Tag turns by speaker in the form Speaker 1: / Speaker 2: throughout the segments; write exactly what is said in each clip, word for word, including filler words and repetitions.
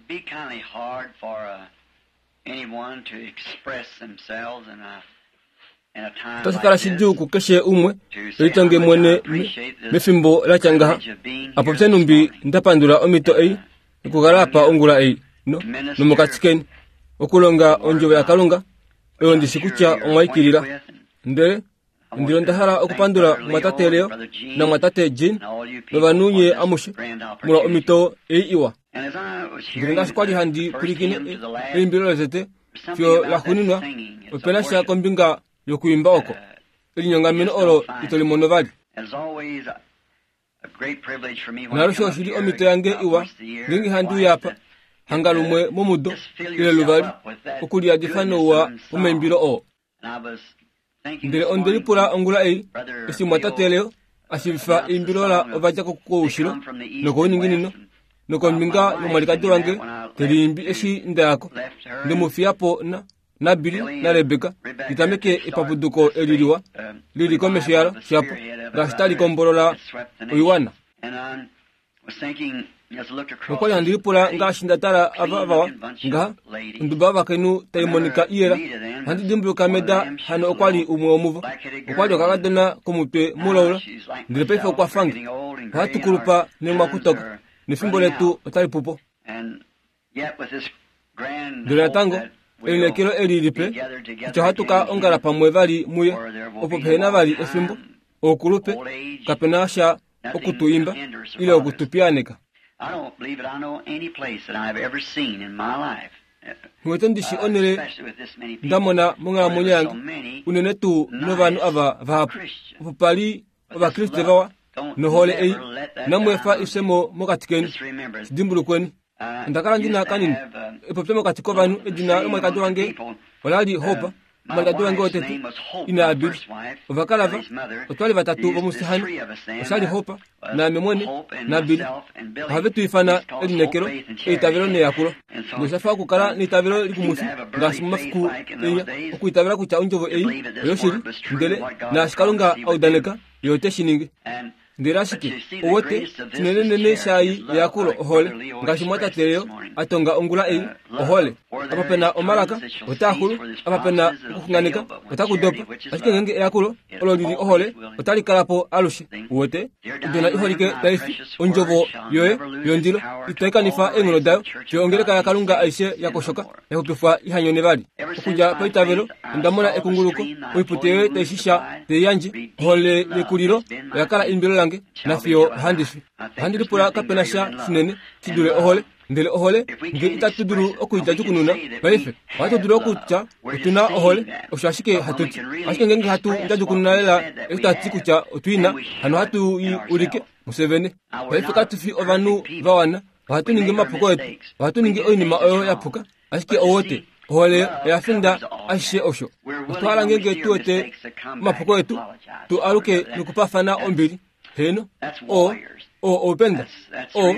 Speaker 1: be kind of hard for uh, anyone to express themselves in a in a time
Speaker 2: Otashi kala
Speaker 1: like this.
Speaker 2: shidjuu kukeshe umwe
Speaker 1: To say how
Speaker 2: litonge
Speaker 1: much I
Speaker 2: mwene
Speaker 1: appreciate this
Speaker 2: mefimbo la tya ngaha
Speaker 1: privilege of being
Speaker 2: apo
Speaker 1: here
Speaker 2: pye
Speaker 1: this
Speaker 2: numbi
Speaker 1: morning.
Speaker 2: ndapandula omhito ei okukala apa ongula ei no nomokati keni okulonga ondjovo yakalunga oyo ndishi kutya omwaikilila ndele ndilo nda hala okupandula mwatate Leo namwatate Jean novanhu nye amushe molwa omhito ei iwa ndele ngaashi kwali handi pwilikine eimbilo lotete fiyo laxuuninwa opena sha kombinga yokuimba oko elinyongameno olo ito limono vali naalushe oshili omhito yange iwa ngeenge handi uya apa hanga lumwe momudo ile luvali okuliyadifa nouwa womaimbilo oo ndele onde lipula ongula ei eshi mwatate Leo ashiivifa eimbilo la ovadja koushilo nokouninginino nokombinga yomwalikadi wange teliimbi eshi ndayako ndemufiyapo na naBilly naRebecca litameke epapuduko eli liwa lili komesho yalo shapo ngaashi tali kombolola oiwana nokwali handi lipula ngaashi nda tala ava vawa ngaha onduba yovakainhu taimonika iyela ohandi dimbuluka meda hano okwali umwe womuvo okwali okakadona komutwe mulaula ndele paife okwa fange ohatu kulupa nemwakutoka nefimbo letu otali pupo ndele natango elineekelo eli lipe kutya ohatu ka ongala pamwe vali muye opo pehena vali efimbo oukulupe kapena sha okutu imba ile okutupiyaaneka
Speaker 1: I don't believe that I know any place that I've ever seen in my life,
Speaker 2: nghiwete ndishi
Speaker 1: uh,
Speaker 2: onele
Speaker 1: especially with this many people,
Speaker 2: ndamona monghalamwenyo
Speaker 1: where
Speaker 2: yange
Speaker 1: there were so many
Speaker 2: unene tuu novanhu ava vahapu
Speaker 1: Christians.
Speaker 2: opo pali ovakriste vawa nohole ei namweefa ifyemo mokati keni
Speaker 1: Just remember,
Speaker 2: sidimbulukweni
Speaker 1: uh,
Speaker 2: onda kala ndina
Speaker 1: used to
Speaker 2: kanini
Speaker 1: have, um,
Speaker 2: epopyo mokati kovanhu edina lomwalikadi wange olali Hope
Speaker 1: my
Speaker 2: omwalikadi wange
Speaker 1: wife's
Speaker 2: wotete
Speaker 1: name was Hope,
Speaker 2: ina
Speaker 1: my
Speaker 2: yaBilly
Speaker 1: first wife,
Speaker 2: ovakala va
Speaker 1: Billy's mother.
Speaker 2: otwali vatatu
Speaker 1: There used to be
Speaker 2: vomusihani
Speaker 1: three of us then,
Speaker 2: oshali
Speaker 1: uh,
Speaker 2: Hope
Speaker 1: was
Speaker 2: naame mwene
Speaker 1: Hope and
Speaker 2: naBilly
Speaker 1: myself and Billy.
Speaker 2: ohave tu ifana
Speaker 1: We used to call us
Speaker 2: elineekelo
Speaker 1: Hope, Faith, and Charity.
Speaker 2: eitavelo neyakulo
Speaker 1: And so,
Speaker 2: noshafa okukala
Speaker 1: uh,
Speaker 2: neitavelo
Speaker 1: I seem
Speaker 2: likumwifi
Speaker 1: to have a burly
Speaker 2: ngaashi
Speaker 1: faith
Speaker 2: momafiku
Speaker 1: like in those
Speaker 2: enya
Speaker 1: days.
Speaker 2: okuitavela kutya ondjovo ei
Speaker 1: believe that this
Speaker 2: oyoshili
Speaker 1: word was true
Speaker 2: ndele
Speaker 1: and what God
Speaker 2: naashi kalunga
Speaker 1: promised he would do.
Speaker 2: audaneka ye ote shi ningi
Speaker 1: And
Speaker 2: ndele ashike owete shinenenene shayi eyakulo ohole ngaashi mwatate Leo atonga ongula ei ohole apa pena omalaka otaaxulu apa pena okuxunganeka otakudopa ashike ngeenge eyakulo olo lili ohole otali kalapo alushe uwete odona iholike taifi ondjovo yoye yondilo itaikanifa eenghono dayo fiyo ongeleka yakalunga aishe yakoshoka yaxupifwa ihanyone vali okudja paitavelo onda mona ekunguluko oipute yoye taishisha teiyandje ohole yekulilo oya kala eimbilo lange nafiyo ohandi fi ohandi lipula kapena sha shinene shi dule ohole ndele ohole nge itatu dulu okuidjadjukununa paife ohatu dulu okutya otuna ohole osho ashike hatu ti ashike ngeenge hatu ndjadjukununa lela eshi tati kutya otwiina hano hatu i ulike musevene paife katu fi ovanhu vawana ohatu ningi omapuko etu ohatu ningi oinima oyo yapuka ashike owote ohole oya finda ashishe osho otwa hala ngeenge tu wete omapuko etu tu aluke nokupafana ombili heno o o oupenda o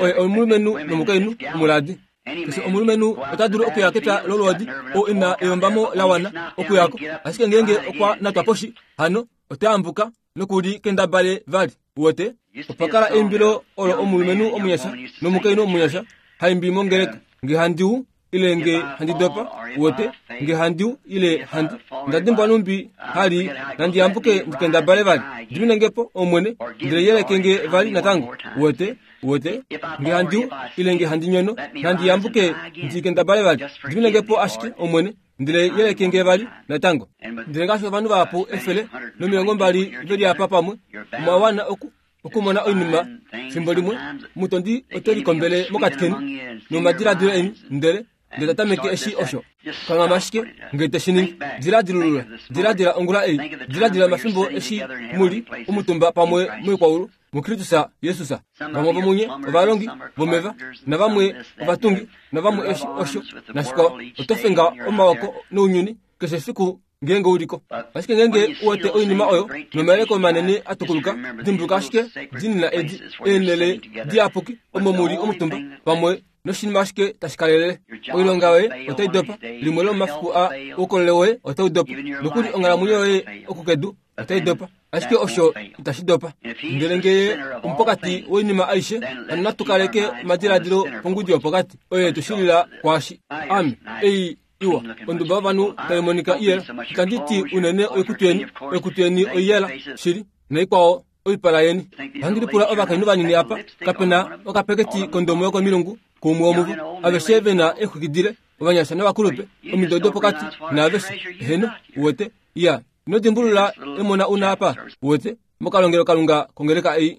Speaker 2: oye omulumenhu nomukainhu omuladi keshe omulumenhu ota dulu okuya kepya lolwoodi oo ina eyombamo la wana okuyako ashike ngeenge okwa natwa poshi hano ota yambuka nokuli kendabale vali uwete opa kala eimbilo olo omulumenhu omunyasha nomukainhu omunyasha haimbi mongeleka nge handiu ile nge handi dopa uwete nge handiu ile handi ndadimbwa numbi hali nandi yambuke ndikendabale vali ndiminengepo omwene ndele yelekenge vali natango uwete uwete nge handiu ile nge handi nyono nandi yambuke ndikendabale vali ndiminengepo ashike omwene ndele yelekenge vali natango ndele ngaashi ovanhu vahapu efele nomilongo mbali veli apa pamwe omwa oku okumona oinima fimbo limwe mutondi ote likombele mokati keni nomadiladilo eni ndele ndele tatameke eshi osho kanghama ashike nge te shi ningi diladilulula diladila ongula ei diladila omafimbo eshi muli omutumba pamwe moikwaulu mukristus yesus vamwe vomunye ovalongi vomeva navamwe ovatungi navamwe eshi osho nashikwao oto fenga omaoko nounyuni keshe efiku ngeenge uliko ashike ngeenge uwete oinima oyo nomayeleko manene atukuluka dimbuluka ashike dinina edi eenele diyapuki omo muli omutumba pamwe noshinima ashike tashi kalelele oilonga yoye otai dopa limwe lomomafiku a oukolele woye otau dopa nokuli onghalamwenyo yoye okukedu Otai dopa. Ashike osho itashi dopa. Ndele ngee omupokati woinima aishe, hano natu kaleke omadiladilo pongudi yopokati oyo yetu shilila kwaashi. Ame, ei iwa, onduba yovanhu tai monika iyela. Itandi ti unene oikutu yeni, oikutu yeni oiyela shili, naikwao oipala yeni. Ohandi lipula ovakainhu vanini apa, kapena okapeketi kondomo yokomilungu kuumwe womuvo. Aveshe vena eexwiki ovanyasha novakulupe, omido dopokati naaveshe. Eheno, uwete, iya, ino dimbulula emona una apa, uwete, mokalongelo Kalunga kongeleka ei.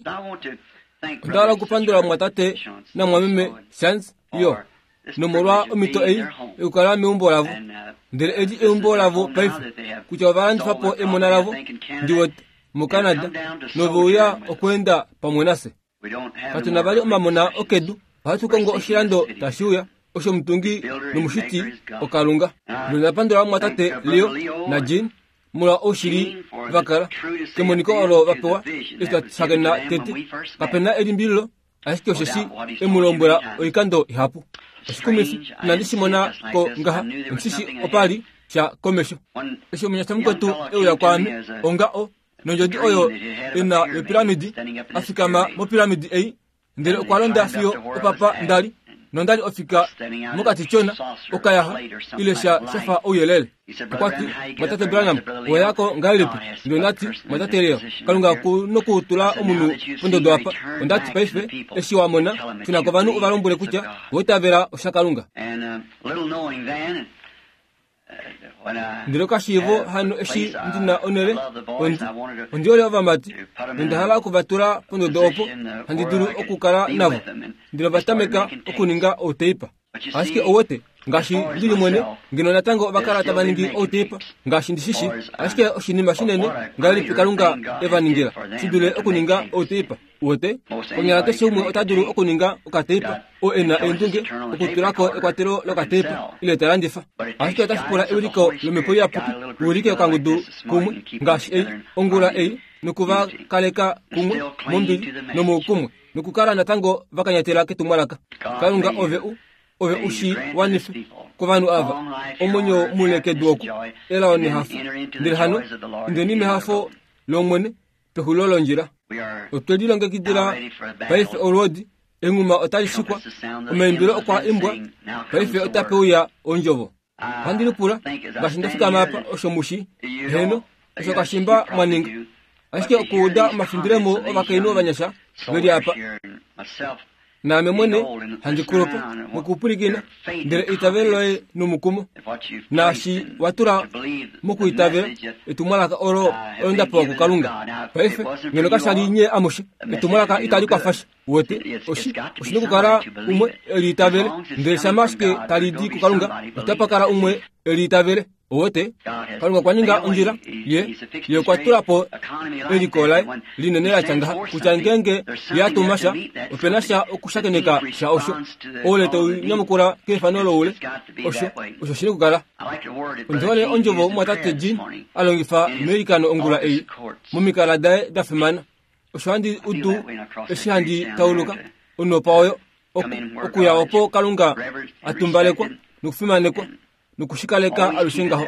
Speaker 2: Onda hala okupandula mwatate namwameme Shantz yo, nomolwa omhito ei yokukala meumbo lavo. Ndele eli eumbo lavo paife, kutya ovalandifa po emona lavo, ndiwete, moCanada, noveuya okweenda pamwe nafye. Katu na vali omamona okedu, ohatu kongo oshilando tashi uya, osho omutungi nomushiti oKalunga. Nonda pandula mwatate Leo na Jean molwa oushili vakala kemoniko olo vapewa eshi twa shakena tete. Kapena elimbililo, ashike osheshi emu lombwela oikando ihapu. Oshikumifi, inandi shi mona ko ngaha, omushishi opali sha komesho. Eshi omunyasha mukwetu euya kwaame, onga o nondjodi oyo ena yopiramidi, a fikama mopiramidi ei, ndele okwa londa fiyo opapa ndali, nondali ofika mokati tyona, okayaha, ile sha shafa ouyelele. Okwa ti, Mwatate Branham, oweyako ngahelipi? Ndele ondati, Mwatate Leo, Kalunga ku nokutula omunhu pondodo apa. Ondati paife, eshi wa mona, shuna kovanhu ovalombwele kutya owa itavela osha Kalunga. Ndele kashiivo hano eshi ndina onele, ondi, ondi hole ovamati, nonda hala okuvatula pondodo opo handi dulu okukala navo. Ndele ovatameka okuninga outeipa. Ashike owete, ngaashi ndili mwene, ngeno natango ovakala tava ningi outeipa, ngaashi ndishishi, ashike oshinima shinene ngahelipi Kalunga e va ningila, shi dule okuninga outeipa. Uwete, konyala keshe umwe ota dulu okuninga okateipa, oo e na eendunge okutulako ekwatelo lokateipa, ile ta landifa. Ashike otashi pula ewiliko lomhepo iyapuki, uwilike okangudu kumwe, ngaashi ei, ongula ei, nokuva kaleka kumwe, mombili, nomoukumwe, nokukala natango vakanyatela ketumwalaka. Kalunga ove u, ove ushi wanife kovanhu ava, omwenyo mule kedu oku, elao nehafo. Ndele hano, indeni mehafo lOmwene, pexulilo londjila. Otwe lilongekidila paife olwoodi, enghuma otali shikwa, omaimbilo okwa imbwa, paife otape uya ondjovo. Ohandi lipula, ngaashi nda fikama apa, osho mushi, heno, osho kashimba mwaninga. Ashike okuuda omafindilemo ovakainhu ovanyasha veli apa, naame mwene handi kulupa mokupwilikina, ndele eitavelo loye nomukumo, naashi wa tula mokuitavela etumwalaka olo olo nda pewa kuKalunga. Paife ngeno kasha li nye amushe, etumwalaka itali kwafa sha. Uwete, oshi, oshi nokukala umwe e liitavele, ndele shama ashike tali di kuKalunga, otapa kala umwe e liitavele. Uwete, Kalunga okwa ninga ondjila ye, ye okwa tula po eliko laye linene la tya ngaha, kutya ngeenge ye a tuma sha, opena sha okushakeneka sha osho. Oule tau nyamukula keifano loule, osho, osho shi nokukala. Ondi hole ondjovo mwatate Jean a longifa meilikano ongula ei, momikala daye da fimana. Osho handi udu eshi handi tauluka onopa oyo, okuya opo Kalunga a tumbalekwa nokufimanekwa, nokushikaleka alushe ngaho.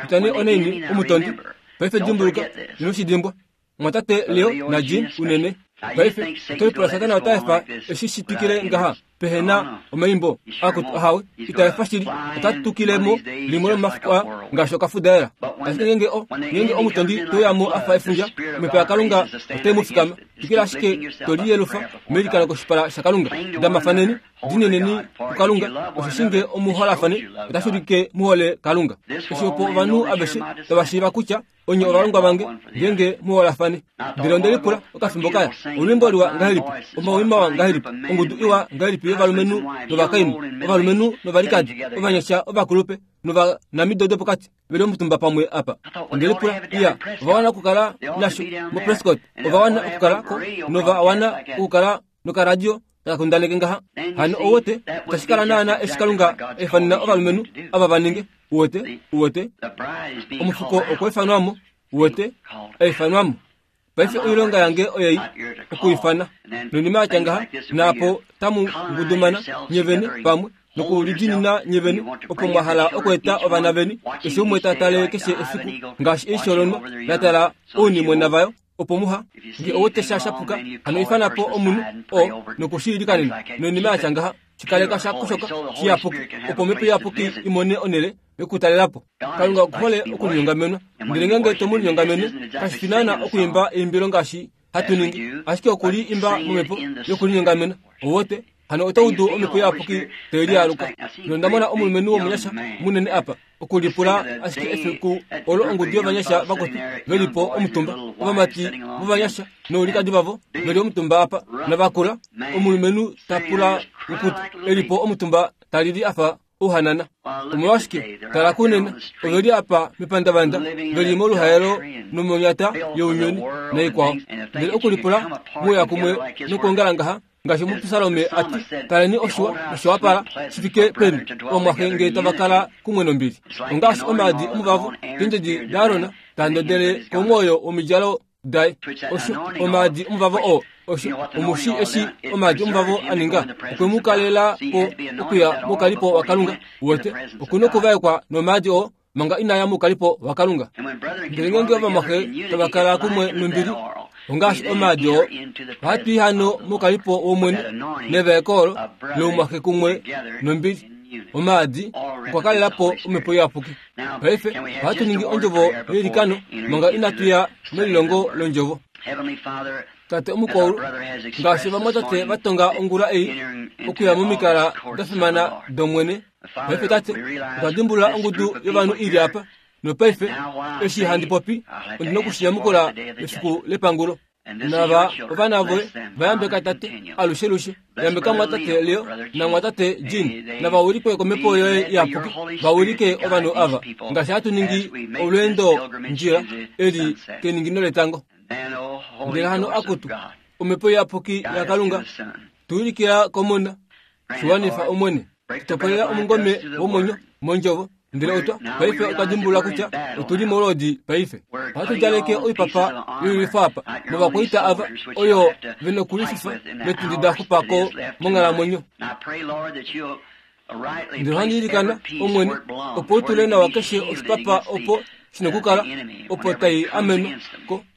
Speaker 2: Kutya nee onaini omutondi, paife dimbuluka, ino shi dimbwa. Mwatate Leo na Jean unene. Paife, oto lipula Satana ota efa eshi shi twikile ngaha, pehena omaimbo akutu ahawe, ita efa shili, ota tukile mo limwe lomomafiku aa, ngaashi okafudaela. Ashike ngeenge o, ngeenge omutondi te uya mo a fa efundja, omhepo yaKalunga otai mu fikama. Twikila ashike to liyelufa meilikano koshipala shaKalunga. Damafaneni, dineneni kuKalunga, osheshi nge omuholafane, otashi ulike muhole Kalunga. Eshi opo ovanhu aveshe tava shiiva kutya onye ovalongwa vange, ngeenge muholafane. Ndele onde lipula okafimbo kaya, olwiimbo liwa ngahelipi, omawi mawa ngahelipi, ongudu iwa ngahelipi yovalumenhu novakainhu, ovalumenhu novalikadi, ovanyasha ovakulupe novanamido dopokati veli omutumba pamwe apa. Onde lipula, iya, ova wana okukala nasho moPrescott, ova wana okukala ko, nova wana okukala nokaradio taka kundaneke ngaha. Hano ouwete, itashi kala naana eshi Kalunga efanena ovalumenhu ava va ninge. Uwete, uwete, omufuko okwa ifanwamo, uwete, aifanwamo. Paife oilonga yange oyei okuifana. Noinima yatya ngaha, naapo tamu ngudumana nye vene pamwe, Nokulidinina nye vene opo mwa hala okweeta ovana veni keshe umwe ta tale keshe efiku ngaashi eisho lonwa la tala ounimwena vayo opo muha nge owete sha shapuka hano ifana po omunhu o nokushiilikanena noinima yatya ngaha shikaleka sha koshoka shiyapuki opo omhepo iyapuki imone onele yokutalelapo. Kalunga okuhole okulinyongamenwa ndele ngenge tomulinyongamene kashi fi naana okuimba eimbilo ngaashi hatu ningi ashike okuli imba momhepo yokulinyongamena owote hano otaudu omhepo iyapuki telialuka. Nondamona omulumenhu womunyasha munene apa okulipula ashike efiku olo ongudu yovanyasha vakotu velipo omutumba ovamati vovanyasha noulikadi vavo veli omutumba apa navakula omulumenhu tapula ukutu elipo omutumba talili afa ouhanana. Omolwashike tala kunena oveli apa mepandavanda veli moluhaelo nomonyata younyuni naikwao ndele okulipula muuya kumwe nokuongala ngaha ngaashi omupisalome ati taleni oshiwa noshowapala shifike peni omwaxe nge tavakala kumwe nombili. Ongaashi omaadi omuvavo keendjedi daAron tandodele komwoyo womidjalo daye osho omaadi omuvavo oo osho omushi eshi omaadi omuvavo aninga okwe mu kalela po okuya mokalipo waKalunga wote okuna okuvaekwa nomaadi oo manga inaya mukalipo waKalunga. Ndele ngenge ovamwaxe tavakala kumwe nombili ongaashi omaadi oo ohatu i hano mokalipo womwene nevaeko olo loumwaxe kumwe nombili omaadi okwa kalelapo omhepo iyapuki. Paife ohatu ningi ondjovo yeilikano manga inatu ya melilongo londjovo. Tate omukwaulu ngaashi vamwatate vatonga ongula ei okuya momikala da fimana domwene. Paife tate otwa dimbulula ongudu yovanhu ili apa nopaife eshi handi popi ondina okushinyamukula efiku lepangulo. Nava ovana voye vayambeka tate alushe lushe yambeka mwatate Leo namwatate Jean navawulikwe komhepo yoye iyapuki vawulike ovanhu ava ngaashi hatu ningi olweendo ndjila eli keningino letango. Ndele hano akutu omhepo iyapuki yaKalunga tuulikila komona shiwanifa omwene tutopolela omungome womwenyo mondjovo. Ndele otwa paife otwa dimbulula kutya otuli molodi paife ohatu djaleke oipapa yoilwifo apa novakwaita ava oyo vena okulififa metundi da xupako monghalamwenyo. Ndele ohandi ilikana omwene opo utule nawa keshe oshipapa opo shina okukala opo tai amenwa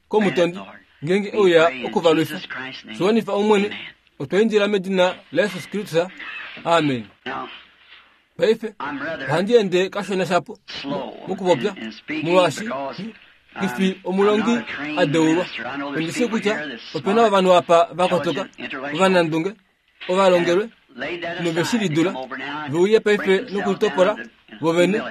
Speaker 2: komutondi ngenge euya okuvalwifa. Shiwanifa omwene otwa indila medina laYesus Kristus, amen. Paife ohandi ende kashona shapo mokupopya molwaashi kifi omulongi adeulwa. Ondishi kutya opena ovanhu apa vakotoka ovanandunge ovalongelwe noveshilidula veuye paife nokulitopola vovene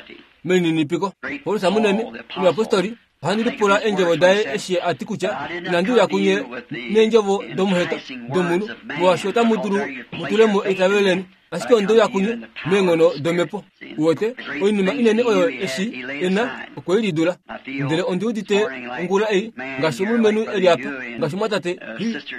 Speaker 2: melininipiko. Paulus munene omuyapostoli ohandi lipula eendjovo daye eshi ati kutya inandi uya kunye neendjovo domuheta domunhu molwaashi otamu dulu mutulemo eitavelo leni ashike ondeuya kunye meenghono domhepo. Uwete oinima inene oyo eshi ena okweilidula. Ndele ondi udite ongula ei ngaashi omulumenhu eli apa ngaashi mwatate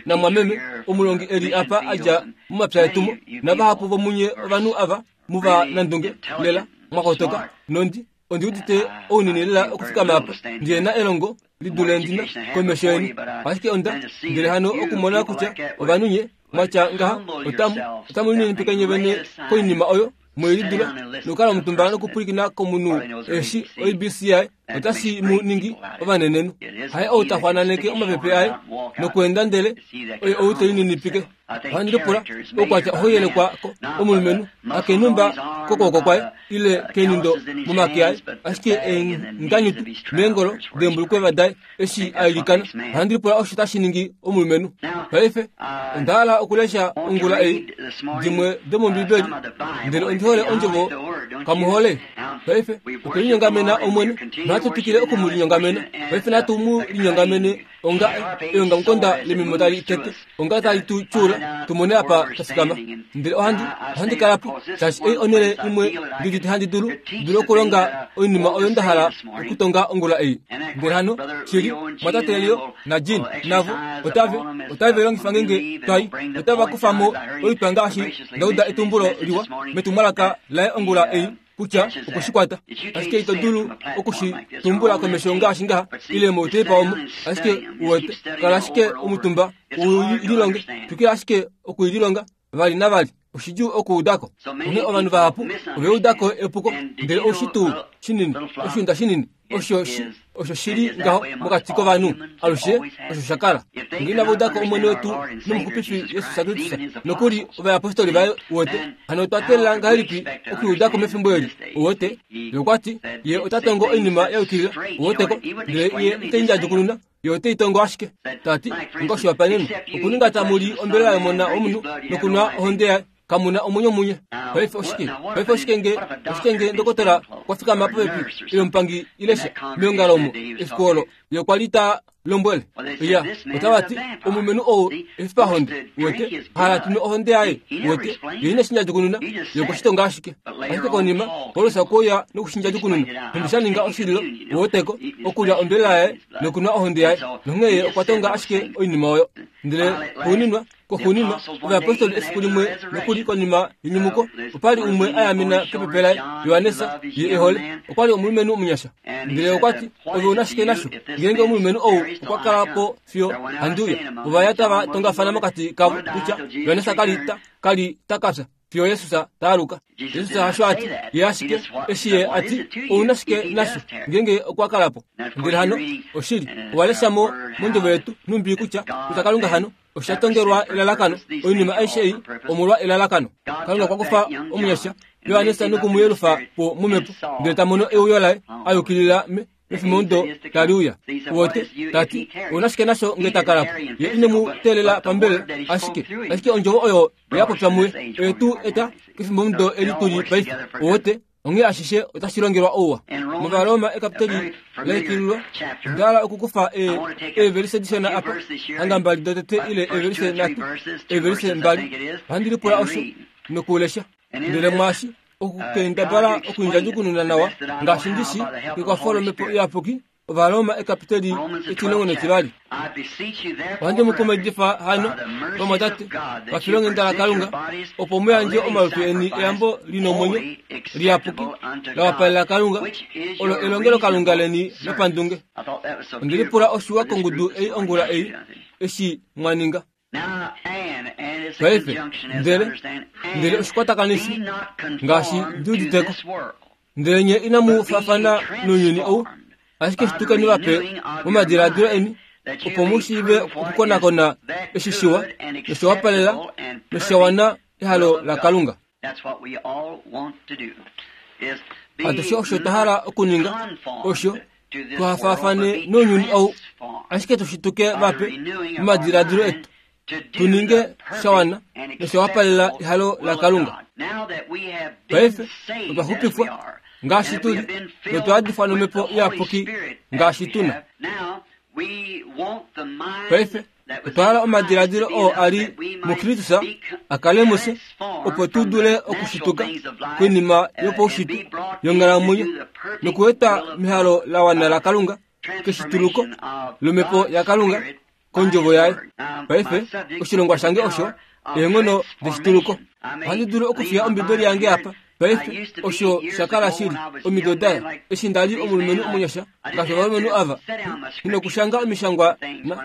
Speaker 2: namwameme omulongi eli apa adja momapya etumo navahapu vomunye ovanhu ava muva nandunge lela mwakotoka nondi ondi udite ounini lela okufikama apa ndiyena elongo lidule ndina komesho yeni ashike onda ndele hano okumona kutya ovanhu nye mwatya ngaha otamu otamu lininipika nye vene koinima oyo mwelidula nokukala omutumba nokupwilikina komunhu eshi O B C I otashi mu ningi ovanenenhu. Haye ou ta xwananeke omapepe aye nokuenda ndele oye ou telininipike. Ohandi lipula oukwatya ohauyelekwa omulumenhu hakenumba kokwooko kwaye ile kenindo momake aye ashike eenganyutu meengolo deembulukweva daye eshi ailikana. Ohandi lipula osho tashi ningi omulumenhu. Paife onda hala okulesha ongula ei dimwe domombibeli ndele ondi hole ondjovo kamuhole. Paife okwelinyongamena omwene natu twikile okumulinyongamena. Paife natu mu linyongamene onga eongamukonda lemimo tali tete onga tali tu tyuula tumone apa tafikama. Ndele ohandi ohandi kalapo shaashi ei onele imwe ndidite handi dulu dulu okulonga oinima oyo nda hala okutonga ongula ei. Ndele hano shili mwatate Leo na Jean navo otave otave longifa ngenge twai otava kufamo oitwa ngaashi ndauda etumbulo liwa metumwalaka laye ongula ei kutya okushikwata ashike ito dulu okushitumbula komesho ngaashi ngaha ile moutepa omo ashike uwete kala ashike omutumba uililonge twikila ashike okuililonga vali navali Oshidjuu okuudako. Onghee ovanhu vahapu oveudako epuko, ndele oushi tuu shinini, oshiunda shinini, osho osho shili ngaho mokati kovanhu alushe osho sha kala. Ngee inava udako Omwene wetu nomuxupifi Jesus Kristus nokuli ovayapostoli vaye wote, hano otwa teelela ngahelipi okuudako mefimbo eli? Wote, ye okwa ti ye ota tongo oinima ya yukilila, woteko, ndele ye ite ndjadjukununa, ye ote itongo ashike. Tati, ngoshihopaenenwa, okuninga tamu li ombelela yomona womunhu nokunwa ohonde yaye, kamuna omwenyo munye. Paife oshike? Paife oshike nge oshike nge ndokotola okwa fikama popepi ile omupangi ile sha meongalo omo efiku olo ye okwa li ta lombwele ya otava ti omulumenhu ou efipahonde wete hala tunwe ohonde yaye wete ye ine shindjadjukununa ye okweshitonga ashike. Ashike konima Paulus okwa nokushindjadjukununa nhumbi sha ninga oshililo woteko okulya ombelela yaye nokunwa ohonde yaye nonghee ye okwa tonga ashike oinima oyo. Ndele xuuninwa koxuuninwa ovayapostoli efiku limwe nokuli konima yenyumuko opali umwe ayamena kepepe laye Johannes ye ehole okwali omulumenhu omunyasha. Ndele okwa ti ove una shike nasho ngeenge omulumenhu ou okwa kala po fiyo handiuya. Ovaya tava tongafana mokati kavo kutya Johannes kali ta kali takafya fiyo Jesus taaluka. Jesus hasho ati ye ashike eshi ye ati ouna shike nasho ngeenge okwa kala po. Ndele hano oshili owaleshamo mondjovo yetu nhumbi kutya kutya Kalunga hano osha tongelwa elalakano oinima aishe ei omolwa elalakano. Kalunga okwa kufa omunyasha Johannes nokumuyelufa po momhepo ndele ta mono euyo laye ayukilila mefimbo tali uya. Wote tati ouna shike nasho nge ta kala po ye ine mu teelela pambele ashike ashike ondjovo oyo ya popya muye oye tuu eta kefimbo eli tuli paife. Wote onghee ashishe otashi longelwa ouwa. MOvaroma ekapiteli laikililwa ndala okukufa eevelise dishona apa hanga mbali dotete ile eevelise nhatu eevelise mbali ohandi lipula osho nokulesha. Ndele mwashi okukendabala okundjadjukununa nawa ngaashi ndishi kekwafo lomhepo iyapuki. Ovaroma ekapiteli etilongo netivali. Ohandi mu kumaidifa hano vamwatate vafilonghenda laKalunga opo mu yandje omalutu eni eyambo lina omwenyo liyapuki la wapalela Kalunga olo elongelokalunga leni lopandunge. Onde lipula oshiwa kongudu ei ongula ei eshi mwa ninga. Paife ndele ndele oshikwatakanishi ngaashi ndiuditeko ndele nye inamu faafana nounyuni ou ashike shitukeni vape momadiladilo eni opo mu shiive okukonakona eshi shiwa noshawapalela noshawana ehalo laKalunga. Atushe osho twa hala okuninga osho tuhafaafane nounyuni ou ashike tushituke vape momadiladilo etu tuninge shawana noshawapalela ehalo laKalunga. Paife otwa xupifwa ngaashi tuli notwa adifwa nomhepo iyapuki ngaashi tuna. Paife otwa hala omadiladilo oo ali muKristus a kale mufye opo tu dule okushituka koinima yopaushitwe yonghalamwenyo nokueta mehalo la wana laKalunga keshituluko lomhepo yaKalunga kondjovo yaye. Paife oshilongwa shange osho eenghono deshituluko. Ohandi dulu okufiya Ombibeli yange apa. Paife osho shakala shili omido daye eshi ndali omulumenhu omunyasha ngaashi ovalumenhu ava inokushanga omishangwa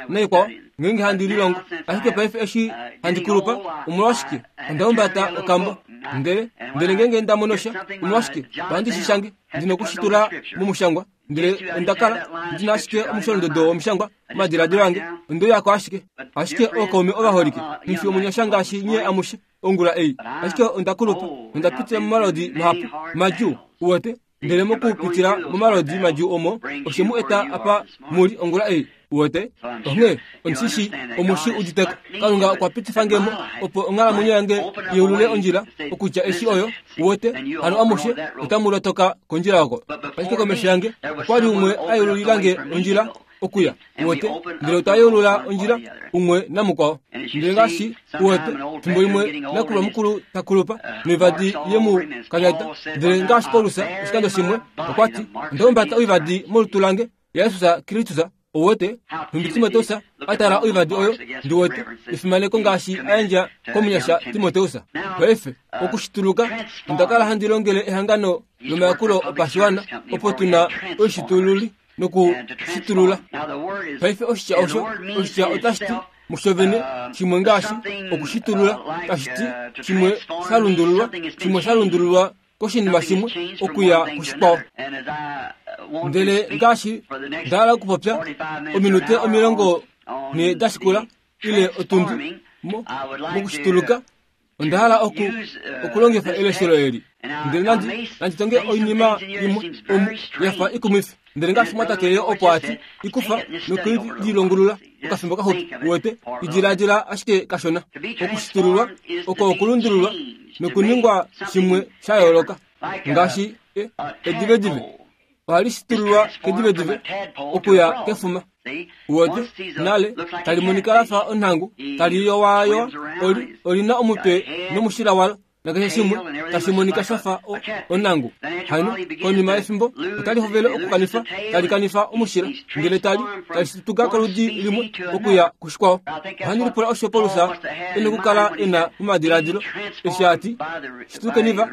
Speaker 2: naikwao ngeenge handi lilongo. Ashike paife eshi handi kulupa omolwashike onda humbata okambo ndele ndele ngeenge nda mono sha omolwashike ohandi shi shange ndinokushitula momushangwa ndele onda kala ndina ashike omusholondodo womishangwa omadiladilo ange ondoyako ashike. Ashike ookaume ovaholike nghifi omunyasha ngaashi nye amushe ongula ei ashike onda kulupa onda pitila momalodi mahapu madjuu uwete ndele mokupitila momalodi madjuu omo oshe mu eta apa muli ongula ei uwete. Onghee ondishi omushi uditeko Kalunga okwa pitifa ngemo opo onghalamwenyo yange yeulule ondjila okutya eshi oyo uwete hano amushe otamu lotoka kondjila oko. Ashike komesho yange okwali umwe ayeululilange ondjila okuya uwete ndele otwa yeulula ondjila umwe namukwao. Ndele ngaashi uwete fimbo limwe nakulwa mukulu takulupa noivadi yemu kanyata. Ndele ngaashi Paulus oshikando shimwe okwa ti onda humbata oivadi molutu lange yaJesus Kristus. Uwete nhumbi Timoteus atala oivadi oyo ndiwete efimaneko ngaashi ayandja komunyasha Timoteus. Paife okushituluka onda kala handi longele ehangano lomayakulo opashiwana opo tuna oishitululi nokushitulula. Paife oshitya osho oshitya otashi ti mushovene shimwe ngaashi okushitulula tashiti shimwe shalundululwa shimwe shalundululwa koshinima shimwe okuya kushikwawo. Ndele ngaashi ndahala okupopya ominute omilongo ne dashikula ile otundi mo mokushituluka ondahala oku okulongifa eleshelo eli. Ndele nandi nanditonge oinima imwe omu yafa ikumwifi. Ndele ngaashi mwatate opo ati ikufa nokulilongulula okafimbo kaxupi uwete idiladila ashike kashona. Okushitululwa oko okulundululwa nokuningwa shimwe sha yooloka ngaashi edivedive ohali shitululwa kedivedive okuya kefuma. Uwete nale tali monika lafa onhangu tali yowayowa oli olina omutwe nomushila walo nakeshe shimwe tashi monika shafa onhangu. Hano konima yefimbo otali hovele okukanifa tali kanifa omushila ndele tali tali shituka koludi limwe okuya kushikwawo. Ohandi lipula osho Paulus ena okukala ena momadiladilo eshi ati shitukeni va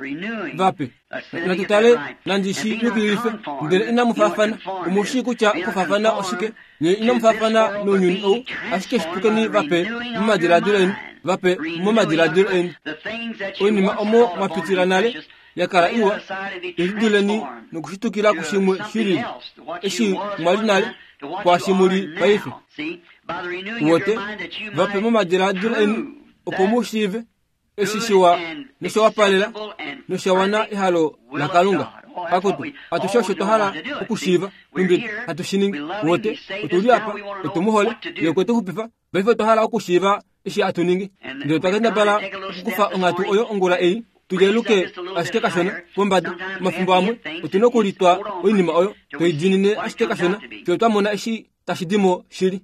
Speaker 2: vape natutale nandi shi yukililife ndele inamu faafana. Omushi kutya okufaafana oshike nye inamu faafana nounyuni ou ashike shitukeni vape momadiladilo eni vape momadiladilo eni oinima omo mwapitila nale yakala iwa iduleni nokushitukila kushimwe shilili eshi mwali nale kwashi muli paife. Uwete vape momadiladilo eni opo mushiive eshi shiwa noshawapalela noshawana ehalo laKalunga. Akutu atushe osho twahala okushiiva numbi hatushiningi. Uwete otuli apa otumuhole ye okwe tuxupifa paife twahala okushiiva eshi atuningi. Ndele twakendabala okukufa onghatu oyo ongula ei tulyeluke ashike kashona pombada. Omafimbo amwe otuna okulitwa oinima oyo toidinine ashike kashona fiyo twamona eshi tashi dimo shili.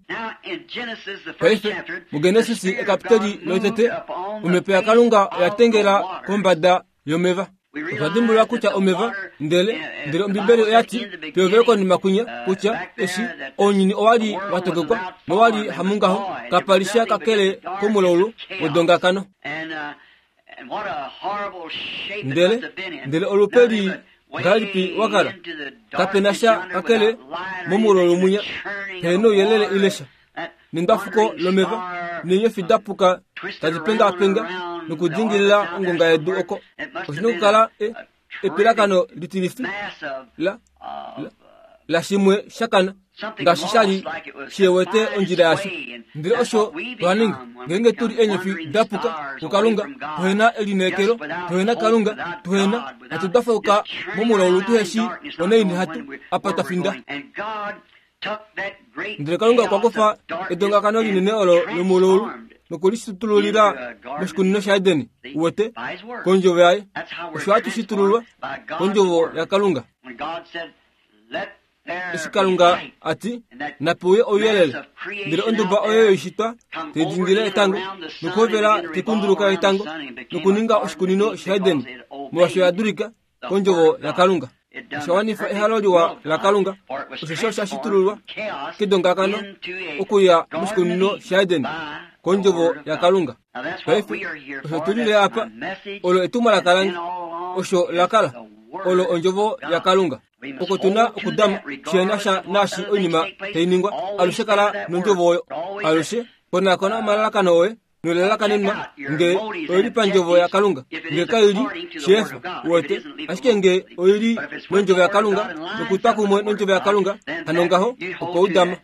Speaker 2: Paife muGenesis ekapiteli lotete omhepo yaKalunga oya tengela kombada yomeva. Otwa dimbulula kutya omeva ndele ndele Ombibeli oyati pehovelo konima kwinya kutya eshi ounyuni owali watokekwa nowali hamungaho kapalisha kakele komulaulu wodongakano. Ndele ndele olupeli ngahelipi wakala kapena sha kakele momulaulu mwinya pehena ouyelele ilesha nendafuko lomeva neenyofi dapuka tadi pengapenga nokudingilila ongonga yedu oko. Oshina okukala epilakano litilifi la la la shimwe shakana ngaashi shali shiwete ondjila yasho. Ndele osho twaninga ngenge tuli eenyofi dapuka kuKalunga tuhena elineekelo tuhena Kalunga tuhena hatudafauka momulaulu tuheshi oneini hatu apa twafinda. Ndele Kalunga okwa kufa edongakano linene olo lomulaulu nokulishitululila moshikunino shaEdeni uwete kondjovo yaye. Osho hatushitululwa kondjovo yaKalunga. Eshi Kalunga ati napuye ouyelele ndele onduba oyo yoishitwa teidingile etango nokuhovela tekunduluka etango nokuninga oshikunino shaEdeni molwasho yadulika kondjovo yaKalunga. Oshawanifa ehalo liwa laKalunga osho sho shashitululwa kedongakano okuya moshikunino shaEdeni kondjovo yaKalunga. Paife osho tulile apa olo etumwalaka lange osho lakala olo ondjovo yaKalunga. Oko tuna okudama shena sha nashi oinima tainingwa alushe kala nondjovo oyo alushe konakona omalalakano oye nolalakanenwa nge oili pandjovo yaKalunga nge kaili shefa uwete ashike nge oili nondjovo yaKalunga nokutwa kumwe nondjovo yaKalunga hano ngaho oko udama.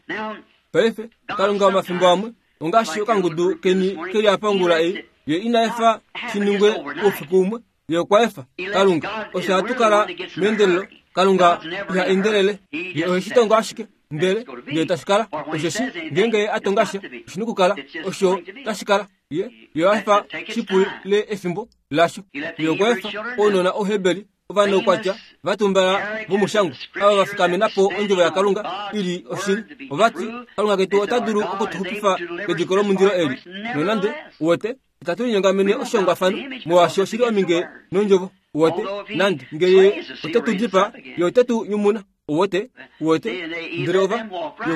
Speaker 2: Paife Kalunga omafimbo amwe ongaashi okangudu keni keli apa ongula ei ye ina efa shiningwe oufiku umwe ye okwa efa Kalunga osho hatukala meendelelo. Kalunga iha endelele ye oheshi ashike ndele ndele tashikala osheshi ngenge atongasha oshina okukala osho tashikala ye ye afa shipule efimbo lasho. Ye okwa efa ounona Ohebeli ovanoukwatya vatumbala vomushango ava vafikamenapo ondjovo yaKalunga ili oshili. Ovati Kalunga ketu ota dulu okutuxupifa kediko lomundilo eli nonande uwete itatu linyongamene oshihongwafano molwaashi oshili ominge nondjovo uwete nande ngeye ote tu dipa ye ote tu nyumuna uwete uwete ndele ova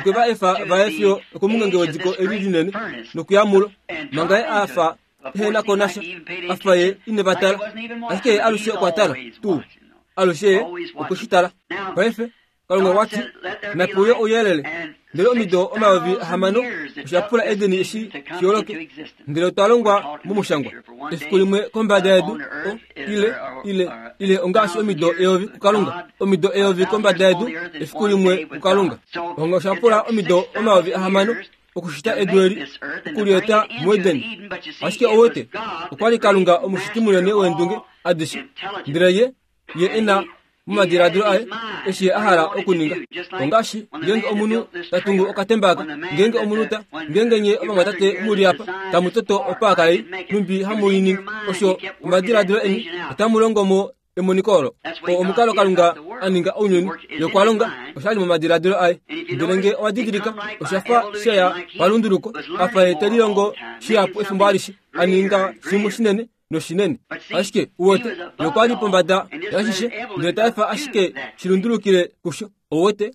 Speaker 2: ye va efa vaye fiyo okomungenge wediko eli linene nokuyamulo manga ye afa ehena konasha afa ye ine vatala ashike ye alushe okwa tala tuu alushe ye okweshitala. Paife Kalunga wati napuye ouyelele ndele omido omayovi ahamano oshapula Edeni eshi shioloke ndele otwa longwa momushangwa efiku limwe kombada yedu ile ile ile ongaashi omido eyovi kuKalunga omido eyovi kombada yedu efiku limwe kuKalunga onga oshapula omido omayovi ahamano okushita edu eli okulieta muEdeni ashike owete okwali Kalunga omushiti munene weendunge adishe ndele ye ye ena momadiladilo aye eshi a hala okuninga ongaashi ngenge omunhu tatungu okatembaka ngenge omunhu ta ngenge nye ovamwatate muli apa tamu toto opaaka ei numbi hamuiningi osho omadiladilo eni otamu longo mo emoniko olo omukalo Kalunga a ninga ounyuni yokwalonga oshali momadiladilo aye ndele nge owa didilika oshafa sheya palunduluko afa ye telilongo shihapu efimbo alishe a ninga shimwe shinene noshinene ashike uwete yokwali pombada yashishe ndele taefa ashike shilundulukile kusho owete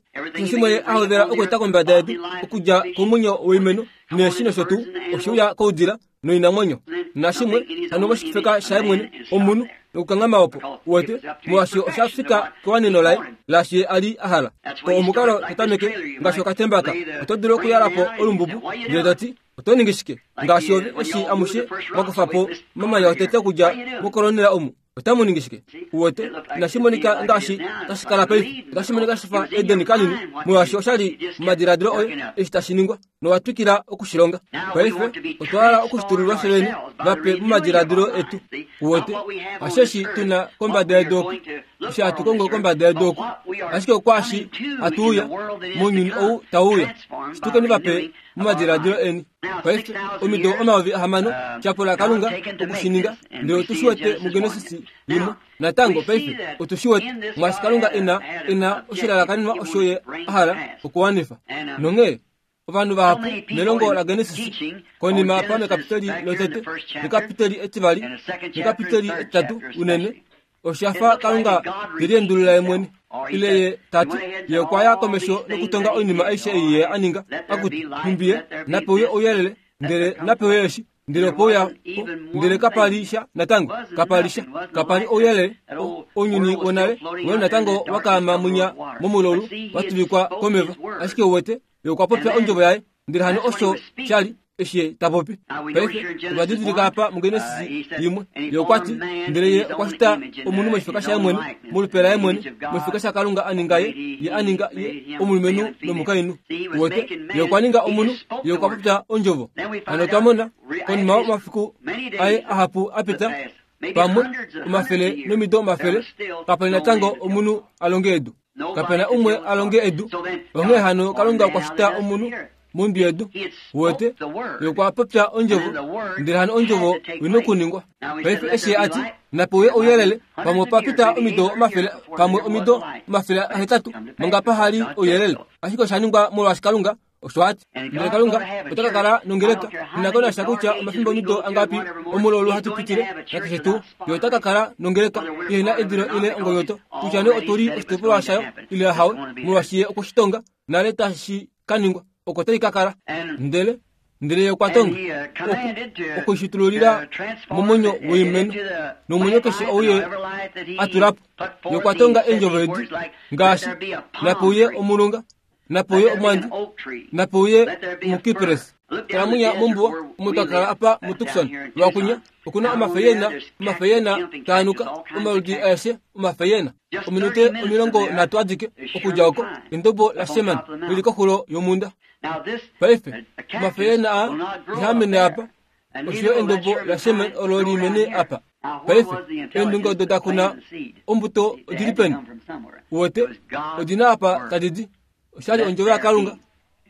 Speaker 2: shimwe a hovela okueta kombada yedu okudja komwenyo woimeno neeshi nosho tuu oshiuya koudila noinamwenyo nashimwe hano moshifeka shaye mwene omunhu nokukangama opo uwete molwaashi oshafika kewaneno laye laashi ye ali a hala omukalo totameke ngaashi okatembaka oto dulu okuyalapo olumbubu ndele toti oto ningi shike ngaashi ove eshi amushe mwakufapo omamanya otete okudja mokolonela omu otamu ningi shike uwete inashi monika ngaashi tashi kala paife otashi monika shifa Edeni kanini molwaashi oshali momadiladilo oye eshi tashi ningwa nowatwikila okushilonga paife otwa hala okushitululwa fyeni vape momadiladilo etu uwete hasheshi tuna kombada yedu oku eshi hatu kongo kombada yedu oku ashike okwaashi hatuuya mounyuni ou tauuya shitukeni vape momadiladilo eni paife omido omayovi ahamano shapula Kalunga okushininga ndele otushiwete muGenesis limwe natango paife otushiwete mwaashi Kalunga ena ena oshilalakanenwa osho ye a hala okuwanifa nonghee ovanhu vahapu melongo la Genesis konima apa mekapiteli lotete nekapiteli etivali nekapiteli etitatu unene oshafa Kalunga teliendulula ye mwene ile ye tati ye okwa ya komesho nokutonga oinima aishe ei ye a ninga akuti nhumbi napewe ouyelele ndele napewe eshi ndele opouya ndele kapali sha natango kapali sha kapali ouyelele ounyuni wonale wali natango wakaama munya momulolu watuvikwa komeva ashike uwete ye okwa popya ondjovo yaye ndele hano osho shali eshi tapopi paife otwa didilika apa muGenesis yimwe ye okwati ndele ye okwa shita omunhu moshifeka shaye mwene molupe laye mwene moshifeka shaKalunga a ninga ye ye a ninga ye omulumenhu nomukainhu uwete ye okwa ninga omunhu ye okwa popya ondjovo hano otwa mona konima yomafiku aye ahapu a pita pamwe omafele nomido omafele kapali natango omunhu a longe edu kapena umwe a longe edu onghee hano Kalunga okwa shita omunhu mondwi yedu uwete ye okwa popya ondjovo ndele hano ondjovo oina okuningwa paife eshi ati napewe ouyelele pamwe opa pita omido omafele pamwe omido omafele ahetatu manga pahali ouyelele ashike osha ningwa molwaashi Kalunga osho ati ndele Kalunga ota ka kala nongeleka inakonasha kutya omafimbo omido angapi omulolu hatu pitile nakeshe tuu ye ota ka kala nongeleka ihena edilo ile ongonyoto kutya nee otuli oshitopolwa shayo ile hawe molwaashi ye okweshitonga nale tashi ka ningwa oko tai ka kala ndele ndele ye okwa tonga okushitululila momwenyo woimeno nomwenyo keshe ou ye a tula po ye okwa tonga eendjovo edi ngaashi napeuye omulunga napeuye omwandi napeuye omukipresi tala mombuwa omo twa kala apa muTucson lwakunya okuna omafeyena omafeyena taanuka omaludi aeshe omafeyena ominute omilongo nhatu adike okudja oko endobo laSherman lili koxulo yomunda paife omafeyena a ihaamene apa oshoyo endobo laSherman olo limene apa paife eendunge odo dakuna ombuto odili peni uwete odina apa tadidi oshali ondjovo yaKalunga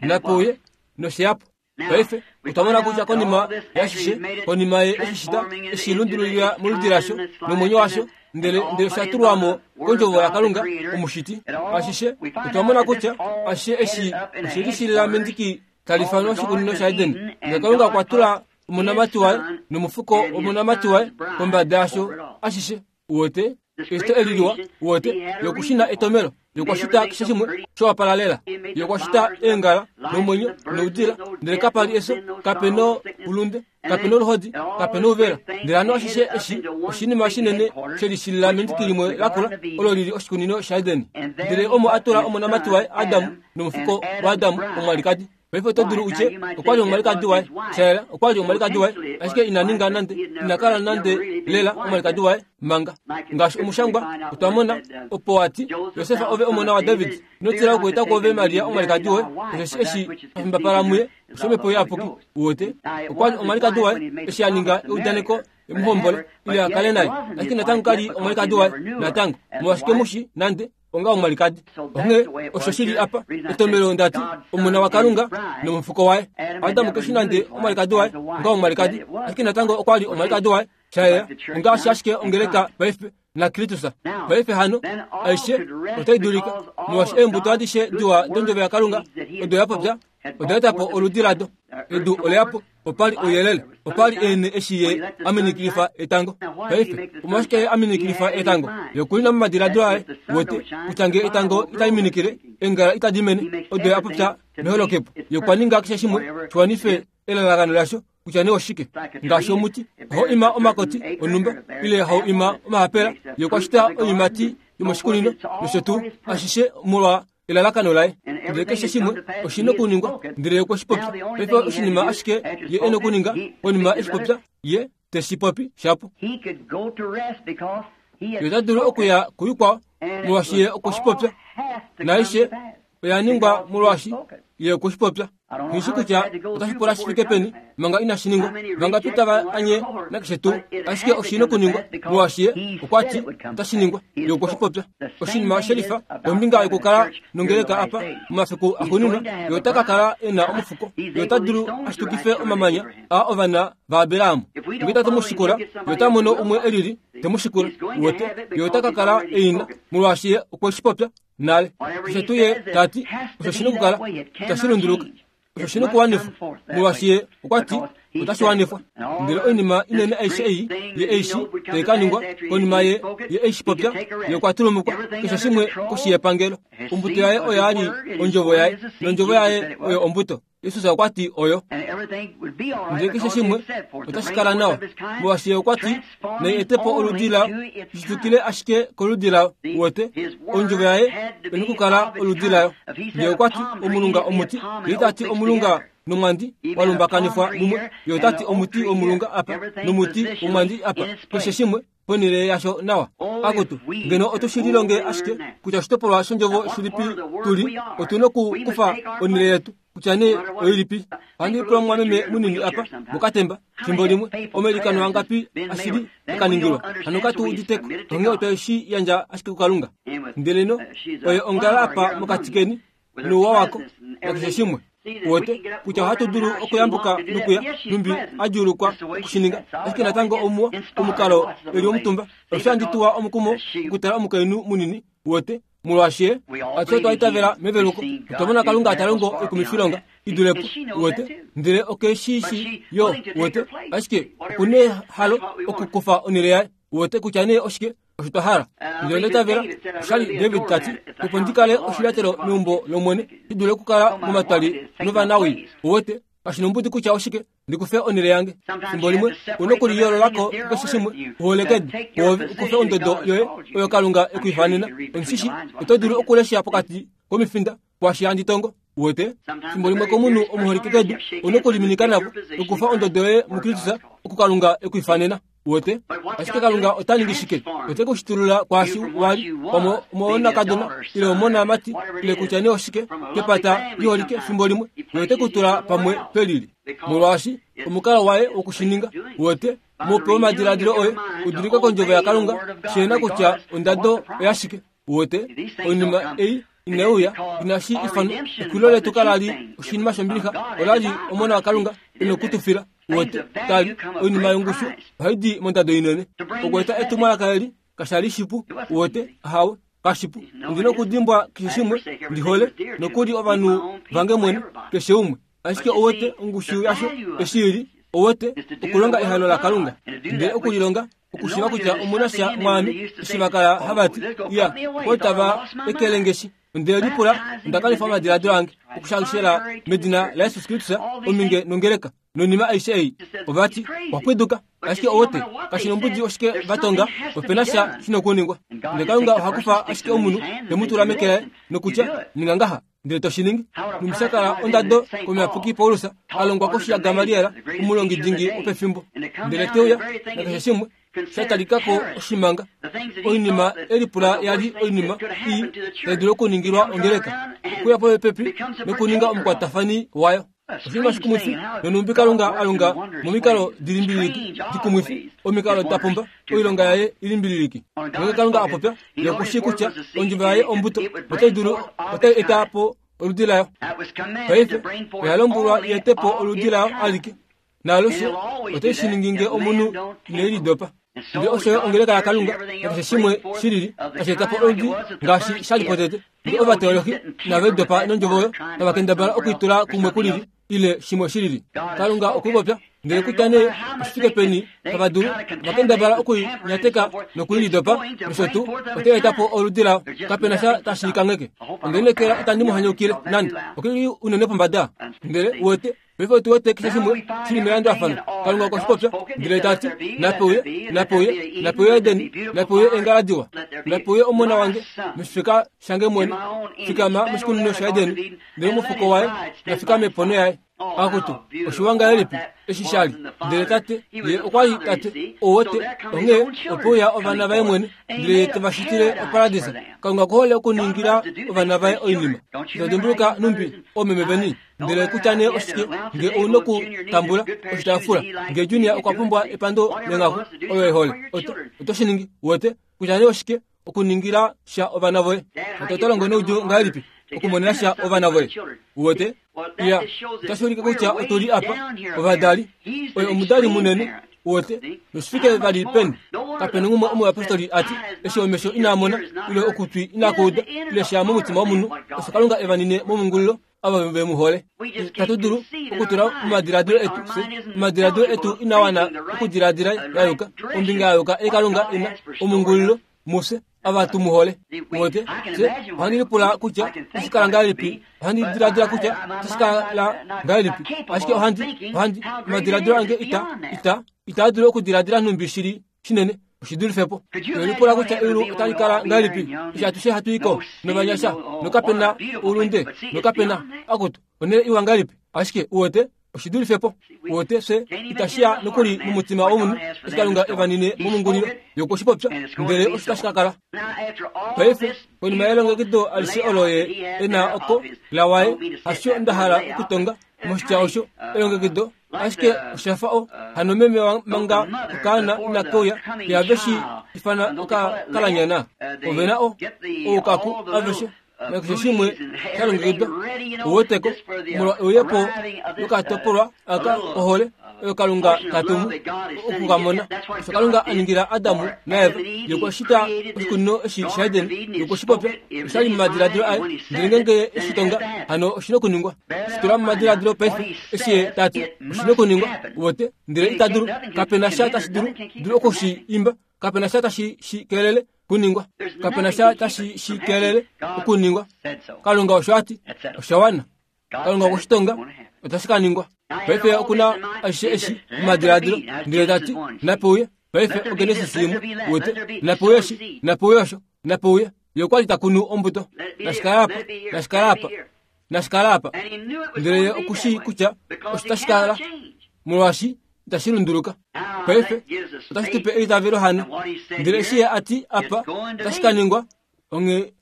Speaker 2: napeuye nosheyapo paife otwa mona kutya konima yashishe konima ye eshishita eshilundululila moludi lasho nomwenyo washo ndele ndele osha tulwamo kondjovo yaKalunga omushiti ashishe otwa mona kutya ashishe eshi oshelishilila mendiki tali ifanwa oshikunino shaEden ndele Kalunga okwa tula omonamati waye nomufuko womonamati waye kombada yasho ashishe uwete. Eshito eli liwa wote yokushina etomelo yokwashita keshe shimwe showapalalela yokwashita eengala nomwenyo noudila ndele kapali eso kapeno ulunde kapena oluhodi kapena ouvela ndele hano ashishe eshi oshinima shinene shelishilila mendiki limwe lakula olo lili oshikunino shaEdeni ndele omo atula omonamati waye Adamu nomufuko waAdamu omwalikadi. Paife oto dulu utye okwali omwalikadi waye shayela okwali omwalikadi waye ashike ina ninga nande inakala nande lela omwalikadi waye manga ngaashi omushangwa otwa mona opo wati Josef ove omona waDavid inotila okueta kwove Maria omwalikadi woye osheshi eshi afimbapala muye oshomepo iyapuki wote okwali omwalikadi waye eshi aninga eudaneko emuhombole ile akale naye ashike natango kali omwalikadi waye natango molwashike mushi nande onga omwalikadi. Onghee osho shili apa etomelo ndati omona waKalunga nomufuko waye Adamu keshi nande omwalikadi waye onga omwalikadi ashike natango okwali omwalikadi waye shayela ongaashi ashike ongeleka paife na Kristus paife hano aishe otai dulika molwaashi eembuto adishe diwa dondjovo yaKalunga odo yapopya oda etapo oludi lado edu oleyapo opali ouyelele opali ene eshi ye aminikilifa etango paife omolwashike ye aminikilifa etango yokulina momadiladilo aye wote kutya ngee etango itali engala itadi mene odo yapopya meholokepo yokwaninga keshe shimwe shiwanife elalakano lasho kutya nee oshike ngaashi omuti oho ima omakoti onumba ile hau ima omahapela yokwashita oiimati yomoshikunino nosho tuu ashishe molwa elalakano laye ndele keshe shimwe oshina okuningwa ndele okweshipopya paife oshinima ashike ye ena okuninga konima eshipopya ye teshipopi shapo ye ota dulu okuya kuikwao molwaashi ye okweshipopya naaishe oya ningwa molwaashi ye okweshipopya nghishi kutya otashi pula shi fike peni manga inashi ningwa vangapi tava anye nakeshe tuu ashike oshina okuningwa molwaashi ye okwati otashi ningwa ye okweshipopya oshinima shelifa kombinga yokukala nongeleka apa momafiku axuuninwa ye ota ka kala ena omufuko ye ota dulu ashitukife omamanya a ovana vaAberahamu nge itatu mu shikula ye ota mono umwe elili te mu shikula wote ye ota ka kala eina molwaashi ye okweshipopya nale keshe tuu ye tati osho shina okukala itashi lunduluka osho shina okuwanifwa molwaashi ye okwati otashi wanifwa ndele oinima inene aishe ei ye eishi tai ka ningwa konima ye ye eishipopya ye okwa tulumukwa keshe shimwe koshi yepangelo ombuto yaye oyo ali ondjovo yaye nondjovo yaye oyo ombuto Jesus okwati oyo ndele keshe shimwe otashi kala nawa molwaashi ye okwati nai etepo oludi lao lishitukile ashike koludi lao wote ondjovo yaye ena okukala oludi layo ye okwati omulunga omuti ye itati omulunga nomwandi walumbakanifwa mumwe ye otati omuti womulunga apa nomuti womwandi apa keshe shimwe ponhele yasho nawa akutu ngeno otu lilonge ashike kutya oshitopolwa shondjovo shilipi tuli otuna okukufa onhele yetu kutya nee oilipi ohandi pula omumwameme munini apa mokatemba fimbo limwe omailikano angapi ashili akaningilwa hano katu uditeko onghee otwe shi yandja ashike kuKalunga ndeleno oye ongala apa mokati keni nouwa wako nakeshe shimwe wote kutya ohatu dulu okuyambuka nokuya numbi adjuulukwa okushininga ashike natango omuwa omukalo eli omutumba osho handi tuwa omukumo okutala omukainhu munini wote molwaashi ye atushe otwa itavela meveluko otwa mona Kalunga ta longo oikumifilonga idulepo wote ndele okeshishi yo wote ashike okuna ehalo okukufa onhele yaye wote kutya nee oshike osho twa hala ndele onda itavela oshali David tati opo ndi kale oshilyatelo meumbo lOmwene shi dule okukala momatwali novanawii wote kashinombudi kutya oshike ndikufe onhele yange fimbo limwe una okuliyoololako keshe shimwe uholekedi woove ukufe ondodo yoye oyo Kalunga ekuifanena omushishi oto dulu okulesha pokati komifinda kwaashi handi tongo wote fimbo limwe komunhu omuholike kedu una okuliminika navo okufa ondodo yoye muKristus oku Kalunga ekuifanena wote ashike Kalunga ota ningi shike ote kushitulula kwaashi wali pamwe omonakadona ile omonamati ile kutya nee oshike kepata liholike fimbo limwe ye ote kutula pamwe pelili molwaashi omukalo waye wokushininga wote mupe omadiladilo oye udulike kondjovo yaKalunga shena kutya ondado oyashike wote oinima ei inauya inashi ifanwa ekwilo letu kalali oshinima shombilixa olali omona waKalunga ena okutufila wote tali oinima yongushu ohaidi mondado inene okweeta etumwalaka eli kashali shipu wote ahawe kashipu ndina okudimbwa keshe shimwe ndihole nokuli ovanhu vange mwene keshe umwe ashike owote ongushu yasho eshi ili owote okulonga ehalo laKalunga ndele okulilonga Okushiva kutya omuna sha mwaami eshivakala havati ya otava ekelengeshi ndele lipula ndakalifa omadiladilo ange okushangishela medina la Yesu Kristu ominge nongeleka nonima aishe ei ovati wapwiduka ashike owote kashinombudi oshike vatonga opena sha shinokuningwa ndele Kalunga ohakufa ashike omunhu temutula meke laye nokutya ninga ngaha ndele toshiningi numusakala ondado komuyapuki Paulus alongwa koshi ya Gamaliel omulongi dingi wopefimbo ndele teuya nakeshe shimwe shatalikako oshimanga oinima elipula yali oinima ii taidulu okuningilwa ongeleka okuya popepi nokuninga omukwatafani wayo oshinima shikumwifi nonumbi Kalunga alonga momikalo dilimbililiki dikumwifi omikalo dapumba oilonga yaye ilimbililiki ngenge Kalunga apopya yokushi kutya ondjimba yaye ombuto otai dulu otai eta po oludi layo paife oya lombwelwa yetepo oludi layo alike naalushe otai shiningi omunhu inelidopa ndele osho ongeleka ya Kalunga nakeshe shimwe shilili tashi eta po oludi ngaashi shali potete ndele ovateolohi navelidopa nondjovo oyo tavakendabala okuitula kumwe kulili ile shimwe shilili Kalunga okupopya ndele kutya nee oshifike peni tava dulu vakendabala okuinyateka nokuilidopa nosho tuu otai eta po oludi layo kapena sha tashi kangeke ondenekela itandi mu hanyukile nande okili unene pombada ndele uwete paife otu wete keshe shimwe shili melandulafano Kalunga okwashipopya ndele tati napeuye napeuye napeuye Edeni napeuye engala diwa napeuye omona wange meshifika shange mwene fikama moshikunino sha Edeni ndele omufuko waye nafikame pono yaye akutu oshiwanga elipi eshi shali ndele tate ye okwali tate owote onghee opeuya ovana vaye mwene ndele tevashitile oparadisa Kalunga okuhole okuningila ovana vaye oinima itodimbuluka numbi oomeme veni ndele kutya nee oshike nge ouna okutambula oshitaafula nge Junior okwa pumbwa epando lenghaku oyo ehole oto shiningi wote kutya nee oshike okuningila sha ovana voye tate oto longo noudjuu ngahelipi okumonena sha ovana voye uwete ya otashi ulike kutya otuli apa ovadali oye omudali munene uwete noshifike vali peni kapena umwe omuyapostoli ati eshi omesho inaa mona ile okutwi inakuuda ile sha momutima womunhu osho Kalunga evanine momungulilo ava ve mu hole tatu dulu okutula omadiladilo etu omadiladilo etu inawana okudiladila yayuka ombinga yayuka ei Kalunga ina omungulilo mufye ava tumuhole uwete se ohandi lipula kutya oshikala ngahelipi ohandi diladila kutya oshikala ngahelipi ashike ohandi ohandi omadiladilo ange ita ita itaa dulu okudiladila nhumbi shili shinene oshidulifepo lipula kutya eulu otali kala ngahelipi eshi atushe hatu iko novanyasha nokapena oulunde nokapena akutu onele iwa ngahelipi ashike uwete oshidulifepo uwete fye itashiya nokuli momutima womunhu eshi Kalunga evanine momungulilo yokushipopya ndele osho tashi ka kala paife konima yelongekido alishe olo ye ena oko lawaye hasho ndahala okutonga moshitya osho elongekido ashike oshafa o hano meme manga okaana inakeuya yaveshi ifana okakalanyana ovena o oukaku aveshe nakeshe shimwe shalongekidwa uweteko molwa euyepo lokatopolwa aka ohole oyo Kalunga katumu okukamona osho Kalunga aningila Adamu naEva yokwashita oshikunino eshi shaEden yokwashipopya oshali momadiladilo aye ndele ngenge eshitonga hano oshina okuningwa shitula momadiladilo paife eshi ye tati oshina okuningwa uwete ndele ita dulu kapena sha tashi dulu dulu okushi imba kapena sha tashi shikelele kuningwa kapena sha tashi shikelele okuningwa Kalunga osho ati oshawana Kalunga okwashitonga otashi ka ningwa paife okuna aishe eshi omadiladilo ndele tati napeuye paife oGenesis imwe uwete napeuye eshi napeuye osho napeuye ye okwali takunu ombuto nashikala apa nashikala apa nashikala apa ndele ye okushi kutya osho tashi kala molwaashi itashi lunduluka paife otashi tupe eitavelo hano ndele eshi ye ati apa otashi ka ningwa onghee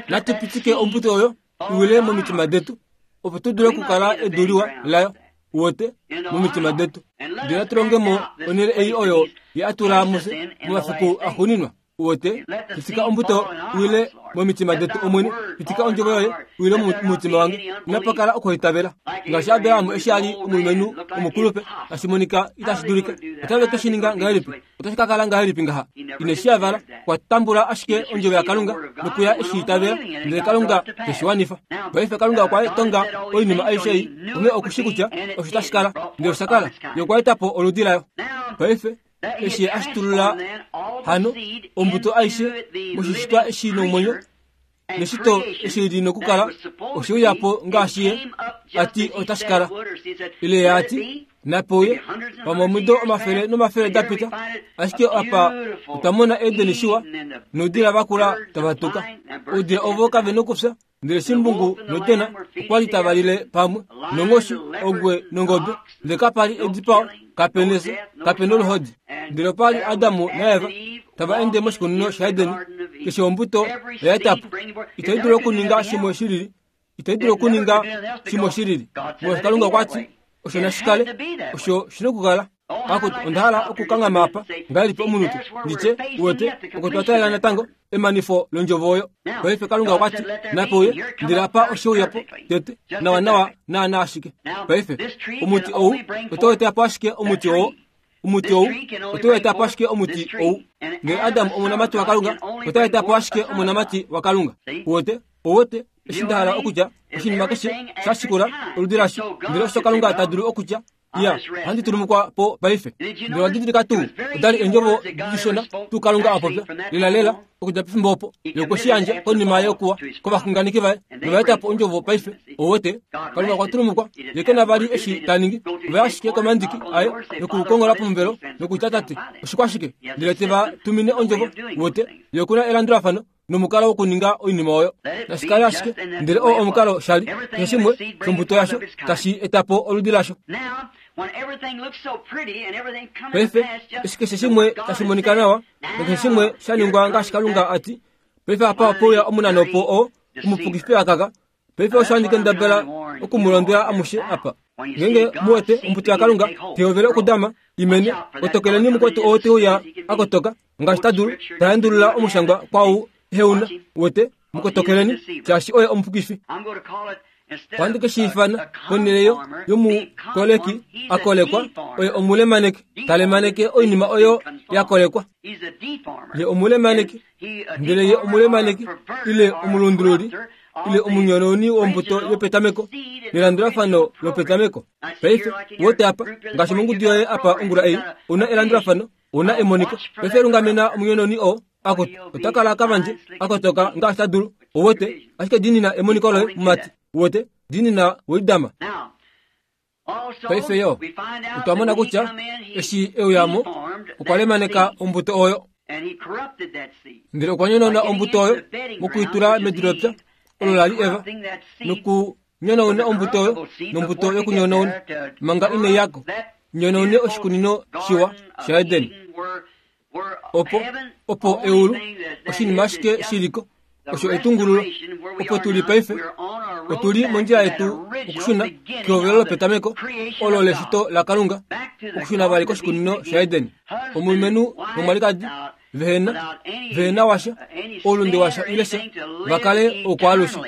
Speaker 2: natupitike ombuto oyo iwile momitima detu opo tu dule okukala edu liwa layo uwete momitima detu ndele natulongemo onhele ei oyo ye atula mufye momafiku axuuninwa uwete pitika ombuto iwile momitima detu omwene pitika ondjovo yoye iwile momutima wange inapakala okuitavela ngaashi Abrahamu eshi ali omulumenhu omukulupe tashi monika itashi dulika otave ke shininga ngahelipi otashi ka kala ngahelipi ngaha ine shi yavala okwa tambula ashike ondjovo yaKalunga nokuya eshi itavela ndele Kalunga teshiwanifa paife Kalunga okwa tonga oinima aishe ei onghee okushi kutya osho tashi kala ndele osha kala ye okwa eta po oludi layo paife Eshi ashitulula hano ombuto aishe moshishitwa eshi nomwenyo neshito eshi li nokukala oshiuyapo ngaashi ye ati otashikala ile ye ati napeuye pamwe omido omafele nomafele dapita ashike apa otwamona Edeni shiwa noudila vakula tavatuka oudila ovo kave nokufya ndele shimbungu notena okwali tavalile pamwe nonghoshi ongwe nongobe ndele kapali edipao kapena efyo kapena oluhodi ndele opali Adamu naEva tava ende moshikunino shaEdeni keshe ombuto oyaetapo itayi dulu okuninga shimwe shilili itayi dulu okuninga shimwe shilili molwaashi Kalunga okwati osho nashikale osho shina okukala akuti ondahala okukanghama apa ngahelipi omunute nditye uwete oko twataalela natango emanifo londjovo oyo paife Kalunga okwati napeuye ndele apa oshiuyapo tete nawa nawa naana ashike paife omuti ou otau etapo ashike omuti oo omuti ou otau etapo ashike omuti ou ndele Adamu omonamati waKalunga otau etapo ashike omonamati waKalunga uwete owete eshi ndahala okutya oshinima keshe shashikula oludi lasho ndele osho Kalunga ta dulu okutya ya handi tulumukwa po paife ndele wadidilika tuu odali eendjovo dishona tuu Kalunga apopya lela lela okudja pefimbo opo yokweshiyandja konima yokuwa kovaxunganeki vaye novaetapo ondjovo paife owete Kalunga okwa tulumukwa ye kena vali eshi taningi ovaya ashike komandiki aye nokukongola pomuvelo nokutya tate oshikwashike ndele teva tumine ondjovo wote ye okuna elandulafano nomukalo wokuninga oinima oyo nashikale ashike ndele oo omukalo shali keshe shimwe shombuto yasho tashi etapo oludi lasho paife eshi keshe shimwe tashi monika nawa nokeshe shimwe shaningwa ngaashi Kalunga ati paife apa opouya omunanopo oo omupukifi akaka paife osho handi kendabala okumulondwela amushe apa ngenge muwete ombuto yaKalunga tehovele okudama imene otokeleni mukwetu oo teuya akotoka ngaashi tadulu taendulula omushangwa kwau heuna wete mukotokeleni shaashi oye omupukifi ohandi keshiifana ponhele yomukoleki akolekwa oye omulemaneki talemaneke oinima oyo yakolekwa ye omulemaneki ndele ye omulemaneki ile omulundululi ile omunyononi wombuto yopetameko nelandulafano lopetameko paife wote apa ngaashi mongudu yoye apa ongula ei una elandulafano una emoniko paife lungamena omunyononi oo akoto otakala kavandje akotoka ngaashi tadulu owote ashike dinina emoniko loye mumati wote dinina weidama paife yo otwamona kutya eshi euyamo okwa lemaneka ombuto oyo ndele okwa nyonona ombuto oyo mokuitula medu lopya olo lali Eva nokunyonauna ombuto oyo nombuto yokunyonauna manga ine yako nyonaune oshikunino shiwa shaEdeni opo opo eulu oshinima ashike shiliko osho etungululo opo tuli paife otuli mondjila yetu okushuna kehovelo lopetameko olo leshito laKalunga okushuna vali koshikunino shaEdeni omulumenhu nomwalikadi vehena vehena washa oulunde washa ile sha vakale okwaalushe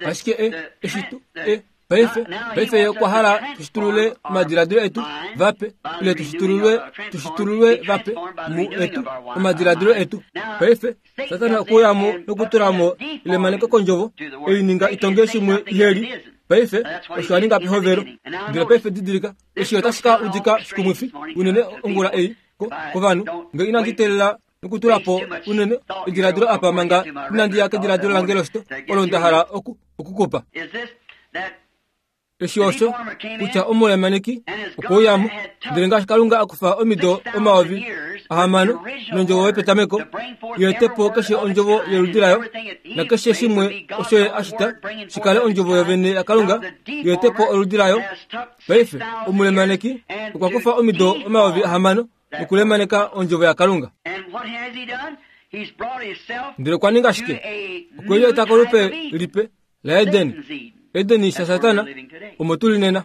Speaker 2: ashike e eshitu e paife paife ye okwa hala tushitulule omadiladilo etu vape ile tushitululwe tushitululwe vape mu etu omadiladilo etu paife Satana okuyamo nokutulamo ilemaneko kondjovo eininga itonge shimwe iheli paife osho aninga pehovelo ndele paife didilika eshi otashi ka udika shikumwifi unene ongula ei kovanhu nge inandi teelela nokutulapo unene ediladilo apa manga inandi ya kediladilo lange loshito olo nda hala oku okukupa eshi osho kutya omulemaneki okwouyamo ndele ngaashi Kalunga akufa omido omayovi ahamano nondjovo yopetameko yeetepo keshe ondjovo yoludi layo nakeshe shimwe osho ye ashita shikale ondjovo yovene yaKalunga yeetepo oludi layo paife omulemaneki okwa kufa omido omayovi ahamano nokulemaneka ondjovo yaKalunga ndele okwa ninga shike okwelieta kolupe lipe laEdeni Edeni shaSatana omo tuli nena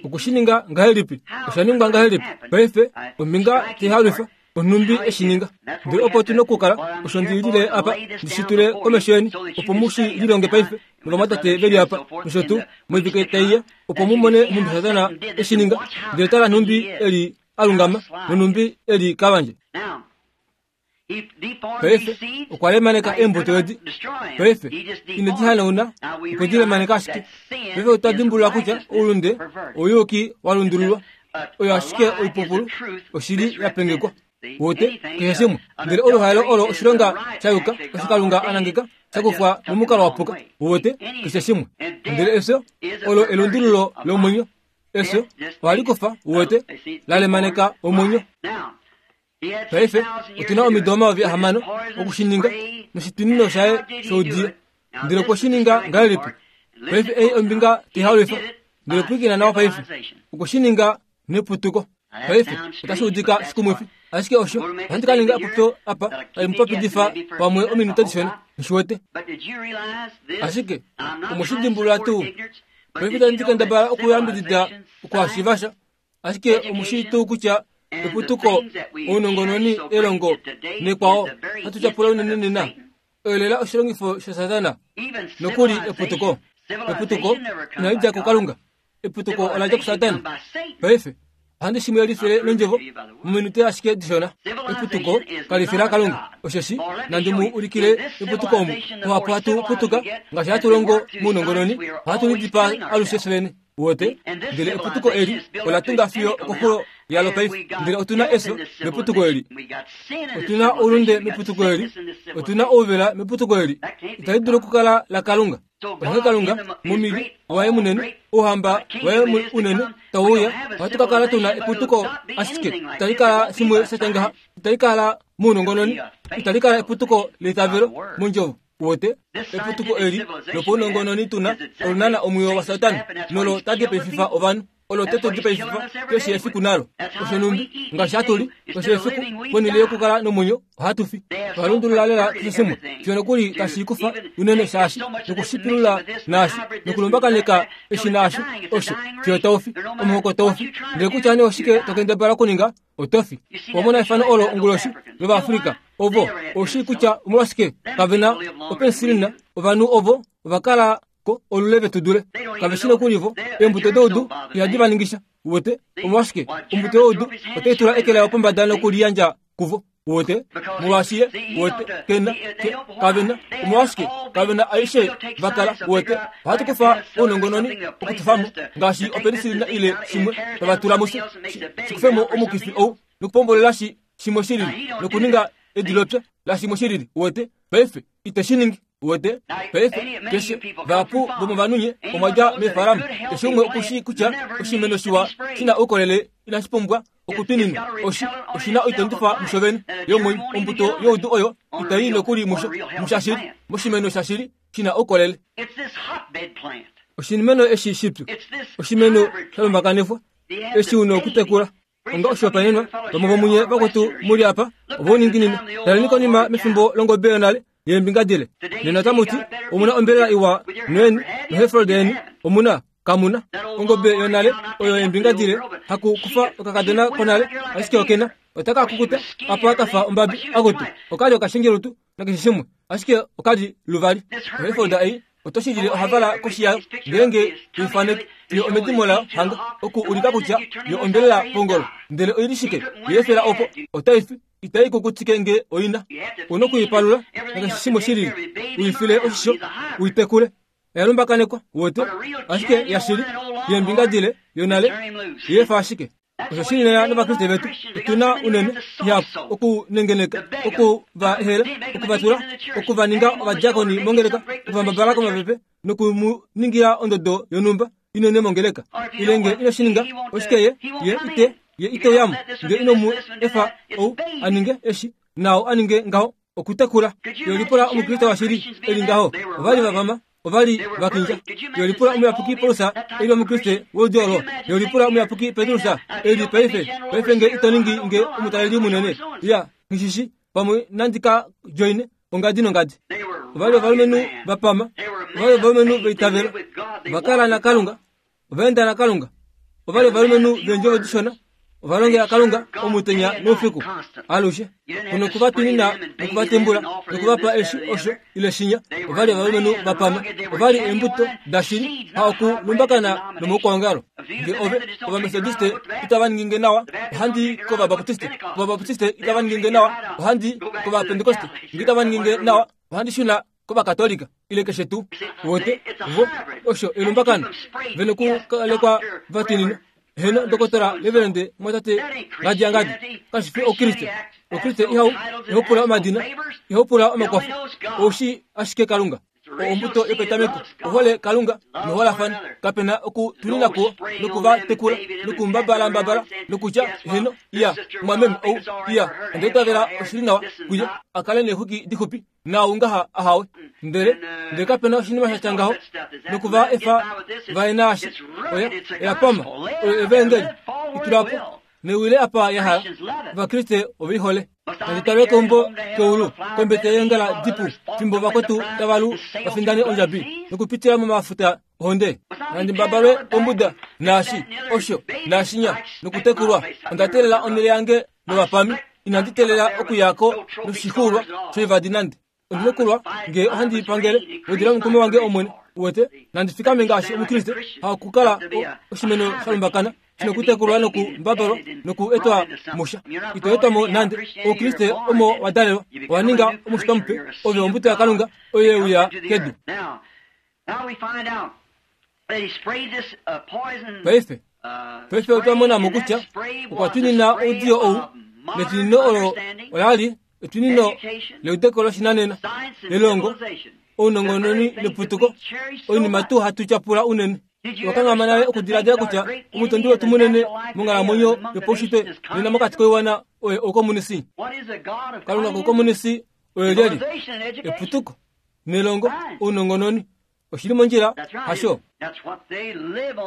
Speaker 2: okushininga ngahelipi oshaningwa ngahelipi paife ombinga teihalwifa onhumbi eshininga ndele opo tuna okukala osho ndilile apa ndishitule komesho yeni opo mushi lilonge paife novamwatate veli apa nosho tuu moivike taiya opo mumone nhumbi Satana eshininga ndele tala nhumbi eli alungama nonhumbi eli kavandje paife okwa lemaneka eembuto edi paife ine dihanauna okwe dilemaneka ashike paife otwa dimbulula kutya oulunde ouyuki walundululwa Oyo ashike oipupulu oshili ya pengekwa. Wote keshe shimwe. Ndele oluhaelo olo oshilonga sha yuka osho Kalunga anangeka shakufwa momukalo wa puka. Wote keshe shimwe. Ndele efyo olo elundululo lomwenyo. Efyo ohali kufa wote lalemaneka omwenyo. Paife otuna omido omayovi ahamano okushininga noshitunino shaye shoudiyo. Ndele okweshininga ngahelipi? Paife ei ombinga tihaulifa. Ndele pwilikina nawa paife. Okweshininga neputuko. Paife otashi udika shikumwifi. Ashike osho ohandi ka ninga epopyo apa tali mupapidifa pamwe ominute dishona nishiwete. Ashike omoshidimbulula tuu. Paife tandi kendabala okuyambidida okuhashivasha. Ashike omushi tuu kutya eputuko ounongononi elongo nekwao hatu tyapula unene nena. Oyo oshilongifo shaSatana nokuli eputuko. Eputuko inali dja kuKalunga. Eputuko ola dja kuSatana. Paife ohandi shimwe lifile nondjovo mominute ashike dishona. Eputuko kali fi laKalunga. Osheshi nandi mu ulikile eputuko omu ohapu hatu putuka ngaashi hatu longo mounongononi ohatu lidipaa alushe fyene. Wote ndele eputuko eli ola tunga fiyo okoxulo yalo paife. Ndele otuna efyo meputuko eli. Otuna oulunde meputuko eli. Otuna ouvela meputuko eli. Itali dulu okukala laKalunga. Onghee Kalunga momili waye munene ouhamba waye unene tauuya ohatu ka kala tuna eputuko ashike itali kala shimwe shatya ngaha. Itali kala mounongononi. Itali kala eputuko leitavelo mondjovo. Wote eputuko eli lopaunongononi tuna olunana omwiyo waSatana nolo tadi paififa ovanhu. Olo tetu dipaififa keshe efiku nalo. Osho numbi ngaashi hatu li keshe efiku ponhele yokukala nomwenyo ohatu fi. Ohalundulula lela keshe shimwe fiyo nokuli tashi kufa unene shaashi nokushipilula naashi nokulumbakaneka eshi naasho osho fiyo taufi omuhoko taufi. Ndele kutya nee oshike tokendabala okuninga otofi. Omona efano olo onguloshi lOvaafrika ovo oshi kutya omolwashike kavena opensilina ovanhu ovo ovakala ko olule vetu dule. Kaveshi nokuli vo eembuto doudu ihadi va ningisha. Wote omolwashike ombuto youdu otai tula eke layo pombada nokuliyandja kuvo. Wote molwaashi ye wote kena ke kavena omolwashike kavena aishe vakala. Wote ohatu kufa ounongononi okutufamo ngaashi opensilina ile shimwe tavatula musho shikufemo omukifi ou nokupombolela shi shimwe shilili nokuninga edilopya la shimwe shilili. Wote paife ite shiningi. Wote paife keshe vahapu vomovanhu omwadja meefalama. Keshe umwe okushi kutya oshimeno shiwa shina oukolele inashi pumbwa okutwininwa. Oshi oshina oitondifa musho vene yomwenyo. Ombuto youdu oyo itai nokuli musho mushashili moshimeno shashili shina oukolele. Oshimeno eshi shipyu oshimeno shalumbakanifwa eshi una okutekula. Onga oshihopaenenwa vamwe vomunye vakwetu muli apa ovouninginino. Taleni konima mefimbo longobe yonale yeembinga dile. Nena tamuti omuna ombelela iwa noyeni noHereford yeni omuna kamuna ongobe yonale oyo yeembinga dile haku kufa okakadona konale ashike okena otaka kukuta apa kafa ombabi akutu okali okashengelutu nakeshe shimwe ashike okali luvali. OHereford ei otoshidile ohavala koshi yayo ngeenge tuifaneke yo omedimo layo hanga oku ulika kutya yo ombelela pongolo. Ndele oili shike yeefela opo otaifi itai kukutike nge oina. Una okuipalula nakeshe shimwe shilili uifile oshisho uitekule. Oyalumbakanekwa wote ashike yashili yeembinga dile yonale yeefa ashike. Osho shili nena novakriste vetu otuna unene ihapu okunengeneka okuva ehela okuvatula okuvaninga ovadiakoni mongeleka okuvambabala komapepe nokumuningira ondodo yonhumba inene mongeleka. Ile nge ino shininga oshike ye ye ite ye ite uyamo nge ino mu efa ou aninge eshi nao aninge ngaho okutekula. Yolipula omukriste washili eli ngaho ovali vavama ovali vakindja. Yolipula omuyapuki Paulus eli omukriste woludi olo. Yolipula omuyapuki Petrus eli paife paife nge ito ningi nge omutaleli munene ya ngishishi pamwe nandika joine ongadi nongadi. Ovali ovalumenhu vapama, ovali ovalumenhu veitavelo, vakala naKalunga, ovaenda naKalunga, ovali ovalumenhu veendjovo dishona, ovalongela Kalunga omutenya noufiku alushe. Kuno kuvatwinina nokuvatembula nokuvapa eshi osho ile shinya. Ovali ovalumenhu vapama, ovali eembuto dashili ha okulumbakana nomoukwangalo. Nge ove ovamethodiste itava ninginge nawa, ohandi kovabaptiste. Ovabaptiste itava ninginge nawa, ohandi kovapentekoste. Nge itava ninginge nawa, ohandi shuna kovakatolika ile keshe tuu. Wote vo osho elumbakano vene okukalekwa vatwinina Heno dokotela reverend mwatate ngadiangadi kashifi okriste okriste ihau ihopula omadina ihopula omakwafo oushi ashike kalunga ombuto yopetameko ohole kalunga noholafana kapena okutuninako nokuvatekula nokumbabalambabala nokutya heno iya mwameme ou iya ondeitavela oshili nawa kuye akale neexwiki dixupi naungaha ahawe ndele ndele kapena oshinima shatya ngaho nokuva efa vaye naashi oya oyapama oyo evengeli itulapo newile apa yahala ovakriste oveihole nanditale keumbo keulu kombete yeengala dipu fimbo vakwetu tavalu vafindane ondjabi nokupitila momafuta ohonde nandimbabalwe ombuda naashi osho naashinya nokutekulwa ondatelela onele yange novapami inanditelela okuyako noshixuulwa shoivadi nande ondinokulwa ngee ohandi pangele wedila omukume wange omwene uwete nandifikame ngaashi omukriste hakukala oshimeno shalumbakana shinokutekulwa nokumbabalwa nokuetwa musha itoetwamo nande oukriste omo wadalelwa owaninga omushitwa mupe ove ombuto yakalunga oyo yeuya kedu paife paife otwamonamo kutya okwatwinina oudiyo ou netwinino olo olali etwinino leudeko loshinanena lelongo ounongononi leputuko oinima tuu hatu tyapula unene wakangama nale okudiladila kutya omutondi wetu munene monghalamwenyo yopaushitwe nena mokati koiwana oye oukomunisi kalunga koukomunisi oye lyeli eputuko nelongo ounongononi oshili mondjila hasho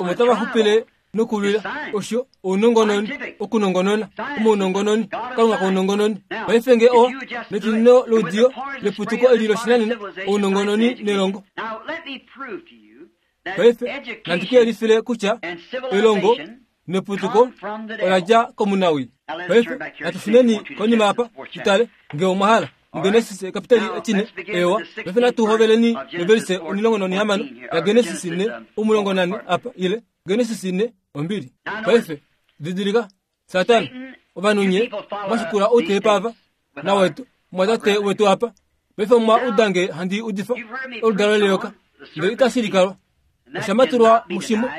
Speaker 2: omo tavaxupile nokulwila osho ounongononi okunongonona omounongononi kalunga kounongononi paife nge o netwinino loudiyo leputuko eli loshinanena ounongononi nelongo paife nandikuyelifile kutya elongo neputuko oladja komunawi paife natufuneni konima apa tutale nge omwahala mugenesis kapitali etine ewa paife natuhoveleni novelise omilongo nonihamano ya Genesis ne omulongo nane apa ile Genesis ne ombili paife didilika Satana ovanhu nye mwashikula outepa apa nawetu mwatate wetu apa paife mwa udange handi udifa oludalo leyoka ndele itashilikalwa oshamatulwa mushimwe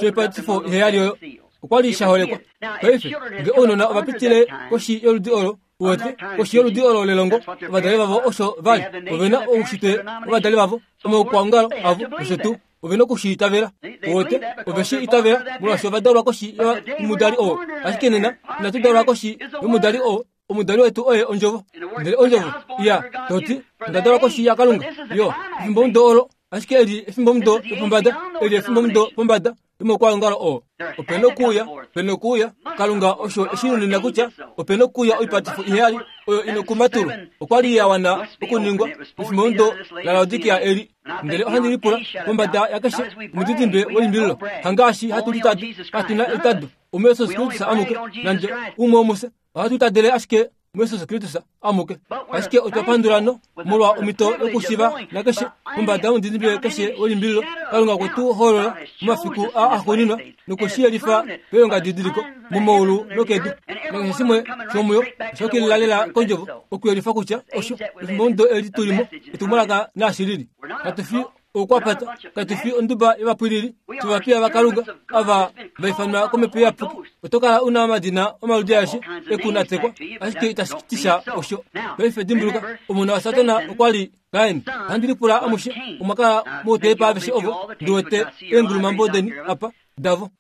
Speaker 2: shoipatifo iheyali oyo okwali shaholekwa paife nge ounona ovapitile koshi yoludi olo uwete koshi yoludi olo lelongo ovadali vavo osho vali ovena oushitwe ovadali vavo omaukwaongalo avo osho tuu ovena okushiitavela uwete oveshi itavela molwaashi ovadalwa koshi yomudali oo ashike nena inatu dalwa koshi yomudali oo omudali wetu oye ondjovo ndele ondjovo iya toti ondadalwa koshi yakalunga yo efimbo mudo olo ashike eli efimbo mudo yopombada eli efimbo mudo pombada yomaukwaongalo oo opena okuuya opena okuuya kalunga osho eshinunina kutya opena okuuya oipatifo iheyali oyo inokumatulwa okwali yawana okuningwa efimbo mudo lalaodikia eli ndele ohandi lipula pombada yakeshe omudidimbe welimbililo hangaashi hatu litadu katuna etado omuyesus Kristus amuke nande umwe womuse ohatu itadele ashike muyesus Kristus amuke ashike otwapandulano molwa omito yokushiva nakeshe pombada yomudidimbe keshe welimbililo kalunga kwetu hoolola momafiku a axuuninwa nokushiyelifa peilongadidiliko momaulu nokedu nakeshe shimwe shomuyo oshokililalela kondjovo okuyelifa kutya osho efimbo mudo eli tulimo etumwalaka naashilili katufi oukwapata katufi onduba yovapwilili tuvapiya vakalunga ava vaifanwa komhepo iyapuki otokala una omadina omaludi aeshe ekunatekwa ashike itashitisha osho paife dimbuluka omona wa Satana okwali Kaini ohandi lipula amushe omwakala moutepa aveshe ovo ndiwete eengulumambo deni apa davo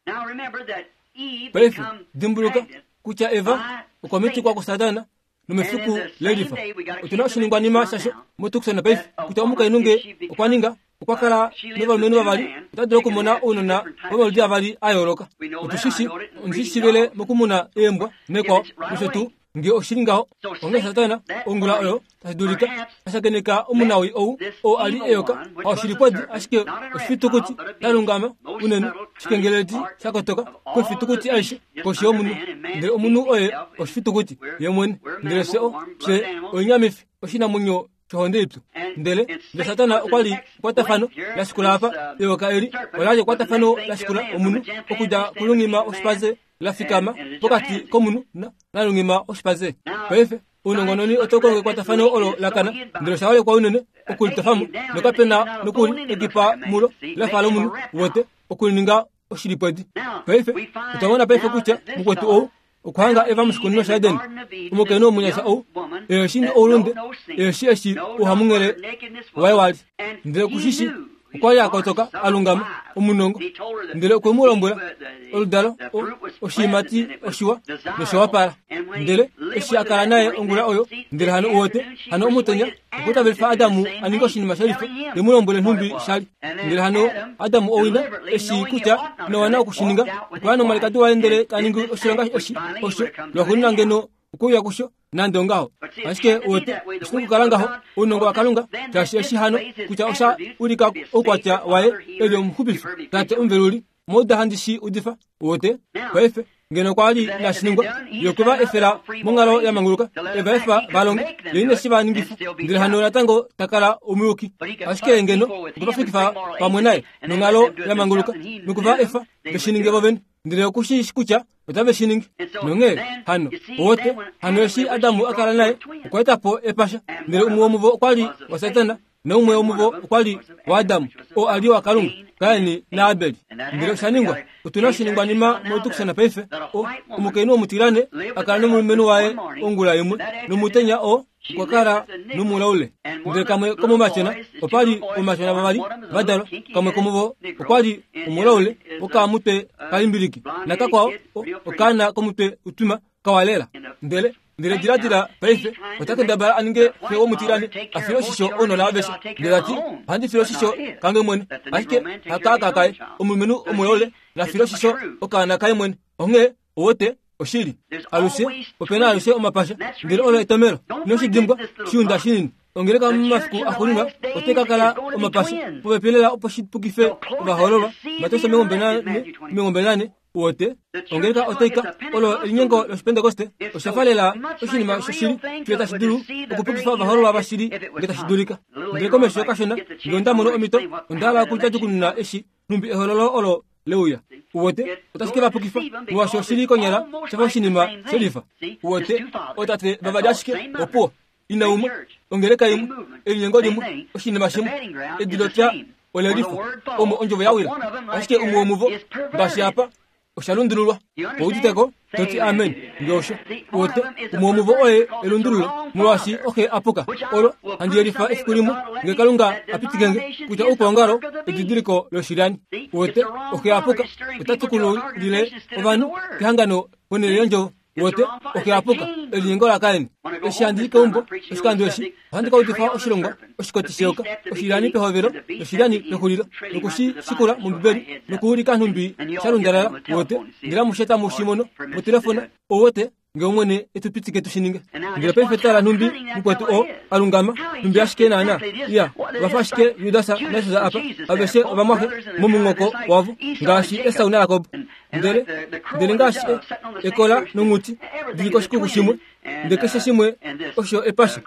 Speaker 2: paife dimbuluka kutya Eva okwa mitikwa kuSatana nomefiku lelifa otuna oshiningwanima shasho motukusona paife kutya omukainhu nge okwa ninga okwakala novalumenhu vavali otadulu okumona ounona vomaludi avali a yooloka otushishi ondishishivele mokumuna eembwa nekwao nosho tuu nge oshili ngaho onge Satana ongula oyo tashi dulika ashakeneka omunawi ou oo ali eyoka haoshilipwadi ashike oshifitukuti shalungama unene shikengeleti shakotoka koifitukuti aishe koshi yomunhu ndele omunhu oye oshifitukuti ye mwene ndele fye fye oinyamifi oshinamwenyo shohonde ipyu ndele ndele Satana okwali ekwatafano lashikula apa eyoka eli olali ekwatafano lashikula omunhu okudja kulungima oshipaze lafikama pokati komunhu nalungima oshipaze paife ounongononi otokonga ekwatafano olo lakana ndele oshaholekwa unene okulitofamo nokapena nokuli ekipa mulo lafa lomunhu wote okulininga oshilipwedi. Paife otwa mona paife kutya mukwetu ou okuhanga Eva moshikunino shaEden, omukainhu omunyasha ou eshi oulunde, eshi eshi ouhamunghele waye wali, ndele kushishi okwa li a kotoka a lungama omunongo, ndele okwe mu lombwela oludalo oshiimati oshiwa noshawapala. Ndele eshi a kala naye ongula oyo, ndele hano uwete hano omutenya okwa tavelifa Adamu a ninge oshinima shalifa, te mu lombwele nhumbi shali. Ndele hano Adamu owina eshi kutya ina okushininga, okwa ya nomwalikadi waye ndele ta ningi oshilonga eshi osho lwaxuuninwa ngeno okuuya kusho nande ongaho. Ashike uwete oshina okukala ngaho ounongo waKalunga, shaashi eshi hano kutya osha ulika oukwatya waye eli omuxupifi tate omuveluli. Omauda handi shi udifa uwete paife ngeno okwa li nashiningwa ye okwe va efela monghalo ya manguluka, eva efa va longe ye ine shi va ningifa, ndele hano natango ta kala omuyuki. Ashike ngeno okwe va fikifa pamwe naye nonghalo ya manguluka noku va efa ve shi ninge vo vene, ndele okushi kutya otave shi ningi. Nonghee hano uwete hano eshi Adamu a kala naye okwa eta po epasha, ndele umwe womuvo okwa li waSatana naumwe womuvo okwa li waAdamu, oo a li waKalunga, Kaini naAbeli. Ndele osha ningwa otuna oshiningwanima motukushana paife. Omukainhu omutilane a kala nomulumenhu waye ongula imwe, nomutenya oo okwa kala nomulaule. Ndele kamwe komomatyona opa li omatyona vavali va dalwa, kamwe komuvo okwa li omulaule wokamutwe kalimbiliki, nakakwao okaana komutwe utwima kawalela. Ndele ndele diladila paife ota kendabala a ninge xe womutilane a file oshisho ounona aveshe, ndele tati ohandi file oshisho kange mwene, ashike hakaaka kaye omulumenhu omulaule na file oshisho okaana kaye mwene. Onghee uwete oshili alushe opena alushe omapasha, ndele olo etomelo inoshi dimbwa shiunda shinini. Ongeleka momafiku axuuninwa otai ka kala omapasha popepi lela opo shi pukife ovahoololwa. Mateus omilongo mbali nane uwete ongeleka otai ka olo elinyengo loshipentekoste osha fa lela oshinima shoshili fiyo tashi dulu okupukifa ovahoololwa vashili nge tashi dulika. Ndele komesho kashona nge onda mono omhito onda hala okudjadjukununa eshi nhumbi ehololo olo leuya. Uwete otashi ke va pukifa molwaashi oshili konyala shafa oshinima shelifa. Uwete ootate vavali ashike opuwo, ina umwe, ongeleka imwe, elinyengo limwe, oshinima shimwe, edilotya olelifa omo ondjovo ya wila, ashike umwe womuvo ngaashi apa osha lundululwa. Ouditeko toti amen nge osho. Uwete umwe womuvo oye elundululo molwaashi oxe apuka. Olo handi yelifa efiku limwe nge Kalunga apitikenge kutya oukwangalo edidiliko loshilyani. Uwete oxe apuka ota tukululile ovanhu kehangano ponhele yondjovo. Uwete oxe apuka elinyengo laKain. Eshi handi keumbo oshikando eshi ohandi ka udifa oshilongwa oshikoti sheyoka oshilyani pehovelo noshilyani pexulilo nokushi shikula mOmbibeli nokuulika nhumbi sha lundalala. Uwete ndele amushe tamu shi mono motelefona. Uwete nge omwene etu pitike tu shi ninge. Ndele paife tala nhumbi mukwetu oo a lungama nhumbi ashike naana iya vafa ashike Judas naJesus apa aveshe ovamwaxe momunghoko wavo ngaashi Esau naJakob. Ndele ndele ngaashi ekola nonghuti dili koshikuku shimwe, ndele keshe shimwe osho epasha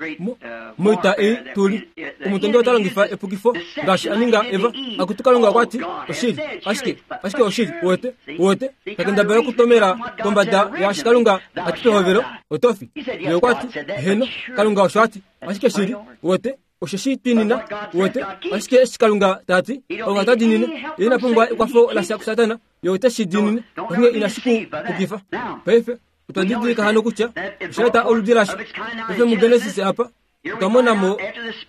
Speaker 2: moita ei tuli. Omutondi ota longifa epukifo ngaashi a ninga Eva. Akutu Kalunga okwa ti oshili, ashike ashike oshili. Uwete uwete takendabala okutomela kombada yaashi Kalunga a ti pehovelo otofi. Ye okwa ti heno, Kalunga osho a ti, ashike shili. Uwete osho shi twinina. Uwete ashike eshi Kalunga ta ti Kalunga ta dinine, ye ina pumbwa ekwafo lasha kuSatana, ye ote shi dinine, onghee inashi ku pukifa. Paife otwa didilika hano kutya osha eta oludi lasho. Paife muGenesis apa otwa mona mo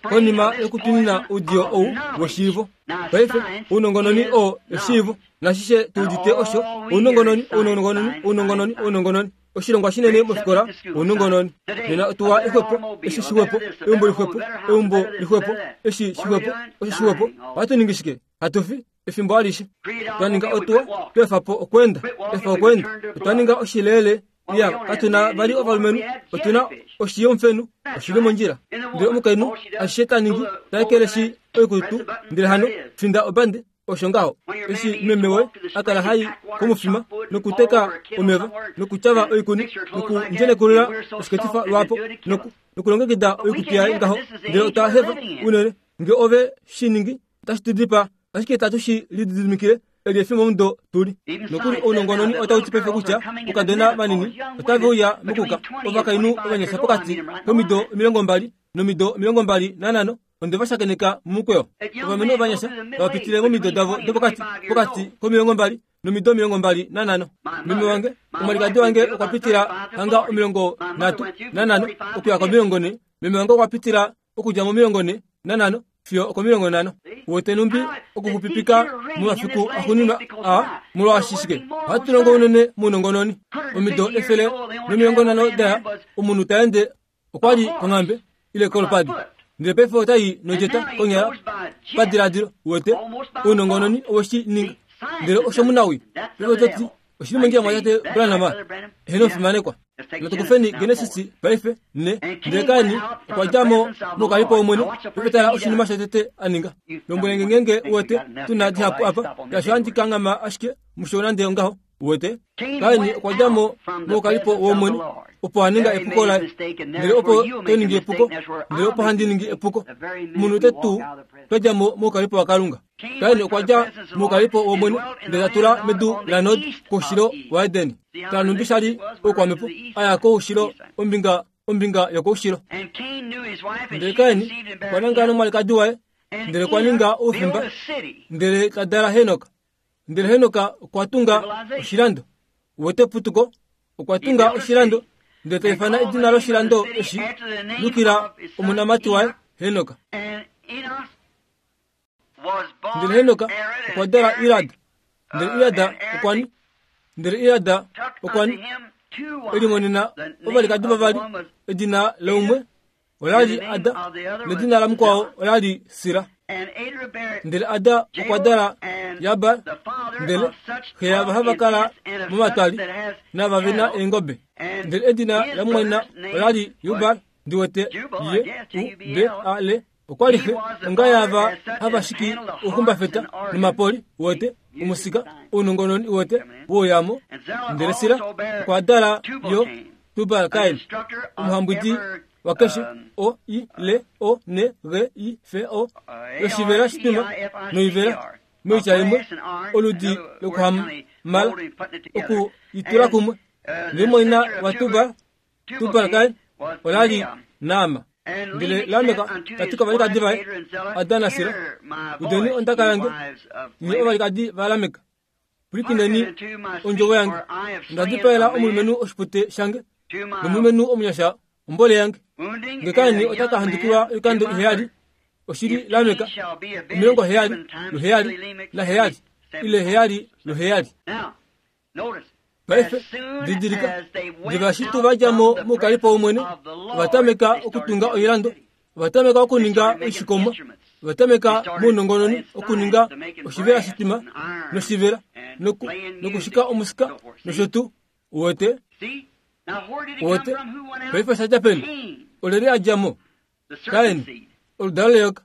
Speaker 2: konima yokutwinina oudiyo ou weshiivo. Paife ounongononi oo eshiivo nashishe tuudite osho ounongononi ounongononi ounongononi ounongononi oshilongwa shinene mofikola ounongononi. Nena otuwa ixwepo eshi shixwepo eumbo lixwepo eumbo lixwepo eshi shixwepo osho shixwepo. Ohatu ningi shike? Hatufi efimbo alishe. Otwa ninga otuwa tweefa po okweenda, efa okweenda. Otwa ninga oshileele iya katuna vali ovalumenhu, otuna oshiyomufenu oshili mondjila. Ndele omukainhu ashishe ta ningi ta ekeleshi oikutu, ndele hano finda obande osho ngaho. Eshi meme woye a kala hai komufima nokuteka omeva nokutyava oikuni nokundjenekulula oshiketifa lwapo noku nokulongekida oikutu yaye ngaho, ndele otwa hefa unene nge ove shi ningi otashi tu dipa, ashike tatu shi lididimikile eli efimbo mudo tuli. Nokuli ounongononi otau ti paife kutya oukadona vanini otave uya mokuka ovakainhu ovanyasha pokati komido omilongo mbali nomido omilongo mbali nanhano onde va shakeneka mumukweyo. Ovalumenhu ovanyasha vava pitile momido davo dopokati pokati komilongo mbali nomido omilongo mbali nanhano. Meme wange, omwalikadi wange okwa pitila hanga omilongo nhatu nanhano okuya komilongo nhe. Meme wange okwa pitila okudja momilongo nhe nanhano fiyo okomilongo nhano. Wete numbi okuxupipika momafiku axuuninwa aa, molwaashi shike ohatu longo unene mounongononi. Omido efele nomilongo nhano daya, omunhu ta ende okwali konghambe ile kolupadi, ndele paife otai nodjeta konyala padiladilo. Wete ounongononi oweshi ninga, ndele osho munawi. Paife ototi oshili mondjila mwatate Branham eheno fimanekwa. Natukufeni Genesis paife ne. Ndele Kaini okwa dja mo mokalipo womwene. Paife tala oshinima shotete a ninga. Lombwelenge ngeenge uwete tuna dihapu apa, shaashi ohandi kanghama ashike musho nande ongaho. Uwete Kaini okwa dja mo mokalipo womwene, opo a ninga epuko laye. Ndele opo to ningi epuko, ndele opo handi ningi epuko. Munhu te tuu twa dja mo mokalipo waKalunga. Kaini okwa dja mokalipo womwene, ndele ta tula medu laNod koushilo waEden. Tala nhumbi sha li oukwamhepo a ya koushilo, ombinga ombinga yokoushilo. Ndele Kaini okwa nangala nomwalikadi waye, ndele okwa ninga oufimba, ndele ta dala Henok. Ndele Henok okwa tunga oshilando. Uwete putuko, okwa tunga oshilando, ndele ta ifana edina loshilando eshi lukila omonamati waye Henok. Ndele Henok okwa dala Irad, ndele Irad okwa ni, ndele Irad okwa ni elimonena ovalikadi vavali, edina laumwe olali Ada, nedina lamukwao olali Sira. Ndele Ada okwa dala Jabal, ndele xe yava hava kala momatwali nava vena eengobe. Ndele edina lamumwaina olali Jubal, ndi wete J U B A L. Okwa li xe onga yava hava shiki ouxumbafeta nomapoli, uwete omusika ounongononi, uwete wouyamo. Ndele Sira okwa dala yo Tubal-Cain, omuhambwidi wakeshe O I L O N G I F O, yoshivela shitwima noivela, moitya imwe oludi lokuhamala oku itula kumwe. Ndele mumwaina waTubal, Tubal-Cain, olali Naama. Ndele Lamek ta ti kovalikadi vaye, Ada naSila, udeni ondaka yange, nye ovalikadi vaLamek, pwilikineni ondjovo yange. Onda dipaela omulumenhu oshipute shange, nomulumenhu omunyasha ombole yange. Nge Kaini ota ka handukilwa oikando iheyali, oshili Lamek omilongo heyali luheyali naheyali ile heyali luheyali. Paife didilika, diva eshi tuu va dja mo mokalipo womwene, ova tameka okutunga oilando, ova tameka okuninga oishikomwa, ova tameka mounongononi okuninga oshivela shitwima noshivela noku nokushika omusika nosho tuu. Uwete uwete paife osha dja peni? Olyelye a dja mo? Kain, oludalo leyoka.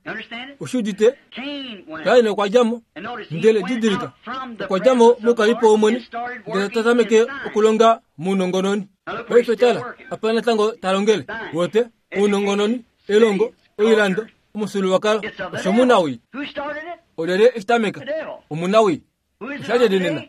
Speaker 2: Ushi udite? Kain okwa dja mo, ndele didilika, okwa dja mo mokalipo womwene, ndele ta tameke okulonga mounongononi. Paife tala apa natango ta longele. Uwete ounongononi, elongo, oilando, omufyuululwakalo, osho munawi. Olyelye eshi tameka? Omunawi. Osha lyelye nena?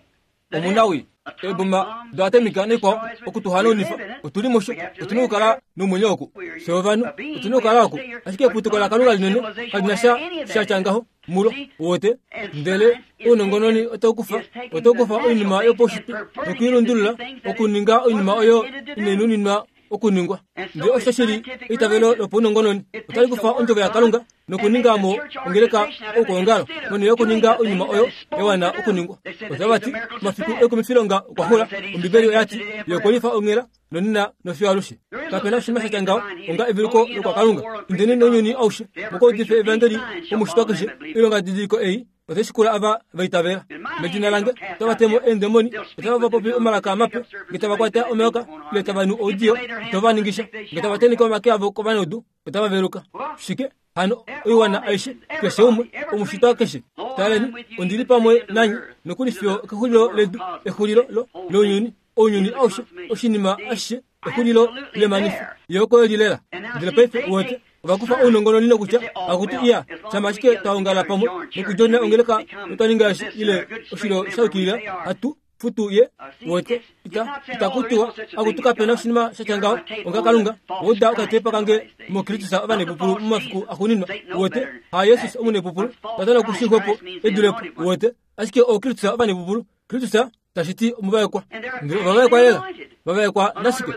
Speaker 2: Omunawi. Eeboma doatomika naikwao okutuhanaunifa, otuli musho, otuna okukala nomwenyo oku. Fye ovanhu otuna okukala oku, ashike eputuko laKalunga linene kali na sha sha tya ngaho mulo. Uwete? Ndele ounongononi otau kufa, otau kufa oinima yopaushitwe nokuilundulula okuninga oinima oyo inai nuninwa okuningwa. Ndele osho shili eitavelo lopaunongononi, otali kufa ondjovo yaKalunga nokuninga mo ongeleka oukwaongalo monhele yokuninga oinima oyo ya wana okuningwa. Otava ti omafiku ekumifilonga okwa xula. Ombibeli oya ti ye okwe lifa onghela nonena nofiyo alushe. Kapena oshinima sha tya ngaho onga eveluko lokwaKalunga. Indeni nounyuni aushe mukaudife evangeli komushitwa keshe. Oilongadidiliko ei otai shikula ava va itavela. Medina lange otava te mo eendemoni, otava popi omalaka mape, nge tava kwata omayoka ile tava nu oudiyo, itava ningisha, nge tava tenheke omake avo kovanaudu, otava veluka. Shike hano oiwana aishe, keshe umwe, omushitwa keshe. Taleni, ondi li pamwe nanye nokuli fiyo kexulilo ledu, exulilo lo lounyuni, ounyuni aushe, oshinima ashishe, exulilo lemanifo. Ye oko eli lela. Ndele paife uwete ova kufa ounongononi nokutya akuti iya, shama ashike twa ongala pamwe nokudjona ongeleka notwa ninga eshi ile oshilo sha yukilila, hatu futu ye. Uwete ita itakutiwa akutu kapena oshinima sha tya ngaho onga Kalunga. Wouda okatepa kange moKristus ovanepupulu momafiku axuuninwa. Uwete ha Jesus omunepupulu, Satana okushixwepo edulepo. Uwete ashike ooKristus ovanepupulu, Kristus tashi ti omuvaekwa ndele ovavaekwa lela vavaekwa nashike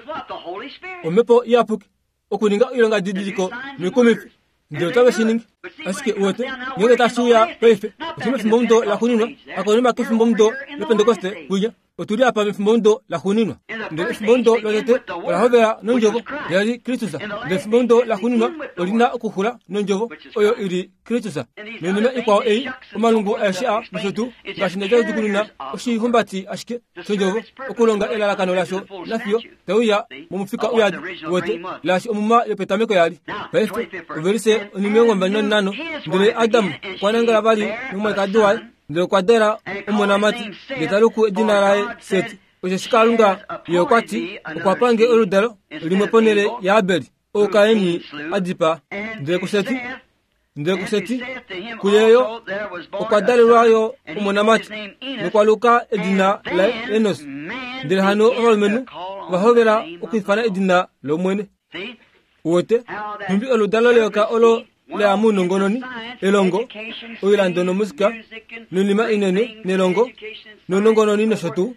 Speaker 2: omhepo iyapuki okuninga oilonga didiliko noikumifi ndele otave shi ningi ashike uwete ngenge tashi uya paife oshi mefimbomudo laxuuninwa akonima kefimbomudo lopentekoste kuya otuli apa mefimbomudo laxuuninwa ndele efimbomudo lotete ola hovela nondjovo yali Kristus ndele efimbomudo laxuuninwa olina okuxula nondjovo oyo ili Kristus noinima ikwao ei omalungu aeshe a nosho tuu ngaashi ndadja oshihumbati ashike shondjovo okulonga elalakano lasho nafiyo tauya momufika uyadi wote laashi omuma yopetameko yali paife ovelise onimilongo mbali nanhano ndele Adam okwa nangala vali nomwalikadi waye ndele okwa dala omonamati ndele ta luku edina laye Seti osheshi Kalunga ye okwa ti okwa pange oludalo limwe ponhele yaAbeli oo Kaini a dipaa ndele kuSeti ndele kuSeti kuyeyo okwa dalelwa yo omonamati nokwa luka edina laye Enos ndele hano ovalumenhu ova hovela okwiifana edina lOmwene uwete nhumbi oludalo leyoka olo leya mounongononi elongo oilando nomusika noinima inene nelongo nounongononi nosho tuu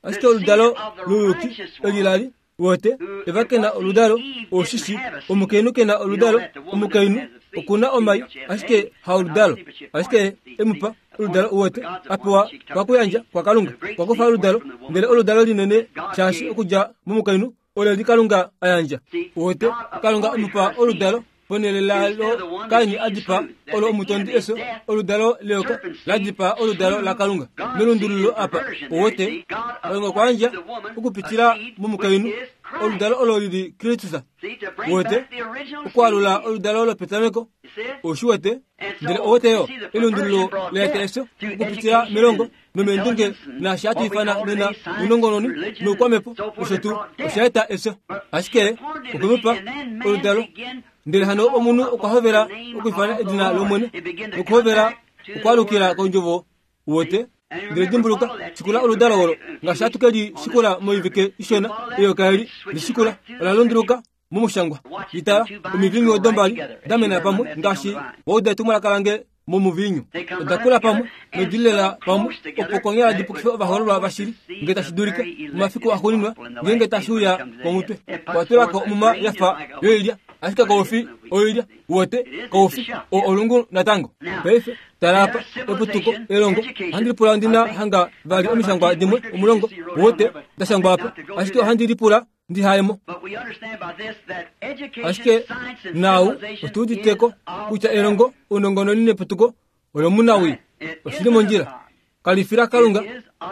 Speaker 2: ashike oludalo louyuki eli lali wote eva kena oludalo oshishi omukainhu kena oludalo omukainhu okuna omai ashike haoludalo ashike emupa oludalo uwete apewa pakuyandja kwa Kalunga kwakufa oludalo ndele oludalo linene shaashi okudja momukainhu oleli Kalunga ayandja uwete Kalunga omupa oludalo ponhele lalo Kaini a dipaa olo omutondi efyo oludalo leyoka la dipaa oludalo laKalunga melundululo apa uwete Kalunga okwa yandja okupitila momukainhu oludalo olo lili Kristus uwete okwaalula oludalo lopetameko oshiwete ndele owete yo elundululo leeta efyo okupitila melongo nomeendunge naashi hatu ifana nena ounongononi noukwamepo osho tuu osha eta efyo ashike okwemupa oludalo ndele hano omunhu okwa hovela okwiifana edina lOmwene nokuhovela okwaalukila kondjovo uwete ndele dimbuluka shikula oludalo olo ngaashi hatu ke li shikula moivike ishona eyoka eli lishikula ola lunduluka momushangwa litala omivinyu odo mbali damena pamwe ngaashi wauda etumwalaka lange momuvinyu oda kula pamwe nodilela pamwe opo konyala dipukife ovahoololwa vashili nge tashi dulika momafiku axuuninwa ngeenge tashi uya komutwe okwatulako omuma yafa yoilya ashike koufi oilya uwete koufi o olungu natango paife tala apa eputuko elongo ohandi lipula ondina hanga vali omishangwa dimwe omulongo uwete dashangwa apa ashike ohandi lipula ndihaemo ashike nau otuuditeko kutya elongo ounongononi neputuko olomunawii oshili mondjila kalifila Kalunga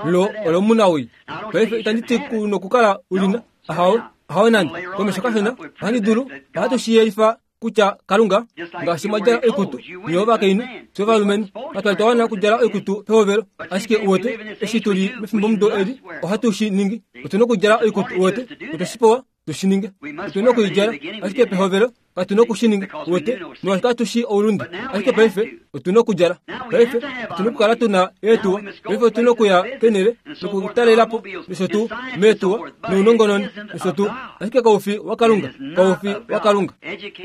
Speaker 2: lo olomunawii paife itandi ti nokukala ulina ahawe ahawe nande komesho kashona ohandi dulu ohatu shiyelifa kutya Kalunga ngaashi mwadjala oikutu niyo ovakainhu fye ovalumenhu katwali twa wana okudjala oikutu pehovelo ashike uwete eshi tuli mefimbomudo eli ohatu shi ningi otuna okudjala oikutu uwete otwe shi pewa tushi ninge otuna okuidjala ashike pehovelo katuna okushininga uwete molwaashi katu shi oulunde ashike paife otuna okudjala paife otuna okukala tuna eetuwa paife otuna okuya kenele nokutalelapo nosho tuu meetuwa nounongononi nosho tuu ashike koufi waKalunga koufi waKalunga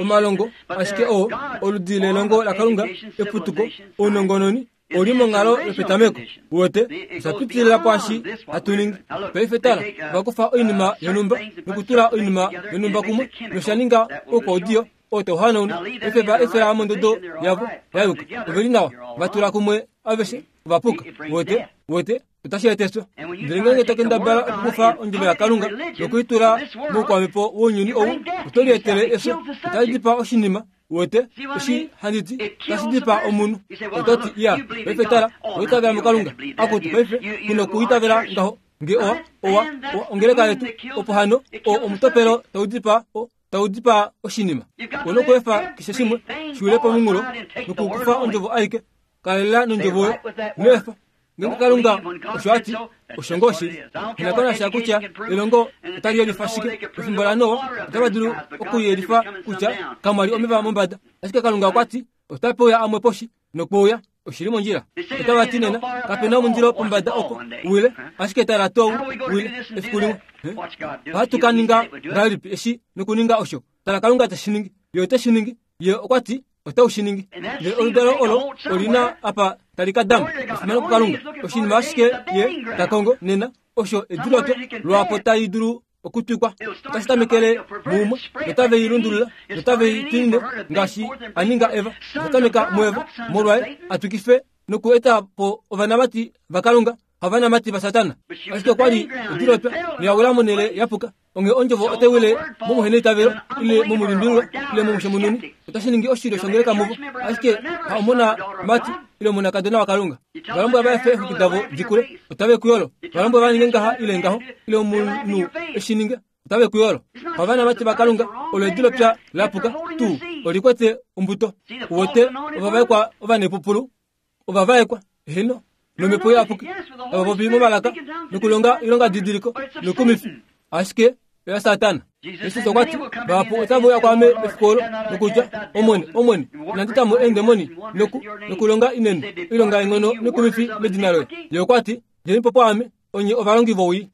Speaker 2: omalongo ashike oo oludi lelongo laKalunga eputuko ounongononi oli monghalo yopetameko uwete osha pitilila kwaashi hatu ningi paife tala ovakufa oinima yonhumba nokutula oinima yonhumba kumwe nosha ninga oukwaudiyo oo tauhanauna paife va efela mondodo yavo yayuka oveli nawa vatula kumwe aveshe ovapuka uwete uwete otashi eta efyo ndele ngeenge tokendabala okukufa ondjovo yaKalunga nokuitula moukwamhepo wounyuni ou oto lietele efyo otali dipaa oshinima uwete eshi handi ti tashi dipaa omunhu ototi iya paife tala oitavela muKalunga akutu paife kuna okuitavela ngaho nge owa owa ongeleka yetu opo hano o omutopelo tau dipaa o tau dipaa oshinima una okuefa keshe shimwe shiwile pomunghulo nokukufa ondjovo aike kalela nondjovo oyo inoefa ngeenge Kalunga osho ati osho ngoo shili inakonasha kutya elongo otali yelifa shike pefimbo laNoa otava dulu okuyelifa kutya kamwali omeva mombada ashike Kalunga okwa ti otape uya amwe poshi nokwouya oshili mondjila otava ti nena kapena omundilo pombada oko wile ashike tala tou wile efiku limwe ohatu ka ninga ngahelipi eshi nokuninga osho tala Kalunga teshi ningi ye ote shi ningi ye okwa ti otau shi ningi. Ndele oludalo olo olina apa tali ka dama. Efimano kuKalunga. Oshinima ashike ye ta kongo nena osho ediloto lwapo tali dulu okutwikwa. Otashi tamekele mumwe notave i lundulula notave i twinine ngaashi a ninga Eva. Otatameka muEva molwaye atwikife noku eta po ovanamati vaKalunga havanamati vaSatana. Ashike okwa li edilotwa noya wila monhele yapuka. Onge ondjovo otai wile momuheneitavelo ile momulimbililwa ile momushemununi, otashi ningi oshilyo shongeleka muvo, ashike ha omona mati ile omonakadona waKalunga. Valombwela va efe eexwiki davo dikule, otave ku yolo. Valombwela va ninge ngaha ile ngaho, ile omunhu eshi ninge, otave ku yolo. Havanamati vaKalunga, olo edilopya lapuka tuu olikwete ombuto. Uwete ovavaekwa ovanepupulu, ovavaekwa heno nomhepo iyapuki, tava popi momalaka nokulonga oilonga didiliko nokumifi, ashike oya Satana. Jesus okwa ti, vahapu otava uya kwaame mefiku olo nokutya, Omwene, Omwene, inandi ta mo eendemoni noku nokulonga inene oilonga yeenghono nokumifi medina loye. Ye okwa ti, djeni po pwaame, onye ovalongi vowii.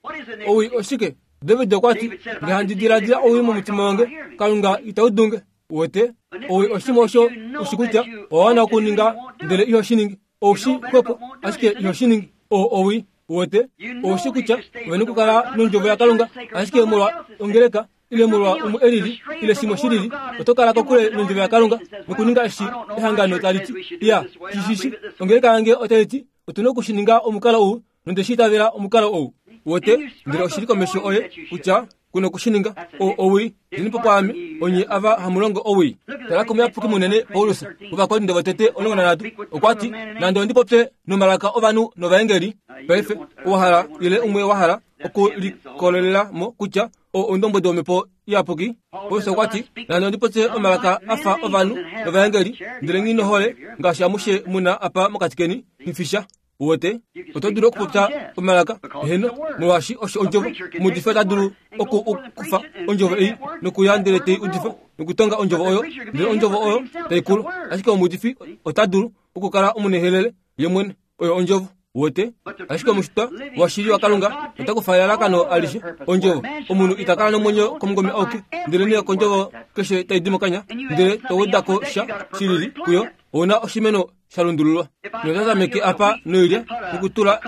Speaker 2: Owii oshike? David okwa ti, nge handi diladila owii momutima wange, Kalunga itau dunge. Uwete, owii oshimwe osho ushi kutya owa wana okuninga ndele iho shi ningi. Oushi xwepo, ashike iho shi ningi. Oo owii. Uwete, oushi kutya ove nokukala nondjovo yaKalunga, ashike molwa ongeleka ile molwa umwe elili ile shimwe shilili, oto kala kokule nondjovo yaKalunga nokuninga eshi ehangano tali ti. Ya, shishishi, ongeleka yange otai ti otu na okushininga omukalo ou, nonde shi itavela omukalo ou. Uwete, ndele oshili komesho oye kutya kuna okushininga. O owii, djeni po pwaame, onye ava hamu longo owii. Tala komuyapuki munene Paulus, Ovakorinto votete omulongo nanhatu, okwa ti, nande ondi popye nomalaka ovanhu novaengeli. Paife owa hala ile umwe wa hala okulikololela mo kutya o ondombwedi womhepo iyapuki. Paulus okwa ti, nande ondi popye omalaka afa ovanhu novaengeli, ndele nghi nohole ngaashi amushe muna apa mokati keni, nghifisha. Uwete, oto dulu okupopya omalaka heno, molwaashi osho ondjovo. Omuudifi ota dulu okukufa ondjovo ei nokuya ndele tei udifa nokutonga ondjovo oyo, ndele ondjovo oyo tai kulu. Ashike omuudifi ota dulu okukala omunehelele ye mwene, oyo ondjovo. Uwete, ashike omushitwa washili waKalunga ota kufa elalakano alishe ondjovo. Omunhu ita kala nomwenyo komungome auke, ndele nee kondjovo keshe tai di mokanya, ndele to weda ko sha shilili kuyo, ouna oshimeno sha lundululwa. Notatameke apa noilya nokutula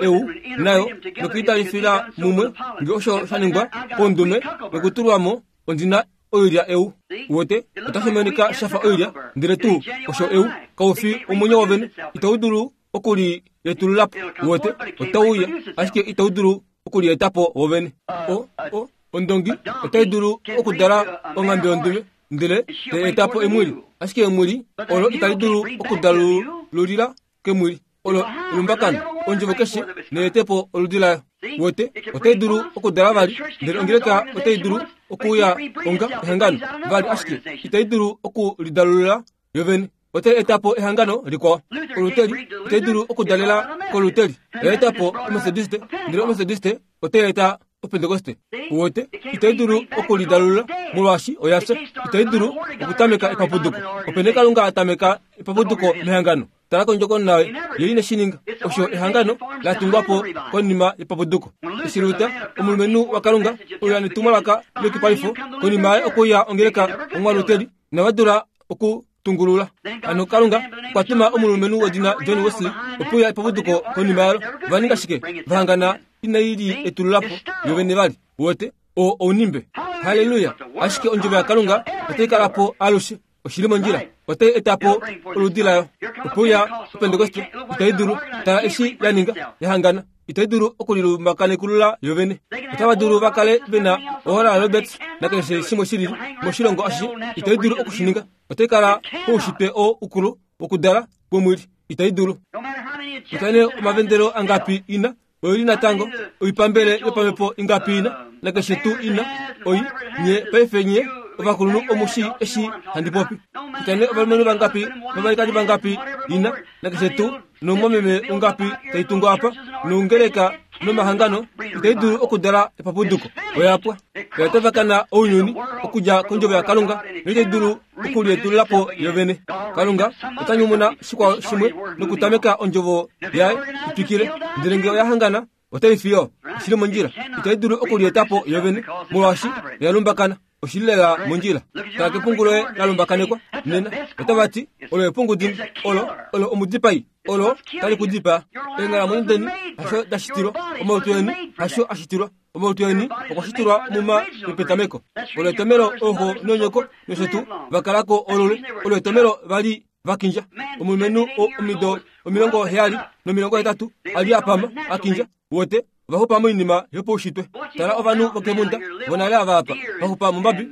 Speaker 2: eu nayo nokuitalifila mumwe, nge osho sha ningwa pondume nokutulwa mo ondina oilya eu. Uwete, otashi monika shafa oilya, ndele tuu osho eu kau fi omwenyo wovene, itau dulu okulietululapo. Uwete, otau uya, ashike itau dulu okulietapo wovene. O o ondongi otai dulu okudala onghambe yondume, ndele tai etapo emwili, ashike emwili olo itali dulu okudalululila kemwili olo elumbakano. Ondjovo keshe neetepo oludi layo. Uwete, otai dulu okudala vali, ndele ongeleka otai dulu okuuya onga ehangano vali, ashike itai dulu okulidalulula yovene. Otai etapo ehangano likwao. Oluteli otai dulu okudalela koluteli, oya etapo omethodiste, ndele omethodiste otai eta opentekoste. Uwete, itai dulu okulidalulula molwaashi oya fya. Itai dulu okutameka epapuduko. Opene Kalunga a tameka epapuduko mehangano. Tala kondjokonona ye ine shi ninga. Osho ehangano la tungwa po konima yepapuduko. Eshi Luther, omulumenhu waKalunga, oya netumwalaka leyukipalifo, konima yaye okuya ongeleka omwaluteli, inava dula okutungulula. Hano Kalunga okwa tuma omulumenhu wedina John Wesley okuya epapuduko konima yalo. Va ninga shike? Vahangana inai li etululapo yovene vali. Uwete, oo ounimbe. Halleluya! Ashike ondjovo yaKalunga otai kala po alushe. Oshili mondjila, otai etapo oludi layo. Okuya opentekoste itai dulu. Tala eshi ya ninga, yahangana, itai dulu okulilumbakanekulula yovene. Otava dulu va kale vena Oral Roberts nakeshe shimwe shilili moshilongo ashishe, itai dulu okushininga. Otai kala poushitwe oo ukulu wokudala womwili, itai dulu. Kutya nee omavendelo angapi ina, oili natango oipambele yopamhepo ingapi ina, nakeshe tuu ina, oi nye paife nye ovakulunhu omushi eshi handi popi. Kutya nee ovalumenhu vangapi novalikadi vangapi ina, nakeshe tuu nomumwameme ungapi tai tungu apa, noungeleka nomahangano, itai dulu okudala epapuduko. Oya pwa. Oya tavakana ounyuni okudja kondjovo yaKalunga, noitai dulu okulietululapo yovene. Kalunga ota nyumuna shikwao shimwe nokutameka ondjovo yaye itwikile, ndele nge oya hangana otai fiyo. Oshili mondjila. Itai dulu okulietapo yovene molwaashi oya lumbakana. Oshili lela mondjila. Tala kepungu loye la lumbakanekwa nena. Otava ti olo epungu dini, olo olo omudipai, olo tali ku dipaa. Eenghalamwenyo deni hasho da shitilwa, omalutu eni hasho a shitilwa, omalutu eni okwa shitilwa muma yopetameko. Olo etomelo ooxo noonyoko nosho tuu vakalako olule, olo etomelo vali vakindja. Omulumenhu omido omilongo heyali nomilongo hetatu ali apama akindja wote vaxupa moinima yopaushitwe. Tala ovanhu vokemunda vonale ava apa vaxupa mombabi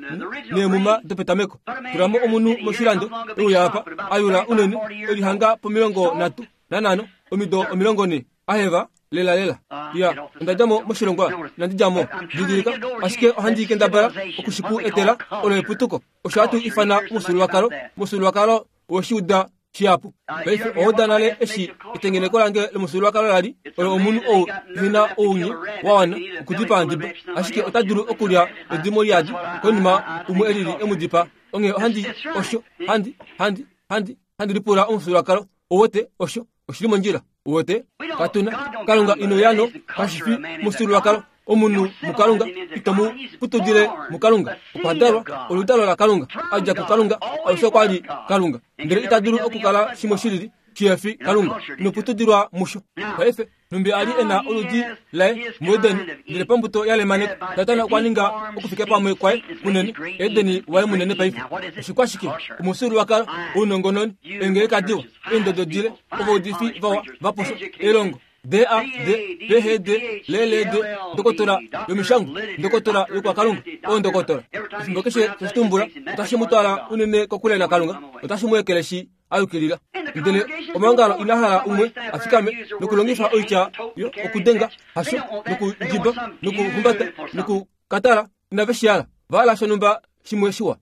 Speaker 2: neemuma dopetameko. Tulamo omunhu moshilando euya apa ayula unene elihanga pomilongo nhatu nanhano omido omilongo ne aheva lela lela. Ya ondadjamo moshilongwa inandi djamo didilika, ashike ohandi kendabala okushiku etela olo eputuko. Osho hatu ifana omufyuululwakalo, omufyuululwakalo woshiuda shihapu. Paife owauda nale eshi etengeneko lange lomufyuululwakalo lali olo omunhu ou ehena ounye wa wana okudipaa ndiba, ashike ota dulu okulya edimo liyadi konima umwe elili emudipaa. Onghee ohandi osho handi handi handi handi lipula omufyuululwakalo owote osho oshili mondjila wote katuna Kalunga ino yano kashifi mufyuululwakalo. Omunhu muKalunga ito mu putudile muKalunga, okwa dalwa oludalo laKalunga, adja kuKalunga, alushe okwa li Kalunga, ndele ita dulu okukala shimwe shilili shihefi Kalunga. Ino putudilwa musho. Paife nhumbi ali ena oludi laye muEdeni, ndele pambuto ya lemaneka Satana okwa ninga okufika pamwe kwaye munene, Edeni waye munene. Paife oshikwashike? Omufyuululwakalo, ounongononi, eengeleka diwa, eendodo dile, ovaudifi vawa vaposwa, elongo D A D P H D L L D, ndokotola yomishangwa, ndokotola yokwakalunga, oondokotola. Efimbo keshe toshitumbula otashi mu twala unene kokule naKalunga, otashi mu ekeleshi ayukilila. Ndele omaongalo ina hala umwe a fikame nokulongifa oitya yo okudenga hasho nokudjiba nokuhumbata nokukatala, inave shi hala. Va hala shonhumba shimwe shiwa.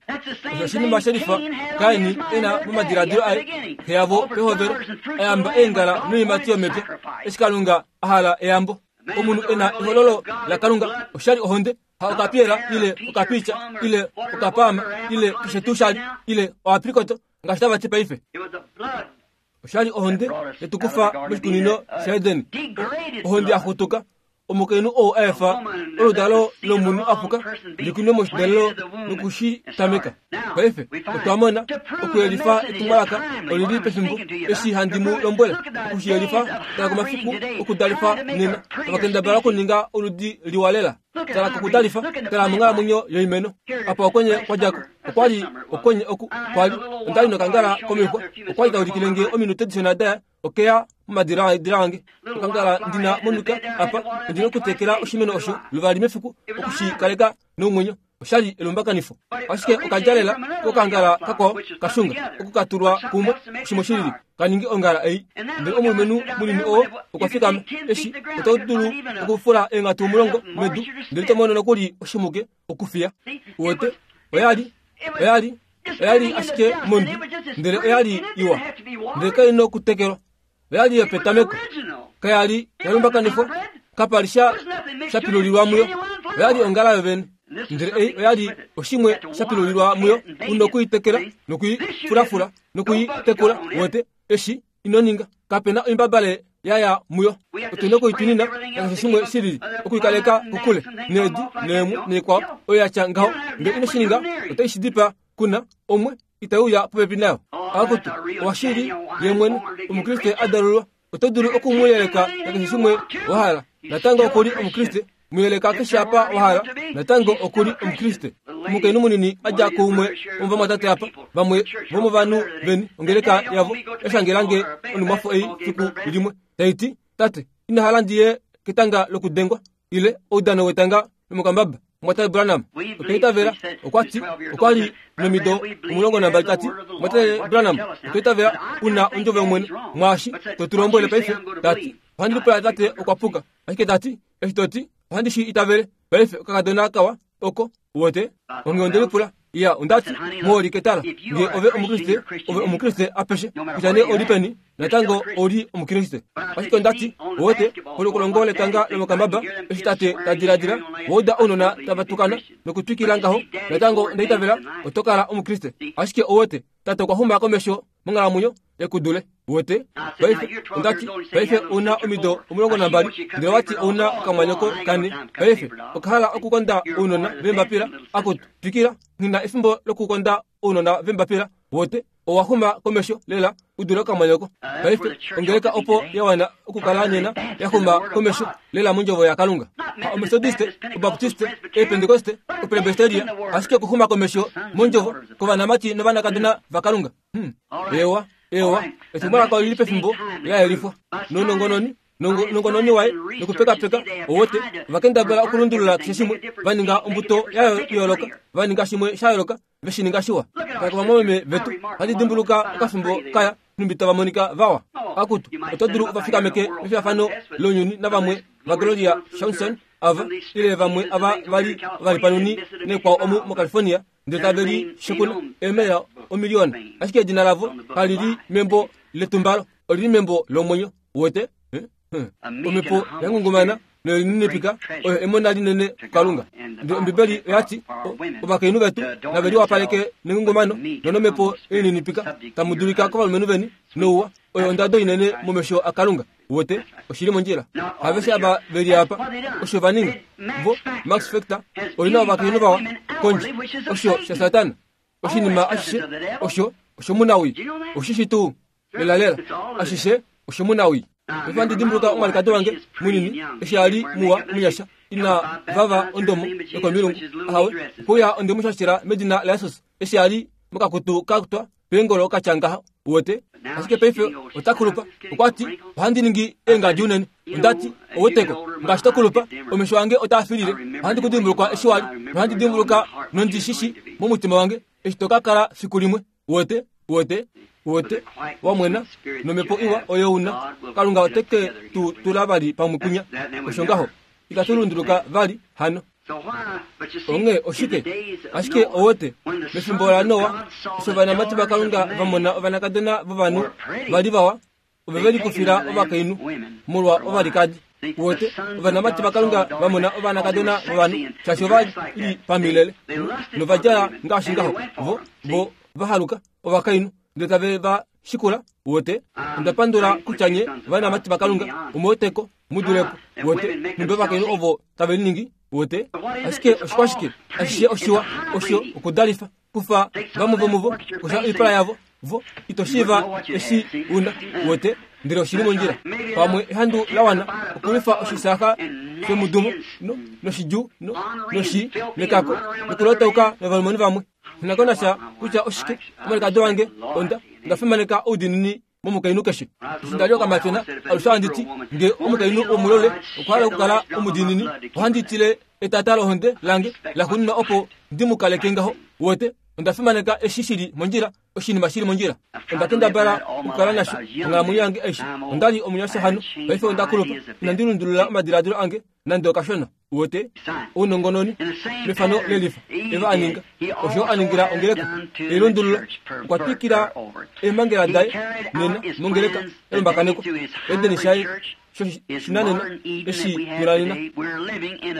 Speaker 2: Osho oshinima shelifa Kaini ena momadiladilo aye, xe yavo pehovelo ayamba eengala noiimati yomepya, eshi Kalunga a hala eyambo. Omunhu ena ehololo laKalunga oshali ohonde, ha okapiyela ile okapiitya ile okapaama ile keshe tuu shali ile oaprikoto ngaashi tava ti paife. Oshali ohonde yetukufa moshikunino shaEden, ohonde ya xutuka. Omukainhu ou a efa oludalo lomunhu apuka likunwe moshidalelo nokushitameka. Paife otwa mona okuyelifa etumwalaka olili pefimbo eshi handi mu lombwele okushiyelifa. Tala komafiku okudalifa nena, tava kendabala okuninga oludi liwa lela. Tala kokudalifa, tala monghalamwenyo yoimeno. Apa okwenye kwadjako, okwali okwenye oku kwali ondali nokangala komixwa, okwali taulikile nge ominute dishona daya okeya momadiladilo ange. Okangala ndina monuka apa, ondina okutekela oshimeno osho luvali mefiku okushikaleka nomwenyo. Oshali elumbakanifo, ashike okadjalela kokangala kakwao kashunga okukatulwa kumwe oshimwe shilili kaningi ongala ei. Ndele omulumenhu munini oo okwa fikama eshi oto dulu okufula eenghatu omulongo medu ndele to mono nokuli oshimuke okufiya. Uwete oyali oyali oyali ashike mondwi, ndele oyali iwa, ndele kaina okutekelwa. Oyali yopetameko, kayali yalumbakanifwa, kapali sha shapilulilwa muyo. Oyali ongala yovene, ndele ei oyali oshimwe shapilulilwa muyo. Una okuitekela nokuifulafula nokuitekula. Wote eshi ino ninga, kapena oimbabale yaya muyo. Otuna okuitunina nakeshe shimwe shilili okuikaleka kokule needi neemwe neikwao oyo yatya ngaho. Ngee ino shi ninga otai shi dipaa, kuna omwe itauya popepi nayo. Akutu owashili ye mwene omukriste a dalulwa, oto dulu okumuyeleka nakeshe shimwe wa hala, natango okuli omukriste. Muyeleka keshe apa wa hala, natango okuli omukriste. Omukainhu munini a dja kuumwe womovamwatate apa, vamwe vomovanhu veni ongeleka yavo yashangelange onhumwafo ei fiku limwe taiti, tate ina hala ndiye ketanga lokudengwa ile oudano wetanga lomokambaba. Mwatate Branham otwa itavela, okwa ti okwa li nomido omulongo nambali, tati Mwatate Branham otwa itavela una ondjovo yOmwene mwaashi to tu lombwele paife. Tati ohandi lipula tate okwa puka, ashike tati eshi to ti ohandi shi itavele paife. Okakadona kawa oko wote onge onde lipula ya ondati muholike tala nge ove omukriste, ove omukriste apeshe kutya nee oli peni, natango oli omukriste. Ashike ondati wote polukolongo letanga lomokambaba eshi tate ta diladila wauda ounona tava tukana nokutwikila ngaho, natango onda itavela oto kala omukriste. Ashike owote tate okwa xuma komesho monghalamwenyo ekudule wote paife ondati paife una omido omulongo nambali ndele wati una okamwanyoko kane paife okahala okukonda ounona vembapila akutu twikila ngina efimbo lokukonda ounona vembapila wote owahuma komesho lela udule okamwanyoko paife ongeleka opo yawana okukala nena yahuma komesho lela mondjovo yakalunga omethodiste obaptiste epentekoste opresbyteria ashike okuhuma komesho mondjovo kovanamati novanakadona vakalunga hmm. ewa ewa etumwalaka olili pefimbo laelifwa nonongononi nongononi waye nokupekapeka owote vakendabala okulundulula keshe shimwe vaninga ombuto ya yooloka vaninga shimwe sha yooloka veshininga shiwa kakavamwameme vetu handi dimbuluka okafimbo kaya numbi tavamonika vawa akutu oto dulu ovafikameke mefiyafano lounyuni navamwe va Gloria Johnson ava ile vamwe ava vali valipanuni nekwao omu moCalifornia ndele tave li shekuna eemela omiliona ashike edina lavo kalili membo letumbalo olili membo lomwenyo wote omhepo yangungumana noyininipika oyo emona linene kukalunga ndele ombibeli oyati ovakainhu vetu nave liwapaleke nengungumano nonomhepo elininipika tamu dulika kovalumenhu veni nouwa oyo ondado inene momesho akalunga wote oshili mondjila aveshe ava veli apa osho vaninga vo Max Factor olina ovakainhu vawa kondje osho sha satana oshinima ashishe osho oshomunawi oshishi tuu lelalela ashishe oshomunawi paife dimbuluka omwalikadi wange munini eshi ali muwa munyasha ina vava ondomo yokomilungu ahawe okuya onde mushashila medina laYesus eshi ali mokakutu kakutwa peengolo katya wote ashike paife otakulupa okwati ohandi ningi eengadi unene ondati oweteko ngaashi tokulupa omesho ange otaafilile ohandi kudimbuluka eshi wali nohandi dimbuluka nondishishi momutima wange eshi tokakala fiku limwe wote wote wote wamwena nomhepo iwa oyo una kalunga oteke tu tula vali pamwe kunya osho ngaho ikatulunduluka vali hano onge oshike ashike owote mefimbo la Noa osho vanamati vakalunga vamona ovanakadona vovanhu vali vawa ove veli kufila ovakainhu molwa ovalikadi wote ovanamati vakalunga vamona ovanakadona vovanhu shaashi ovali pamilele novadjala ngaashi ngaho vo vo vahaluka ovakainhu ndele tave va shikula wote onda pandula kutya nye ovanamati vakalunga omweteko mudulepo wote numbe ovakainhu ovo tave liningi wote ashike oshikwashike ashishe oshiwa osho okudalifa kufa vamwe vomuvo kusha oipala yavo vo itoshiiva eshi una wote ndele oshili mondjila pamwe ehandu lawana okulwifa oshisaka shomudumo no noshidju no noshi nekako nokulotauka novalumenhu vamwe nakonasha kutya oshike omwalikadi wange onda ndafimaneka oudinini momukainhu keshe eshi ndali okamatyona alushe handiti nge omukainhu womulole okwahala okukala omudinini ohandi tile etata lohonde lange laxuuninwa opo ndimukaleke ngaho wote onda fimaneka eshi shili mondjila oshinima shili mondjila onda kendabala okukala nasho onghalamwenyo yange aishe ondali omunyasha hano paife ondakulupa inandi lundulula omadiladilo ange nande okashona wote ounongononi mefano lelifa eva aninga osho aningila ongeleka elundululo okwa twikila eemhangela daye nena mongeleka elombakaneko edeni shaye shinanena eshi tulanena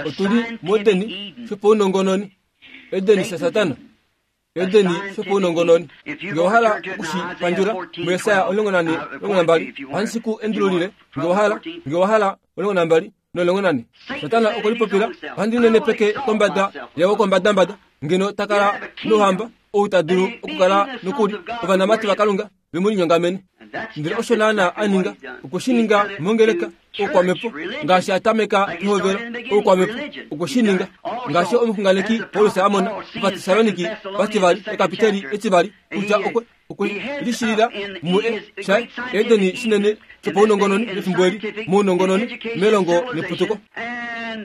Speaker 2: otuli modeni shopaunongononi edeni sha satana edeni shopaunongononi nge owahala okushipandjula muYesaya omulongo nane omulongo nambali ohandi ku endululile nge owahala nge owahala omulongo nambali nomulongo nane satana okwelipopila ohandi nenepeke kombada yawo kombadambada ngeno takala nouhamba ou ta dulu okukala nokuli ovanamati vakalunga vemulinyongamene ndele osho naana aninga okweshininga mongeleka oukwamhepo ngaashi atameka pehovelo oukwamhepo okweshininga ngaashi omuxunganeki Paulus amona ovatesaloniki vativali ekapiteli etivali kutya okwe okwe lishilila mue sha edeni shinene shopaunongononi mefimbo eli mounongononi melongo neputuko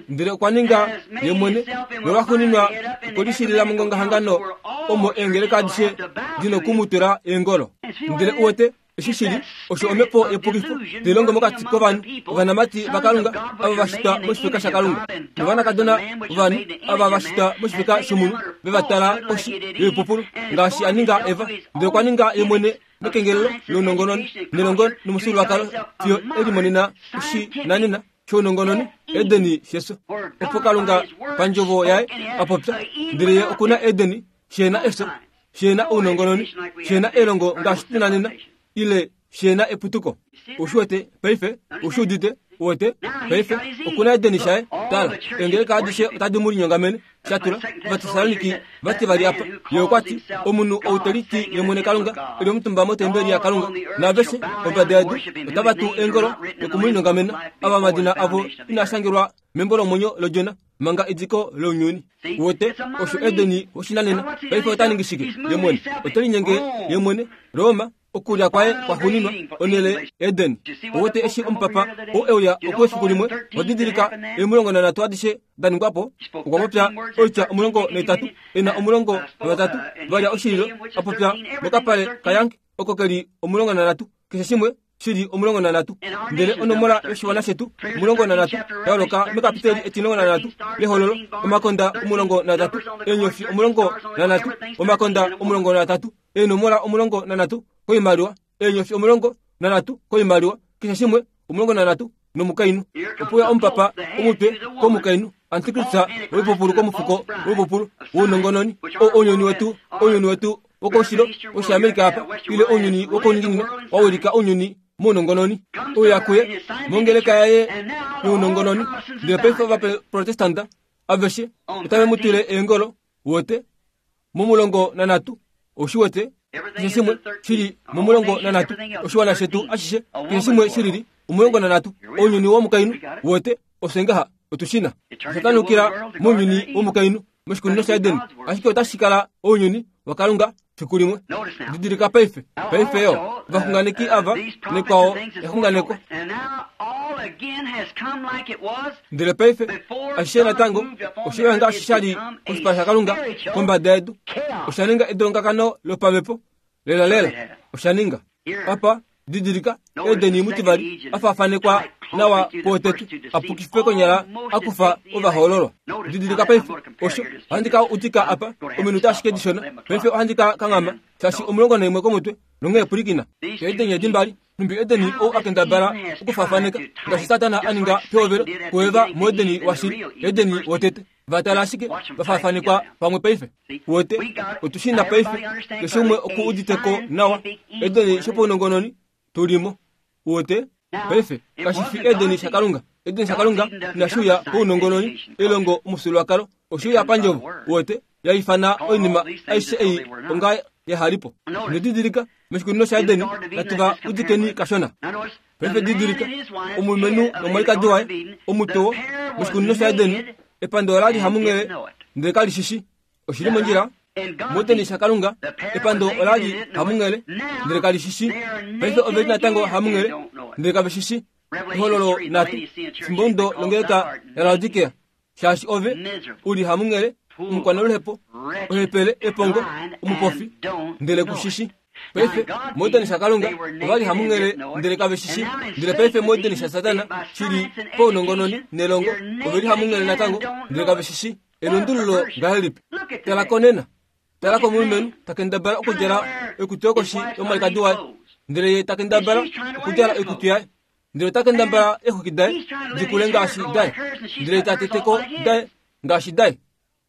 Speaker 2: ndele okwa ninga ye mwene nolwaxuuninwa okwelishilila mongongahangano omo eengeleka adishe dinokumutula eengolo ndele uwete eshi shili osho omhepo yepukifo tailongo mokati kovanhu ovanamati vakalunga ava vashitwa moshifeka shakalunga novanakadona vovanhu ava vashitwa moshifeka shomunhu vevatala koshi yoipupulu ngaashi aninga Eva ndele okwa ninga ye mwene mekengelelo lounongononi nelongo nomufyuululwakalo fiyo elimonena oshinanena shounongononi edeni sheso opo kalunga pandjovo yaye apopya ndele ye okuna edeni shena efyo Shena ounongononi, shena elongo ngaashi tuna nena, ile shena eputuko. Ushiwete paife, ushiudite, uwete paife, okuna Edeni shaye. Tala, eengeleka adishe otadi mu linyongamene. Shatula Ovatesaloniki vati vali apa. Ye okwa ti, omunhu ou te liti ye mwene Kalunga, e li omutumba motembeli yaKalunga, naaveshe kombada yedu otava tu eengolo noku mu linyongamena, ava omadina avo inaa shangelwa membo lomwenyo lOdjona manga ediko lounyuni. Uwete, osho Edeni woshinanena. Paife ota ningi shike ye mwene? Ote linyenge ye mwene Roma, okulya kwaye kwaxuuninwa, onhele Eden. Uwete eshi omupapa oo e uya oku efiku limwe, wa didilika emulongo nanhatu adishe da ningwa po. Okwa popya oitya omulongo naitatu, e na omulongo navatatu valya oshililo, a popya mokapale kaYank oko keli omulongo nanhatu, keshe shimwe shili omulongo nanhatu. Ndele onomola yoshiwana shetu omulongo nanhatu ya holoka mekapiteli etimulongo nanhatu lehololo, omakonda omulongo natatu, eenyofi omulongo nanhatu, omakonda omulongo natatu, eenomola omulongo nanhatu koimaliwa, eenyofi omulongo nanhatu koimaliwa, keshe shimwe omulongo nanhatu nomukainhu. Opuya omupapa omutwe komukainhu, antikrista woipupulu komufuko woipupulu wounongononi, ounyuni wetu, ounyuni wetu wokoushilo woshiAmerika apa, ile ounyuni wokouninginino wa wilika ounyuni mounongononi. Ouya kuye mongeleka yaye younongononi. Ndele paife Ovaprotestanta aveshe otave mu twile eengolo, wote momulongo nanhatu. Oshiwete keshe shimwe shili momulongo nanhatu, oshiwana shetu ashishe keshe shimwe shilili omulongo nanhatu, ounyuni womukainhu. Wote osho ngaha otushina oshatanukila mounyuni womukainhu moshikunino shaEden, ashike otashi kala ounyuni waKalunga fiku limwe. Didilika paife, paife yo ovaxunganeki ava nekwao exunganeko. Ndele paife ashishe natango osho ngaashi sha li koshipala shaKalunga kombada yedu, osha ninga edongakano lopamhepo lelalela. Osha ninga apa. Didilika Edeni mutivali afaafanekwa nawa kuwotete, apukife konyala akufa ovahoololwa. Didilika paife osho ohandi ka utika apa ominute ashike dishona. Paife ohandi ka kanghama shaashi omulongo naimwe komutwe nonghee pwilikina. Edeni edi mbali nhumbi Edeni ou akendabala okufaafaneka ngaashi Satana a ninga pehovelo kuEva muEdeni washili, Edeni wotete. Vatala ashike vafaafanekwa pamwe paife. Wote otushina paife keshe umwe oku uditeko nawa Edeni shopaunongononi tulimo. Wote paife kashi fi Edeni shaKalunga. Edeni shaKalunga inashi uya pounongononi, elongo omufyuululwakalo, oshe uya pandjovo. Wote yaifana oinima aishe ei onga yahalipo. Nedidilika moshikunino shaEdeni natuva udikeni kashona. Paife didilika omulumenhu nomwalikadi waye omutowo moshikunino shaEdeni, epando ola li hamunghele ndele kali shishi. Oshili mondjila. MuEdeni shaKalunga epando ola li hamunghele ndele kali shishi. Paife ove li natango hamunghele ndele kave shishi. Ehololo nhatu fimbomudo longeleka yaLaodikea, shaashi ove uli hamunghele, omukwanaluhepo, ohepele, epongo, omupofi, ndele kushishi. Paife muEdeni shaKalunga ova li hamunghele ndele kave shishi. Ndele paife muEdeni shaSatana shili paunongononi nelongo, ove li hamunghele natango ndele kave shishi. Elundululo ngahelipi? Tala konena, tala komulumenhu takendabala okudjala oikutu yokoshi yomwalikadi waye, ndele ye takendabala okudjala oikutu yaye, ndele ota kendabala eexwiki daye dikule ngaashi daye, ndele ta teteko daye ngaashi daye.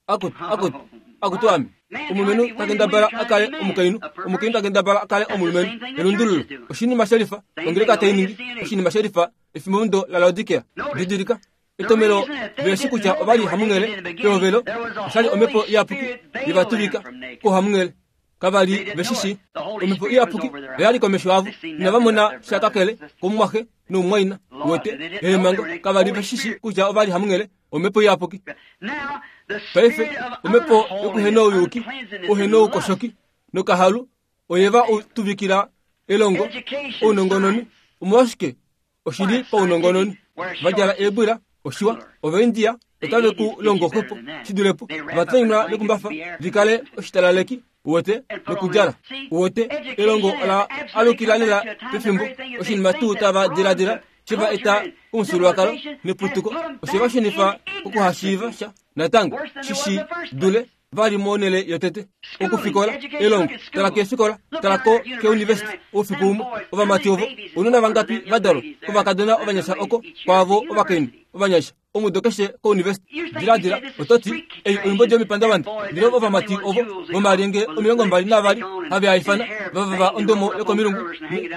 Speaker 2: Akutu, akutu, akutu ame. Omulumenhu takendabala a kale omukainhu, omukainhu takendabala a kale omulumenhu. Elundululo oshinima shelifa, ongeleka tai ningi oshinima shelifa efimbomudo laLaodikea. Didilika etomelo veshi kutya ova li hamunghele pehovelo, oshali omhepo iyapuki yevatuvika kohamunghele. Kava li veshishi. Omhepo iyapuki oyali komesho avo, inava mona sha kakele komumwaxe nomumwaina. Wete eemhango kava li veshishi kutya ova li hamunghele omhepo iyapuki. Paife omhepo yokuhenouyuki, ouhenoukoshoki nokahalu oyeva tuvikila elongo ounongononi. Omolwashike oshili paunongononi? Vadjala eebwila oshiwa, Ovaindia otave ku longo xwepo shidulepo, ovatonyula mekumbafa vikale oshitalaleki, uwete nokudjala. Uwete elongo ola alukila lela pefimbo oshinima tuu tava diladila sheva eta komufyuululwakalo neputuko, oshe va shunifa okuhashiiva sha natango shishi dule vali monhele yotete. Okufikola elongo, tala keefikola, tala ko keunivesiti oufiku umwe ovamati ovo ounona vangapi va dalwa kovakadona ovanyasha oko kwaavo ovakainhu ovanyasha omudo keshe kouniversity. Diladila ototi ei oimbodi yomipandavanda ndele ovamati ovo vomalyenge omilongo mbali navali have aifana vavava ondomo yokomilungu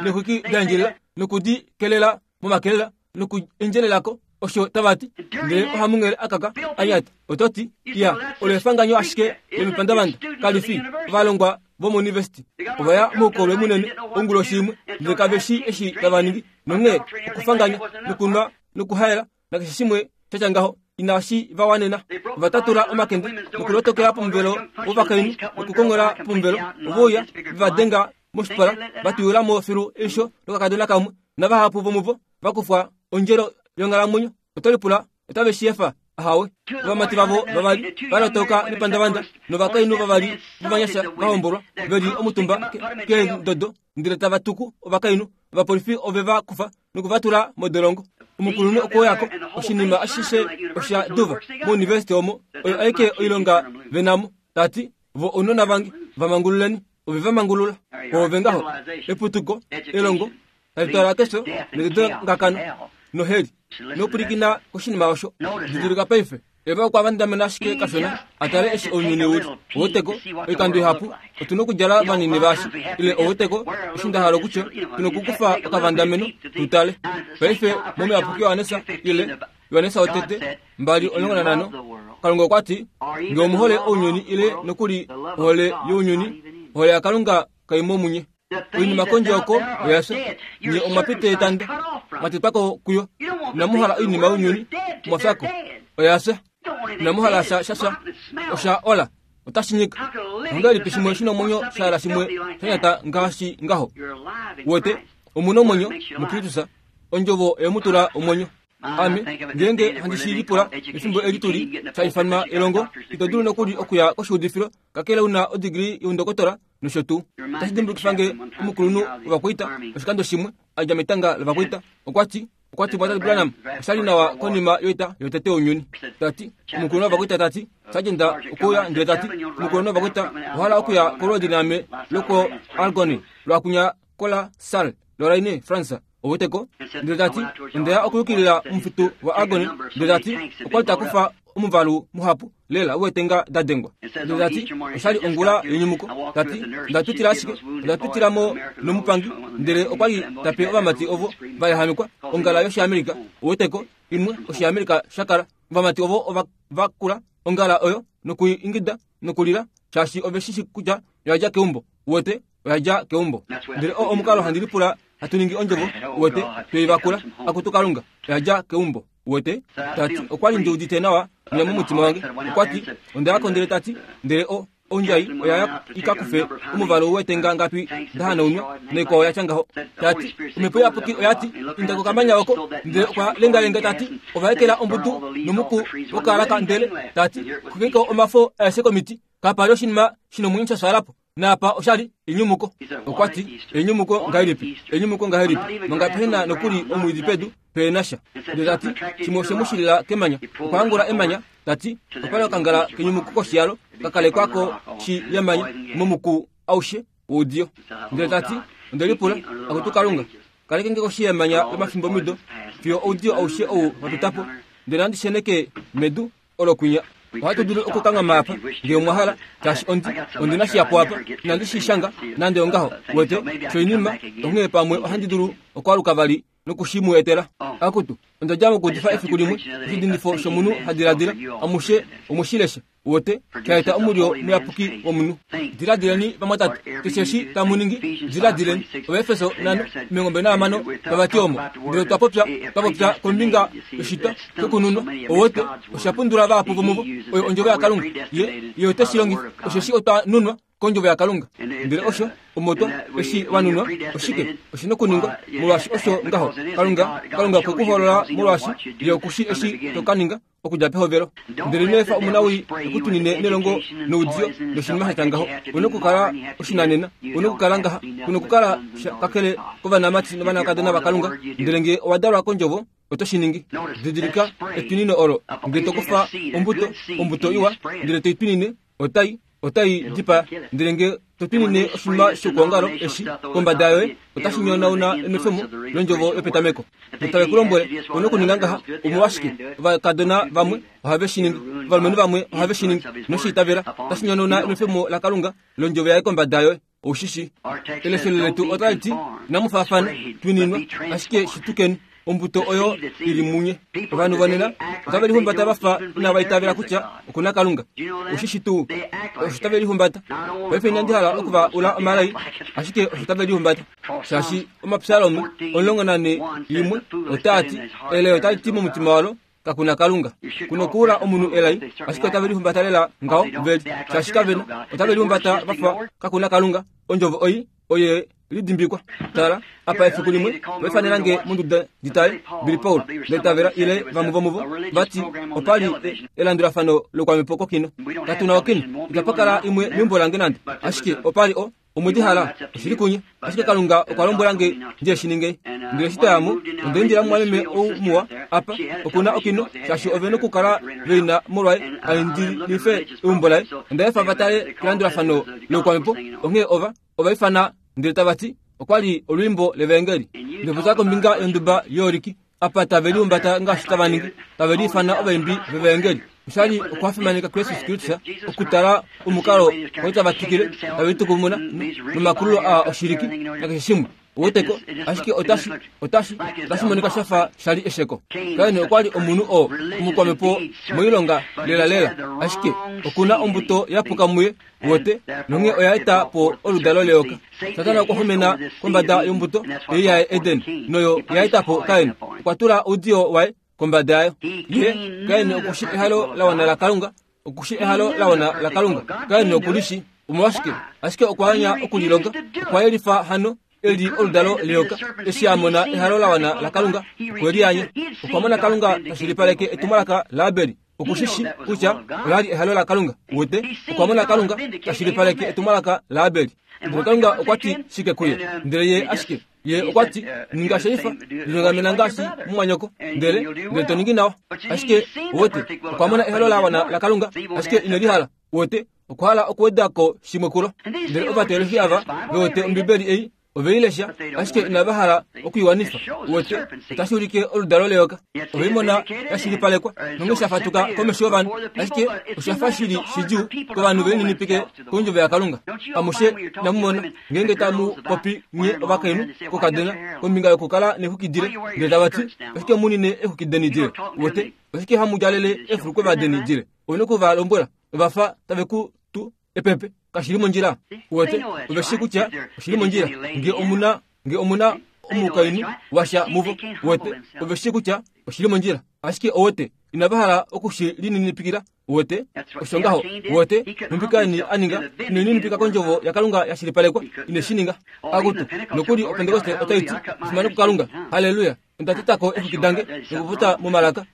Speaker 2: nexwiki daendjelela nokudi kelela momakelela nokuendjelelako osho tavati ndele ohamungele akaka anyata ototi ya olo efanganyo ashike lomipandavanda kalifi ovalongwa vomouniversity ovaya moukolwe munene onguloshi imwe ndele kaveshi eshi tavaningi nonghee okufanganya nokunwa nokuhaela nakeshe shimwe shatya ngaho inashi vawanena. Ovatatula omakende nokulotokela pomuvelo wovakainhu nokukongola pomuvelo ovouya vevadenga moshipala vatuyulamo filu eisho lokakadona kamwe navahapu vomuvo vakufwa ondjelo yonghalamwenyo. Otolipula otave shi efa ahawe. Ovamati vavo vavali valotoka nepandavanda novakainhu vavali vovanyasha vahombolwa veli omutumba keendodo ndele tava tuku ovakainhu. Ovapolifi ove va kufa nokuvatula modolongo. Omukulunhu okwoyako oshinima ashishe osha duva mouniversity omo oyo aike oilonga venamo. Tati vo ounona vange vamangululeni ove vamangulula ove ngaho eputuko elongo talitwala kesho nedodongakano noheli nopulikina koshinima osho. Didilika paife eva okwa vandamena ashike kashona atale eshi ounyuni uli oweteko oikando ihapu otuna okudjala vanini vashi ile oweteko eshi ndahala okutya tuna okukufa okavandameno tutale. Paife momiyapuki Yohanesa ile Yohanesa wotete mbali omulongo nanhano Kalunga okwati nge omuhole ounyuni ile nokuli ohole younyuni ohole yaKalunga kaimo munye. Oinima kondje oko oyafya nye omwapita etanda mwatetwako kuyo inamuhala oinima younyuni mwafyako oyafya inamuhala sha shasha osha ola otashi nyika. Ongahelipi shimwe shina omwenyo shaala shimwe shanyata ngaashi ngaho? Wete omuna omwenyo muKristus ondjovo eyemutula omwenyo. Ame ngeenge handi shi lipula efimbo eli tuli shaifanwa elongo ito dulu nokuli okuya koshiudifilo kakele una odigiri youndokotola nosho tuu. Otashi dimbulukifange omukulunhu wovakwaita oshikando shimwe adja metanga lovakwaita okwati okwati Mwatati Branham oshali nawa konima yoita yotete younyuni. Tati omukulunhu wovakwaita tati sajenda okuya ndele tati omukulunhu wovakwaita ohala okuya kolwoodi naame loko Argonne lwakunya kola Salle Lorraine France oweteko ndele tati ondeya okuyukilila omufitu wa Argonne ndele tati okwali takufa omuvalu muhapu lela wetenga dadengwa ndele tati oshali ongula yenyumuko tati ndatutila ashike ondatutilamo nomupangi ndele okwali tape ovamati ovo vayahamikwa ongala yoshiamerika oweteko imwe oshiamerika shakala ovamati ovo ova vakula ongala oyo nokuingida nokulila shaashi ove shishi kutya oyadja keumbo wete oyadja keumbo ndele o omukalo handi lipula hatu ningi ondjovo wete tweivakula akutu Kalunga oyadja keumbo wete tati okwali ndiudite nawa mwiya momutima wange okwati ondayako ndele tati ndele o ondjai oyaya ikakufe omuvalu wetenga ngapi ndahanaunwa naikwao yatya ngaho tati omhepo iyapuki oyati inda kokamanya oko ndele okwa lengalenga tati ovaekela ombudu nomuku wokalaka ndele tati kukeko omafo aeshe komiti kapali oshinima shinomwenyo shashaalapo naapa oshali enyumuko. Okwati enyumuko ngahelipi enyumuko ngahelipi manga pehena nokuli omwiidi pedu peenasha ndele tati shimwe oshemushilila kemanya okwahangula emanya tati opali okangala kenyumuko koshiyalo kakalekwako shi yemanya momuku aushe woudiyo ndele tati ondelipula akutu Kalunga kalekenge koshi yemanya lomafimbo mido fiyo oudiyo aushe ou wapitapo ndele handi sheneke medu olo kwinya. Ohatu dulu okukanghama apa ngee omwahala shaashi ondi ondina shiyapo apa inandi shi shanga nande ongaho wete shoinima onghee pamwe ohandi dulu okwaluka vali nokushimu etela. Akutu ondadja mokuudifa efiku limwe oshidindifo shomunhu hadiladila amushe omushilesha wote shaeta omulyo muyapuki womunhu. Diladileni vamwatate keshe eshi tamu ningi diladileni. Ovaefeso nhano omilongo mbali nahamano vavati omo ndele twapopya twapopya kombinga yoshitwa shokununwa owote oshapundula vahapu vomuvo oyo ondjovo yaKalunga ye ye ote shi longifa osheshi otwa nunwa kondjovo yaKalunga ndele osho omotwa eshi wanunwa oshike oshina okuningwa molwaashi osho ngaho Kalunga Kalunga okwe kuhoolola molwaashi ye okushi eshi tokaninga okudja pehovelo ndele ino efa omunawii ekutunine nelongo noudiyo noshinima shatya ngaho. Una okukala oshinanena una okukala ngaha kuna okukala kakele kovanamati novanakadona vaKalunga ndele ngee owadalwa kondjovo oto shi ningi. Didilika etwinino olo ngee tokufa ombuto ombuto iwa ndele toitwinine otai otai dipa ndele nge totwinine oshinima shokuongalo eshi kombada yoye otashi nyonauna enwefemo londjovo yopetameko. Notave ku lombwele una okuninga ngaha omolwashike ovakadona vamwe ohave shi ningi, ovalumenhu vamwe ohave shi ningi, noshiitavela otashi nyonauna enwefemo laKalunga londjovo yaye kombada yoye. Oushishi eleshelo letu otali ti inamu faafana twininwa ashike shitukeni ombuto oyo ili munye. Ovanhu vonena otave lihumbata vafa inava itavela kutya okuna Kalunga. Oshishi tuu osho tave lihumbata. Paife inandi hala okuva ula omalai, ashike osho tave lihumbata. Shaashi omapsalome omulongo nane limwe otaa ti elai otali ti momutima walo kakuna Kalunga. Kuno kuula omunhu elai, ashike otave lihumbata lela ngaho veli. Shaashi kavena otave lihumbata vafa kakuna Kalunga. Ondjovo oi oye lidimbikwa. Tala apa efiku limwe vaifanela nge monduda nditale Billy Paul ndetavela ile vamwe vomuvo vati opali elandulafano lokwamhepo kokino. Katuna okino itapakala imwe meumbo lange nande, ashike opali o omwedi hala oshili kunye, ashike Kalunga okwa lombwela nge ndiye shininge. Ndele eshi twayamo ondaindila mumwameme ou muwa apa okuna okino, shaashi ove nokukala veina molwaye aindilife eumbo laye. Ondaefa vatale kelandulafano lokwamhepo, onghee ova ovaifana ndele tava ti okwali olwiimbo levaengeli. Ndopota kombinga yonduba yooriki apa tave lihumbata ngaashi tava ningi, tave liifana ovaimbi vevaengeli. Oshali okwafimaneka Kristus Kristus okutala omukalo kwali tava twikile tave litukumuna nomakululo a oshiliki nakeshe shimwe. Oweteko ashike otashi otashi otashi monika shafa shali esheko. Kain okwali omunhu oo omukwamhepo moilonga lela lela, ashike okuna ombuto yapuka muye wote nonge oya eta po oludalo leyoka. Satana okwa xumena kombada yombuto ei yaye Eden noyo ya eta po Kain. Okwa tula oudiyo waye kombada yayo. Ye Kain okushi ehalo la wana la Kalunga, okushi ehalo la wana la Kalunga. Kain okulishi omolwashike, ashike okwa anya okulilonga. Okwa yelifa hano eli oludalo leyoka. Eshi a mona ehalo la wana la Kalunga okwe lianya. Okwa mona Kalunga tashilipaleke etumwalaka laAbeli. Okushishi kutya olali ehalo la Kalunga. Wote okwa mona Kalunga tashilipaleke etumwalaka laAbeli. Ndele Kalunga okwa ti shike kuye? Ndele ye ashike ye okwa ti ninga sheifa lilongamena ngaashi mumwanyoko, ndele ndele to ningi nawa. Ashike wote okwa mona ehalo la wana la Kalunga, ashike ine lihala. Wote okwa hala okuwedako shimwe kulo. Ndele ovateolohi ava vewote Ombibeli ei oveilesha, ashike inava hala okuiwanifa. Wote otashi ulike oludalo leyoka. Oveimona yashilipalekwa nonge shafatuka komesho yovanhu, ashike oshafa shili shidjuu kovanhu velininipike kondjovo yaKalunga. Amushe inamumona ngeenge tamu popi nye ovakainhu kokadona kombinga yokukala nexukidile, ndele tava ti oshike munine exukideni dile. Wote oshike hamu djalele efulukwe deni dile. Ouna okuva lombwela ovafa tave ku tu epepe kashili mondjila. Wote oveshi kutya oshili mondjila nge omuna nge omuna omukainhu washa muvo. Wote oveshi kutya oshili mondjila, ashike owote inava hala okushi lininipikila. Wote osho ngaho. Wote numbikaini aninga ineninipika kondjovo yaKalunga yashilipalekwa, ine shi ninga. Akutu nokuli opentekoste otai ti efimano kuKalunga, haleluya, onda tetako exuki dange nokufuta momalaka.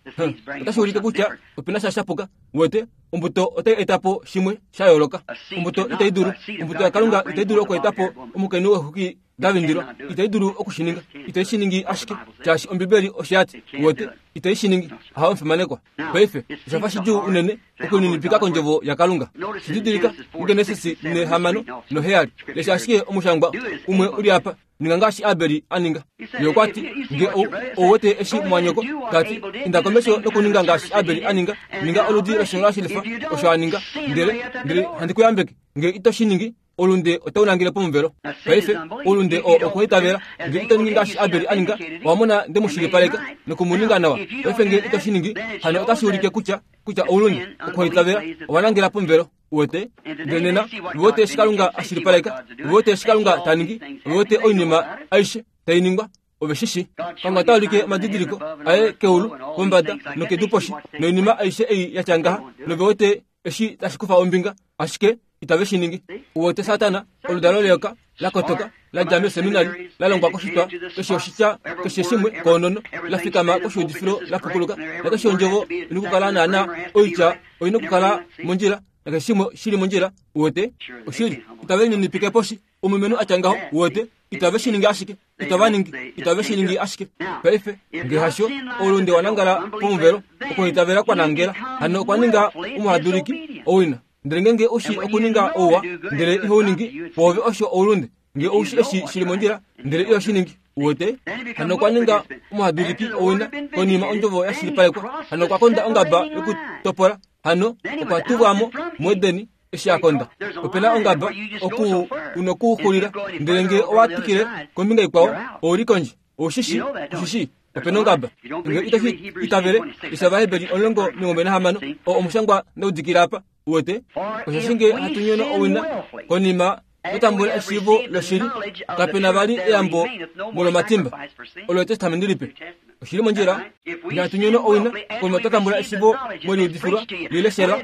Speaker 2: Otashi ulike kutya opena sha shapuka. Wote ombuto otai eta po shimwe sha yooloka. Ombuto itai dulu, ombuto yaKalunga itai dulu oku eta po omukainhu wexuki davindilwa. Itai dulu okushininga. Itai shi ningi ashike shaashi Ombibeli oshati. Wote itai shi ningi. Aha omufimanekwa. Paife oshafa shidjuu unene okuninipika kondjovo yaKalunga. Shididilika muGenesis nehamano noheyali. Lesha ashike omushangwa umwe uli apa. Ninga ngaashi Abeli aninga. Ye okwa ti nge owote eshi mwanyoko tati inda komesho nokuninga ngaashi Abeli aninga. Ninga oludi loshilonga shilifa osho aninga. Ndele ndele handi kuyambeke nge ito shi ningi olunde otau nangele pomuvelo. Paife olunde o okuitavela nge ito ningi ngaashi Abeli aninga, wamona nde mushilipaleka nokumuninga nawa. Paife nge ito shi ningi hano otashi ulike kutya kutya oulunde okuitavela owanangela pomuvelo. Wote ndele nena wote eshi Kalunga ashilipaleka, wote eshi Kalunga taningi, wote oinima aishe tainingwa oveshishi. Kalunga ota ulike omadidiliko aye keulu kombada nokedu poshi noinima aishe ei yatya ngaha, novewote eshi tashi kufa ombinga, ashike itave shi ningi. Wote Satana oludalo leyoka la kotoka la dja meseminari la longwa koshitwa keshe oshitya keshe shimwe koonono la fikama koshiudifilo la pukuluka nakeshe ondjovo ina okukala naana oitya oina okukala mondjila nakeshe shimwe shili mondjila. Wote oshili itave ninipike poshi omulumenhu atya ngaho. Wote itave shi ningi ashike, itava ningi, itave shi ningi ashike. Paife nge hasho olunde wanangala pomuvelo okuitavela kwa nangela hano okwa ninga omuhaduliki owina. Ndele ngenge ushi okuninga ouwa, ndele iho ningi, pwoove osho oulunde. Nge ushi eshi shili mondjila, ndele iho shi ningi. Uwete? Hano okwa ninga omuhaduliki owina konima ondjovo yashilipalekwa. Hano okwa konda ongaba yokutopola. Hano okwa tuvwamo muEdeni eshi a konda. Opena ongaba oku unokuxulila, ndele nge owa twikile kombinga ikwao, ouli kondje. Oushishi, ushishi, opena ongaba. Nge itoshi itavele, isha Vaheberi omulongo omilongo nahamano, oo omushangwa ndaudikila apa. Uwete? Osheshi nge hatu nyono owina konima totambula eshiivo loshili, kapena vali eyambo molomatimba. Olo Etestamenti Lipe. Oshili mondjila. Nge hatu nyono owina konima twatambula eshiivo moliudifilwa, lileshelwa,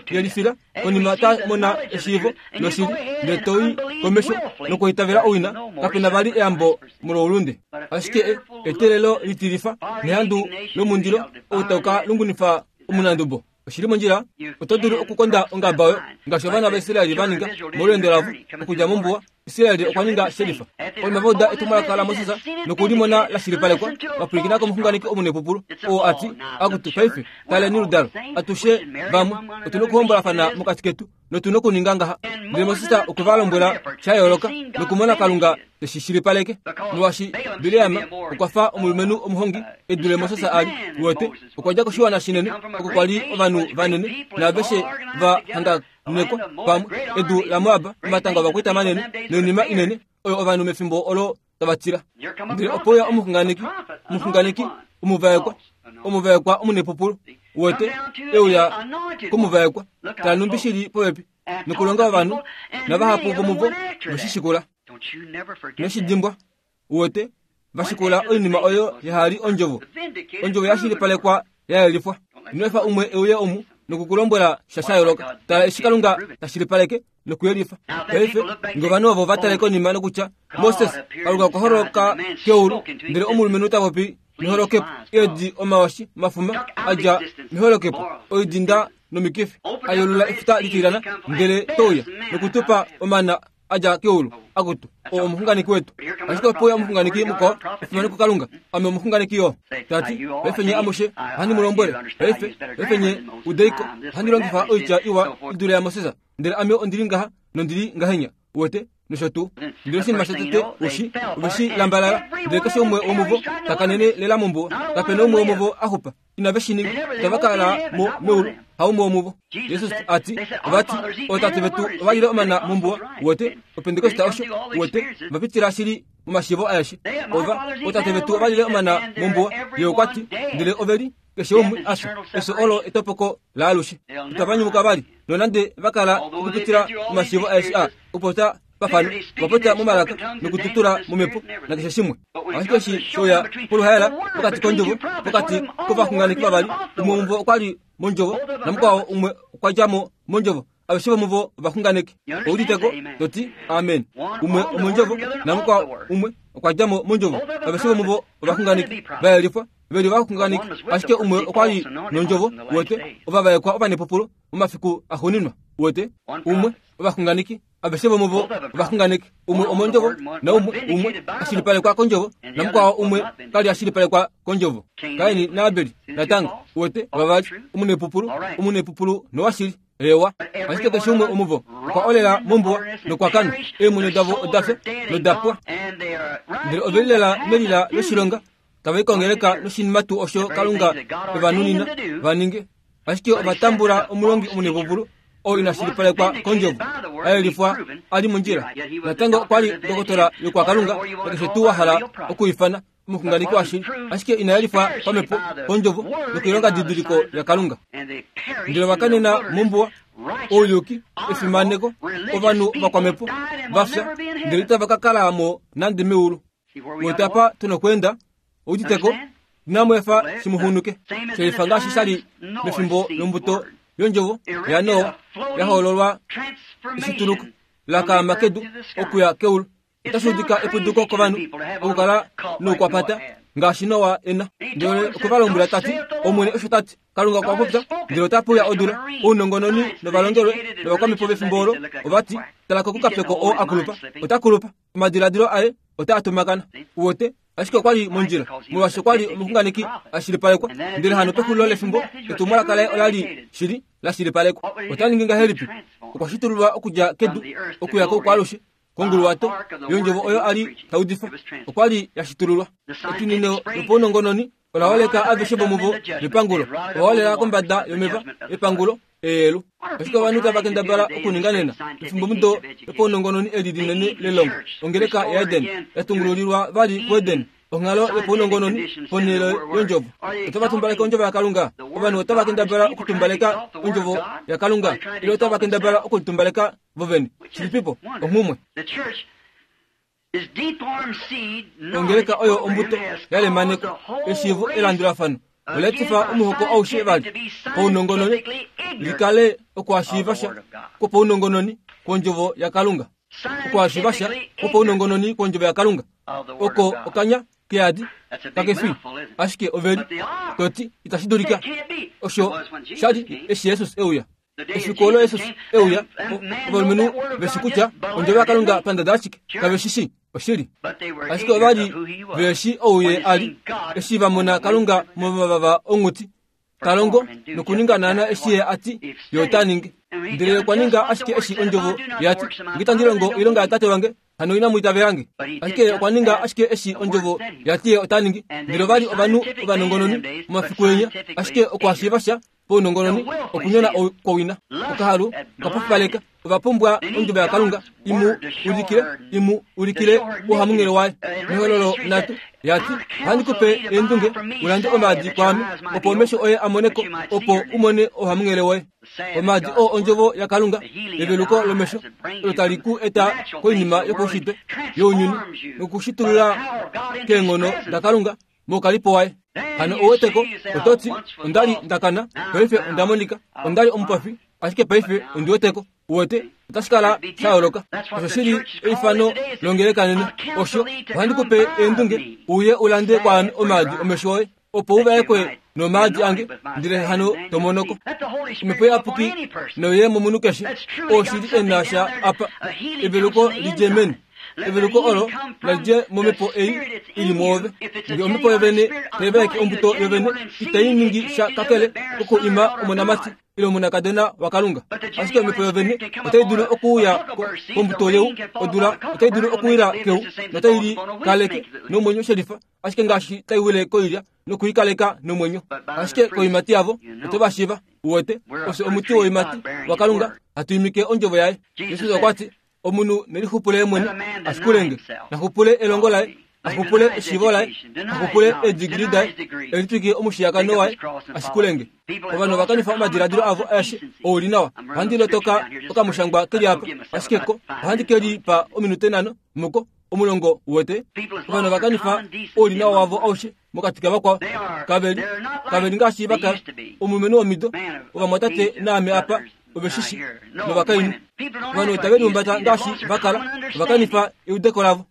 Speaker 2: liyelifila, konima twamona eshiivo loshili, ndele toi komesho nokuitavela owina, kapena vali eyambo moloulunde. Ashike eteelelo litilifa nehandu lomundilo ou tau ka lungunifa omunandubo. Oshili mondjila. Oto dulu okukonda ongaba oyo ngaashi ovana vaIsraeli va ninga molweendo lavo okudja mombuwa. Israeli okwa ninga shelifa. Konima va uda etumwalaka laMoses nokulimona la shilipalekwa, va pwilikina komuxunganeki omunepupulu oo a ti, akutu paife taleni oludalo, atushe vamwe otu nokuhombolafana mokati ketu notu nokuninga ngaha. Ndele Moses okwe va lombwela sha yooloka nokumona Kalunga teshi shilipaleke. Molwaashi Bileam okwa fa omulumenhu omuhongi e dule Moses a li. Uwete, okwa dja koshiwana shinene oko kwa li ovanhu vanene naaveshe va hanganekwa pamwe, edu laMoab, omatanga ovakwaita manene noinima inene oyo ovanhu mefimbo olo tava tila. Ndele opo ya omuxunganeki, omuxunganeki omuvaekwa, omuvaekwa omunepupulu. Uwete, euya komuvaekwa, tala numbi shili popepi nokulonga ovanhu, navahapu vomuvo veshishikula. Noshidimbwa, uwete, vashikula oinima oyo yahali ondjovo. Ondjovo yashilipalekwa yayelifwa. Ino efa umwe euye omu nokukulombwela sha sha yooloka. Tala eshi Kalunga tashilipaleke nokuyelifa. Paife nge ovanhu ovo va tale konima nokutya Moses, Kalunga okwa holoka keulu, ndele omulumenhu ta popi meholokepo, eedi omawashi mafuma a dja meholokepo, oidinda nomikifi, a yolula efuta litilyana, ndele touya nokutupa omana a dja keulu. Akutu, oo omuxunganeki wetu. Ashike opo uya omuxunganeki mukwao, efimano kuKalunga, ame omuxunganeki yo. Tati, paife nye amushe ohandi mu lombwele, paife, paife nye udeiko, ohandi longifa oitya iwa i dule yaMoses, ndele ame ondili ngaha nondili ngahenya. Uwete? Nosho tuu. Ndele oshinima shotete ushi, oveshi lambalala, ndele keshe umwe womuvo takanene lela mombuwa. Kapena umwe womuvo a xupa. Inave shi ninga. Itava kala mo meulu, haumwe womuvo. Jesus a ti, ovati, ootate vetu ova lile omana mombuwa. Uwete? Opentekoste osho. Uwete? Va pitila shili momashiivo aeshe. Ova, ootate vetu ova lile omana mombuwa. Ye okwa ti, ndele ove li keshe umwe a fya. Efyo olo etopoko laalushe. Itava nyumuka vali, nonande va kala okupitila momashiivo aeshe a okupopya pafano, vapopya momalaka nokututula momhepo nakeshe shimwe. Ashike eshi shouya poluhaela pokati kondjovo, pokati kovaxunganeki vavali, umwe womuvo okwa li mondjovo namukwao umwe okwa dja mo mondjovo. Aveshe vomuvo ovaxunganeki. Ouditeko toti amen. Umwe omondjovo namukwao umwe okwa dja mo mondjovo. Aveshe vomuvo ovaxunganeki va yelifwa, veli ovaxunganeki. Ashike umwe okwa li nondjovo, uwete, ovavaekwa ovanepupulo momafiku axuuninwa. Uwete, umwe ovaxunganeki, aveshe vomuvo ovaxunganeki. Umwe omondjovo naumwe umwe ashilipalekwa kondjovo, namukwao umwe kali ashilipalekwa kondjovo. Kaini naAbeli natango, uwete, vavali, omunepupulu, omunepupulu nowashili. Ewa, ashike keshe umwe omuvo okwa olela mombuwa nokwa kana. Eemwenyo davo oda fya noda pwa. Ndele ove lilela melila loshilonga, tava i kongeleka noshinima tuu osho Kalunga evanunina va ninge. Ashike ova tambula omulongi omunepupulu oo ina shilipalekwa kondjovo, a yelifwa a li mondjila. Natango okwa li dokotola yokwakalunga, nakeshe tuu wa hala okuifana omuxunganeki washili, ashike ina yelifwa pamhepo kondjovo nokoilonga didiliko yaKalunga. Ndele ova kanena mombuwa, ouyuki, efimaneko, ovanhu vakwamhepo va fya, ndele itava ka kala mo nande meulu. Uwete apa tu nokweenda, ouditeko, inamu efa shimuhunuke. Shelifa ngaashi sha li mefimbo lombuto yondjovo yaNoa ya hoololwa eshituluko la kaama kedu okuya keulu. Otashi udika eputuko kovanhu okukala noukwapata ngaashi Noa ena. Ndele okwe va lombwela tati, Omwene osho tati, Kalunga okwa popya, ndele ota puya odula. Ounongononi novalongelwe novakwamhepo vefimbo olo ovati, tala kokukapeko oo a kulupa, ota kulupa, omadiladilo aye otaa tumakana. Uwete, ashike okwa li mondjila, molwaashi okwa li omuxunganeki a shilipalekwa. Ndele hano pexulilo lefimbo, etumwalaka laye ola li shili la shilipalekwa. Ota ningi ngahelipi? Okwa shitululwa okudja kedu okuya koukwalushe konguluwato yondjovo oyo ali taudifa okwa li ya shitululwa. Etwinino lopaunongononi ola holeka aveshe vomuvo mepangulo, ova holela kombada yomeva epangulo eelu. Ashike ovanhu tava kendabala okuninga nena efimbomudo lopaunongononi eli linene lelongo. Ongeleka yaEden yatungululilwa vali kuEden, onghalo yopaunongononi ponhele yondjovo. Otava tumbaleka ondjovo yaKalunga. Ovanhu otava kendabala okutumbaleka ondjovo yaKalunga ile otava kendabala okulitumbaleka vovene. Shilipipo onghumwe. Ongeleka oyo ombuto yalemanekwa eshiivo elandulafano oletifa omuhoko aushe vali paunongononi likale okuhashiiva sha kwopaunongononi kwondjovo yaKalunga. Okuhashiiva sha kwopaunongononi kwondjovo yaKalunga oko okanya keadi kakefi ashike oveli toti itashi dulika. Osho shali eshi Jesus euya. Efiku olo Jesus euya, ovalumenhu veshi kutya ondjovo yaKalunga pandada ashike kave shi shi oshili. Ashike ovali veshi ouye ali eshi va mona Kalunga momavava onghuti talongo nokuninga naana eshi ye ati ye ota ningi. Ndele okwa ninga ashike eshi ondjovo yati, nge itandi longo oilonga yatate wange hano inamu itavela nge. Ashike okwa ninga ashike eshi ondjovo yati ye ota ningi. Ndele ovali ovanhu ovanongononi momafiku enya, ashike okuhashiiva sha paunongononi okunyona kwowina. Okahalu okapofipaleka. Ova pumbwa ondjovo yaKalunga imu ulikile imu ulikile ouhamunghele waye. Mehololo nhatu yati, ohandi kupe eendunge ulande omaadi kwaame opo omesho oye a moneko, opo u mone ouhamunghele woye. Omaadi oo ondjovo yaKalunga, eveluko lomesho olo tali ku eta koinima yopaushitwe younyuni nokushitulula keenghono daKalunga moukalipo waye. Hano ouweteko ototi ondali ndakana paife onda monika, ondali omupofi ashike paife ondi weteko. Uwete otashi kala sha yooloka. Osho shili eifano longeleka nena. Osho ohandi kupe eendunge uye ulande kwaame omaadi omesho oye opo uvaekwe nomaadi ange, ndele hano tomonoko. Omhepo iyapuki noye momunhu keshe oo shili ena sha apa eveluko lidje meni. Eveluko olo nalidje momhepo ei ili mwoove. Nge omhepo yovene taivaeke ombuto yovene itai ningi sha kakele koku ima omonamati ile omonakadona waKalunga. Ashike omhepo yovene otai dulu okuuya kombuto yeu, odula otai dulu okuwila keu notai li kaleke nomwenyo shelifa, ashike ngaashi tai wile koilya nokuikaleka nomwenyo. Ashike koimati yavo oto va shiiva. Uwete ofye omuti woimati waKalunga hatu imike ondjovo yaye. Jesus okwa ti omunhu nelixupule mwene ashikulenge, naxupule elongo laye, axupule eshiivo laye, axupule eedigili daye, elitwike omushiyakano waye, ashikulenge. Ovanhu ova kanifa omadiladilo avo aeshe ouli nawa. Ohandi lotoka okamushangwa keli apa, ashike ko ohandi ke lipa ominute nhano muko omulongo. Uwete ovanhu ova kanifa oulinawa wavo aushe mokati kavakwao. Kaveli kaveli ngaashi vakala. Omulumenhu womido ovamwatate naame apa oveshishi novakainhu. Ovanhu itave lihumbata ngaashi vakala. Ova kanifa eudeko lavo.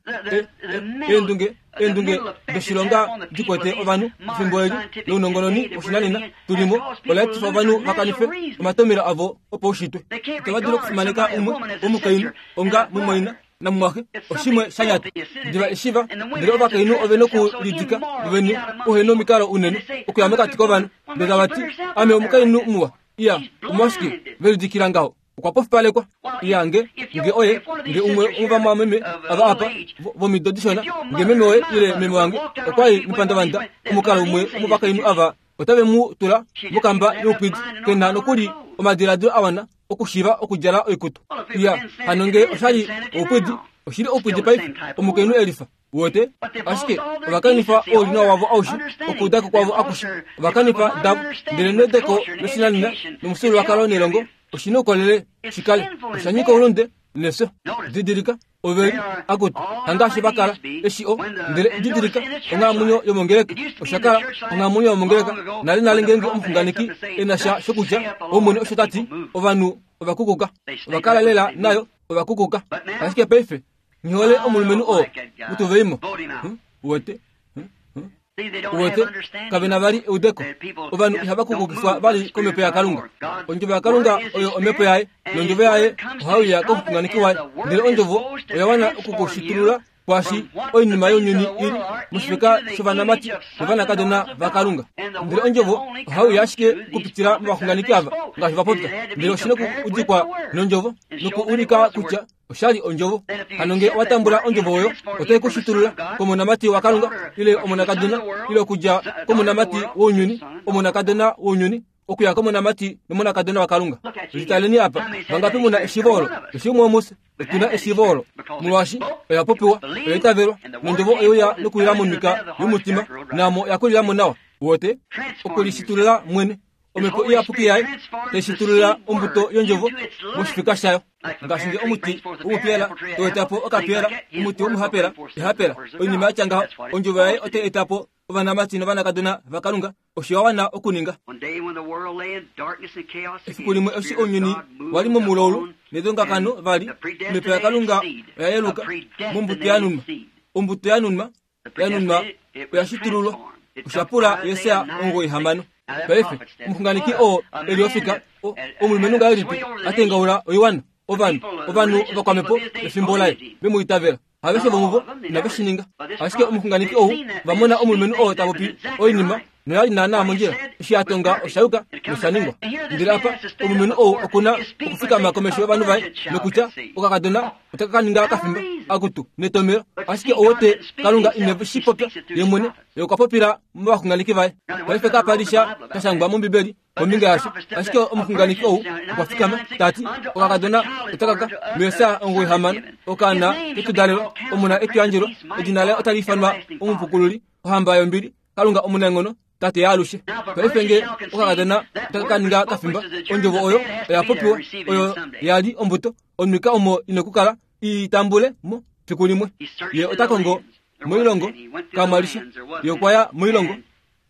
Speaker 2: Eendunge eendunge doshilonga dikwete ovanhu efimbo eli lounongononi woshinanena tulimo ola etifa ovanhu va kanife omatomelo avo opaushitwe. Itava dulu okufimaneka umwe womukainhu onga mumwaina namumwaxe oshimwe sha nyata. Diva eshiva ndele ovakainhu ove nokulidika vovene uhena omikalo unene okuya mokati kovanhu. Ndele tava ti ame omukainhu muwa. Iya omwashike velidikila ngaho? Okwa pofipalekwa. Iya nge nge oye nge umwe wovamwameme ava apa vomido dishona, nge meme woye ile meme wange okwali mepandavanda omukalo umwe womovakainhu ava otave mu tula mokamba youpwidi. Kena nokuli omadiladilo awana okushiiva okudjala oikutu. Iya hano nge oshali oupwidi, oshili oupwidi paife omukainhu elifa. Uwete ashike ova kanifa oulinawa wavo aushe, okuudako kwavo akushe ova kanifa davo. Ndele neudeko loshinanena nomufyuululwakalo nelongo oshina oukolele shikale osha nyika oulunde nefyo. Didilika oveli akutu hangaashi vakala eshi o ndele didilika onghalamwenyo yomongeleka osha kala onghalamwenyo yomongeleka nale nale ngeenge omuxunganeki ena sha shokutya omwene osho tati ovanhu ovakukuka ova kala lela nayo ovakukuka. Ashike paife nghihole omulumenhu oo mutuveimo. Uwete uwete kavena vali eudeko. Ovanhu ihava kukukifwa vali komhepo yaKalunga. Ondjovo yaKalunga oyo omhepo yaye, nondjovo yaye ohaiuya komuxunganeki waye. Ndele ondjovo oya wana okukushitulula Kwashi oinima younyuni ili moshifeka shovanamati novanakadona vaKalunga. Ndele ondjovo ohauya ashike okupitila movaxunganeki ava ngaashi vapopya. Ndele oshina okuudikwa nondjovo nokuulika kutya oshali ondjovo. Hano ngee owatambula ondjovo oyo otai kushitulula komonamati waKalunga ile omonakadona ile okudja komonamati wounyuni omonakadona wounyuni okuya komonamati nomonakadona waKalunga. Litaleni apa vangapi muna eshiivo olo? Eshi umwe womufye otuna eshiivo olo molwaashi oya popiwa, oya itavelwa, nondjovo oyeuya nokuwila momika yomutima naamo yakulilamo nawa. Wote okulishitulula mwene omhepo iyapuki yaye taishitulula ombuto yondjovo moshifika shayo. Ngaashi nge omuti womupiyela toetapo okapiyela, omuti womuhapela ehapela, oinima yatya ngaho, ondjovo yaye otai etapo ovanamati novanakadona vaKalunga. Osho wa wana okuninga. Efiku limwe eshi ounyuni wali momulaulu nedongakano vali, omhepo yaKalunga oya yeluka mombuto yanunwa. Ombuto yanunwa yanunwa oya shitululwa. Osha pula Jesaja omugoyi hamano. Paife omuxunganeki oo eli ofika omulumenhu ngahelipi a tengaula oiwana, ovanhu ovanhu ovakwamhepo pefimbo laye vemu itavela. Haveshe vomuvo inave shi ninga. Ashike omuxunganeki ou va mona omulumenhu oo ta popi oinima noyali naanaa mondjila. Eshi a tonga osha yuka nosha ningwa. Ndele apa omulumenhu ou okuna okufikama komesho yovanhu vaye nokutya okakadona otaka ka ninga kafimba akutu netomelo. Ashike owete Kalunga ine shi popya ye mwene, ye okwa popila movaxunganeki vaye. Paife kapa li sha sha shangwa mOmbibeli kombinga yasho. Ashike omuxunganeki ou okwa fikama tati okakadona otaka ka muJesaja omugoyi hamano okaana ketudalelwa omona etuyandjelwa edina laye otali ifanwa omupukululi, ohamba yombili, Kalunga omunaenghono, Tate yaalushe. Paife nge okakadona otaka ka ninga kafimba, ondjovo oyo oya popiwa, oyo yali ombuto, onwika omo ina okukala i tambule mo fiku limwe. Ye ota kongo moilongo kamwalisha, ye okwa ya moilongo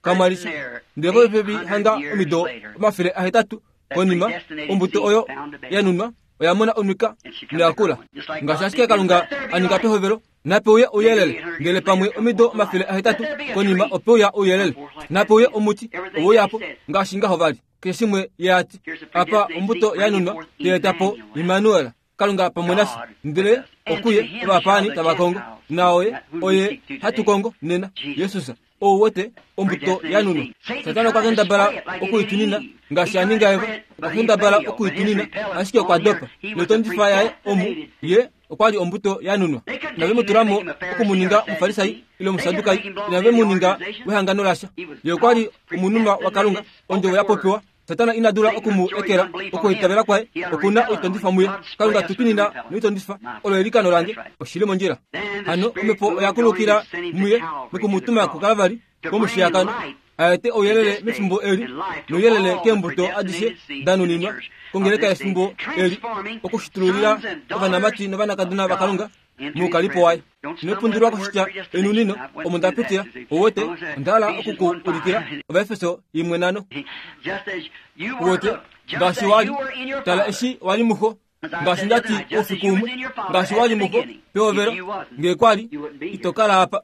Speaker 2: kamwalisha. Ndele popepi hanga omido omafele ahetatu konima, ombuto oyo yanunwa oya mona onwika noyakula. Ngaashi ashike Kalunga a ninga pehovelo, nape uye ouyelele. Ndele pamwe omido omafele ahetatu konima ope uya ouyelele, nape uye omuti oweuyapo ngaashi ngaho vali. Keshe shimwe ye ati apa ombuto yanunwa tayeetapo Immanuel, Kalunga pamwe nafye. Ndele okuye ovapaani tava kongo, naoye oye hatu kongo nena, Jesus. Ou wete ombuto yanunwa. Satana okwa kendabala okuitunina ngaashi a ninga Eva, okwa kendabala okuitunina ashike okwa dopa. Notondifa yaye omu ye okwali ombuto yanunwa. Inave mu tulamo okumuninga omufarisai ile omusadukai, inave mu ninga wehangano lasha. Ye okwali omununwa waKalunga, ondjovo ya popiwa. Satana ina dula okumu ekela okuitavela kwaye, okuna oitondifa muye. Kalunga tutunina noitondifa, olo elikano lange, oshili mondjila. Hano omhepo oya kulukila muye nokumutuma kuKalvari komushiyakano, aete ouyelele mefimbo eli nouyelele keembuto adishe danuninwa kongeleka yefimbo eli, okushitululila ovanamati novanakadona vaKalunga moukalipo waye. Inopundulwa koshitya enunino omo nda pitila. Owete onda hala okuku ulikila Ovaefeso imwe nano. Owete ngaashi wali, tala eshi wali muxo, ngaashi ndati oufiku umwe, ngaashi wali muxo pehovelo, ngee kwali ito kala apa.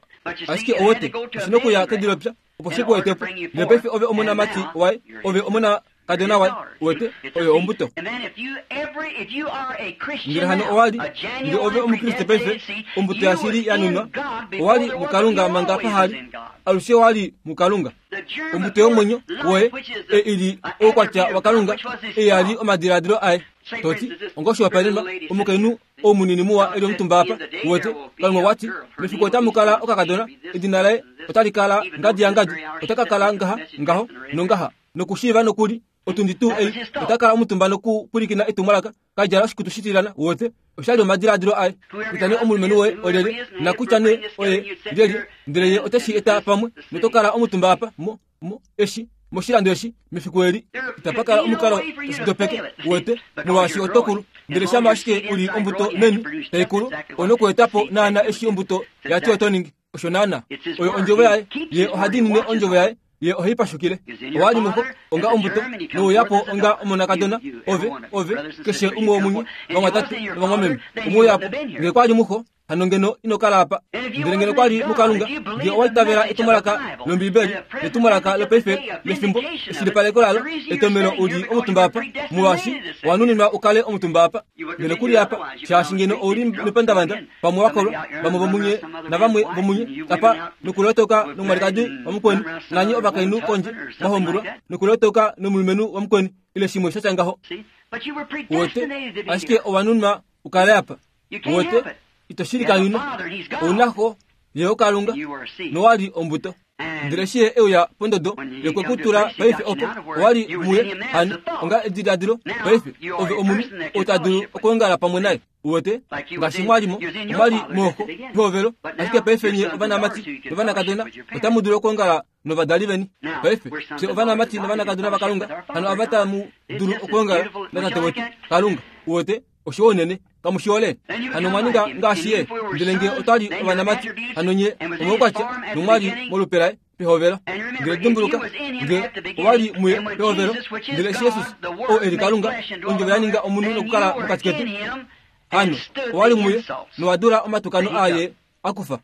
Speaker 2: Ashike owete oshina okuya kedilopya opo shi ku etepo. Ndele paife ove omonamati waye, ove omona kadona waye, wete oyo ombuto. Ndele hano owali, nge ove omukriste paife, ombuto yashili yanunwa, owali muKalunga manga pahali, alushe wali muKalunga. Ombuto yomwenyo woye e ili oukwatya waKalunga, e yali omadiladilo aye. Toti ongoshihopaenenwa, omukainhu oumunini muwa eli omutumba apa, wete Kalunga okwati mefiku otamu kala okakadona, edina laye otali kala ngadi yangadi, otaka kala ngaha ngaho nongaha, nokushiiva nokuli otundi tuu ei ota kala omutumba nokupwilikina etumwalaka, kadjala oshikutu shitilana. Wote oshali omadiladilo aye kutya nee omulumenhu woye olyelye, nakutya nee oye lyelye, ndele ye oteshi eta pamwe noto kala omutumba apa mo mo eshi moshilando eshi mefiku eli. Itapa kala omukalo oshidopeke, wete, molwaashi oto kulu. Ndele shama ashike uli ombuto meni taikulu, onokuetapo naana eshi ombuto yati oto ningi. Osho naana oyo ondjovo yaye, ye oha diinine ondjovo yaye, ye ohai pashukile. Owali muxo onga ombuto, nouyapo onga monakadona, ove ove keshe umwe womunye vamwatate novamwameme omweuyapo. Nge kwali muxo Hano ngeno ino kala apa. Ndele ngeno kwa li muKalunga, nge owa itavela etumwalaka lOmbiibeli, netumwalaka lopaife lefimbo, eshilipaleko lalo, etomelo uli omutumba apa, molwaashi owa nuninwa u kale omutumba apa. Ngeno kuli apa, shaashi ngeno ouli mepandavanda, pamwe wakolwa, vamwe vomunye navamwe vomunye, apa nokulotoka nomwalikadi wamukweni, nanye ovakainhu kondje mwahombulwa, nokulotoka nomulumenhu wamukweni, ile shimwe sha tya ngaho. Wote, ashike owa nunwa u kale apa. Wote, ito shili kanyuna, ouna xo, ye oKalunga, nowa li ombuto. Ndele eshi ye euya pondodo yokwekutula paife opo, owa li muye, hano, onga ediladilo, paife, ove omunhu, ou ta dulu okwoongala pamwe naye. Uwete, ngaashi mwalimo, omwali mooxo, pehovelo, ashike paife nye ovanamati novanakadona, otamu dulu okwoongala novadali veni. Paife, fye ovanamati novanakadona vaKalunga, hano ava tamu dulu okwoongala natate wetu, Kalunga. Uwete, osho unene, kamushihole. Hano mwaninga ngaashi ye, ndele nge otwali ovanamati, hano nye omaukwatya nomwali molupe laye pehovelo. Ndele dimbuluka, nge owali muye pehovelo, ndele eshi Jesus, oo e li Kalunga, ondjovo ya ninga omunhu nokukala mokati ketu, hano owali muye nowa dula omatukano aye akufa.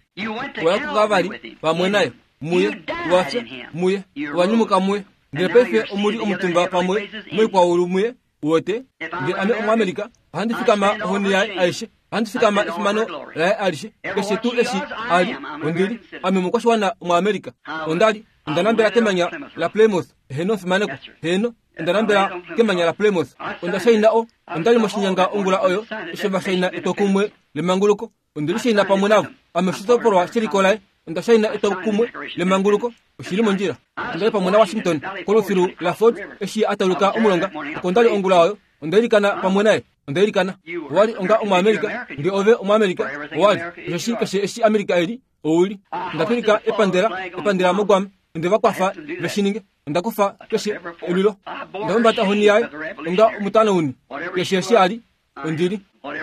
Speaker 2: Owa kuKalvari pamwe naye, muye, owafya muye, owanyumuka muye. Ndele paife omuli omutumba pamwe moikwaulu muye. Uwete, nge ame Omuamerika, ohandi fikama ohoni yaye aishe, ohandi fikama efimano laye alishe, keshe tuu eshi ali, ondili, ame omukwashiwana Omuamerika. Ondali, onda nambela kemanya la Plymouth, heno fimaneko, heno, onda nambela kemanya la Plymouth. Onda shaina o, ondali moshinyanga ongula oyo, eshi va shaina etokumwe lemanguluko, ondili shaina pamwe navo, ame oshitopolwa sheliko laye, onda shaina etokumwe lemanguluko, oshili mondjila. Ondali pamwe na Washington kolufilu la Ford, eshi atauluka omulonga, oko ondali ongula oyo, onda ilikana pamwe naye, onda ilikana. Owali onga Omuamerika, nge ove Omuamerika, owali, osheshi keshe eshi Amerika eli, ouli. Onda tulika epandela, epandela moGuam, onde va kwafa veshininge, onda kufa keshe elwilo, onda humbata ohoni yaye, onga omutanauni, keshe eshi ali, ondili.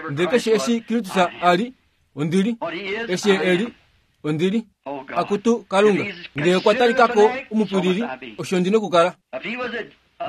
Speaker 2: Ndele keshe eshi Kristus ali, ondili. Eshi eli, ondili. Akutu Kalunga, nge okwa talikako omupwilili, osho ndi nokukala.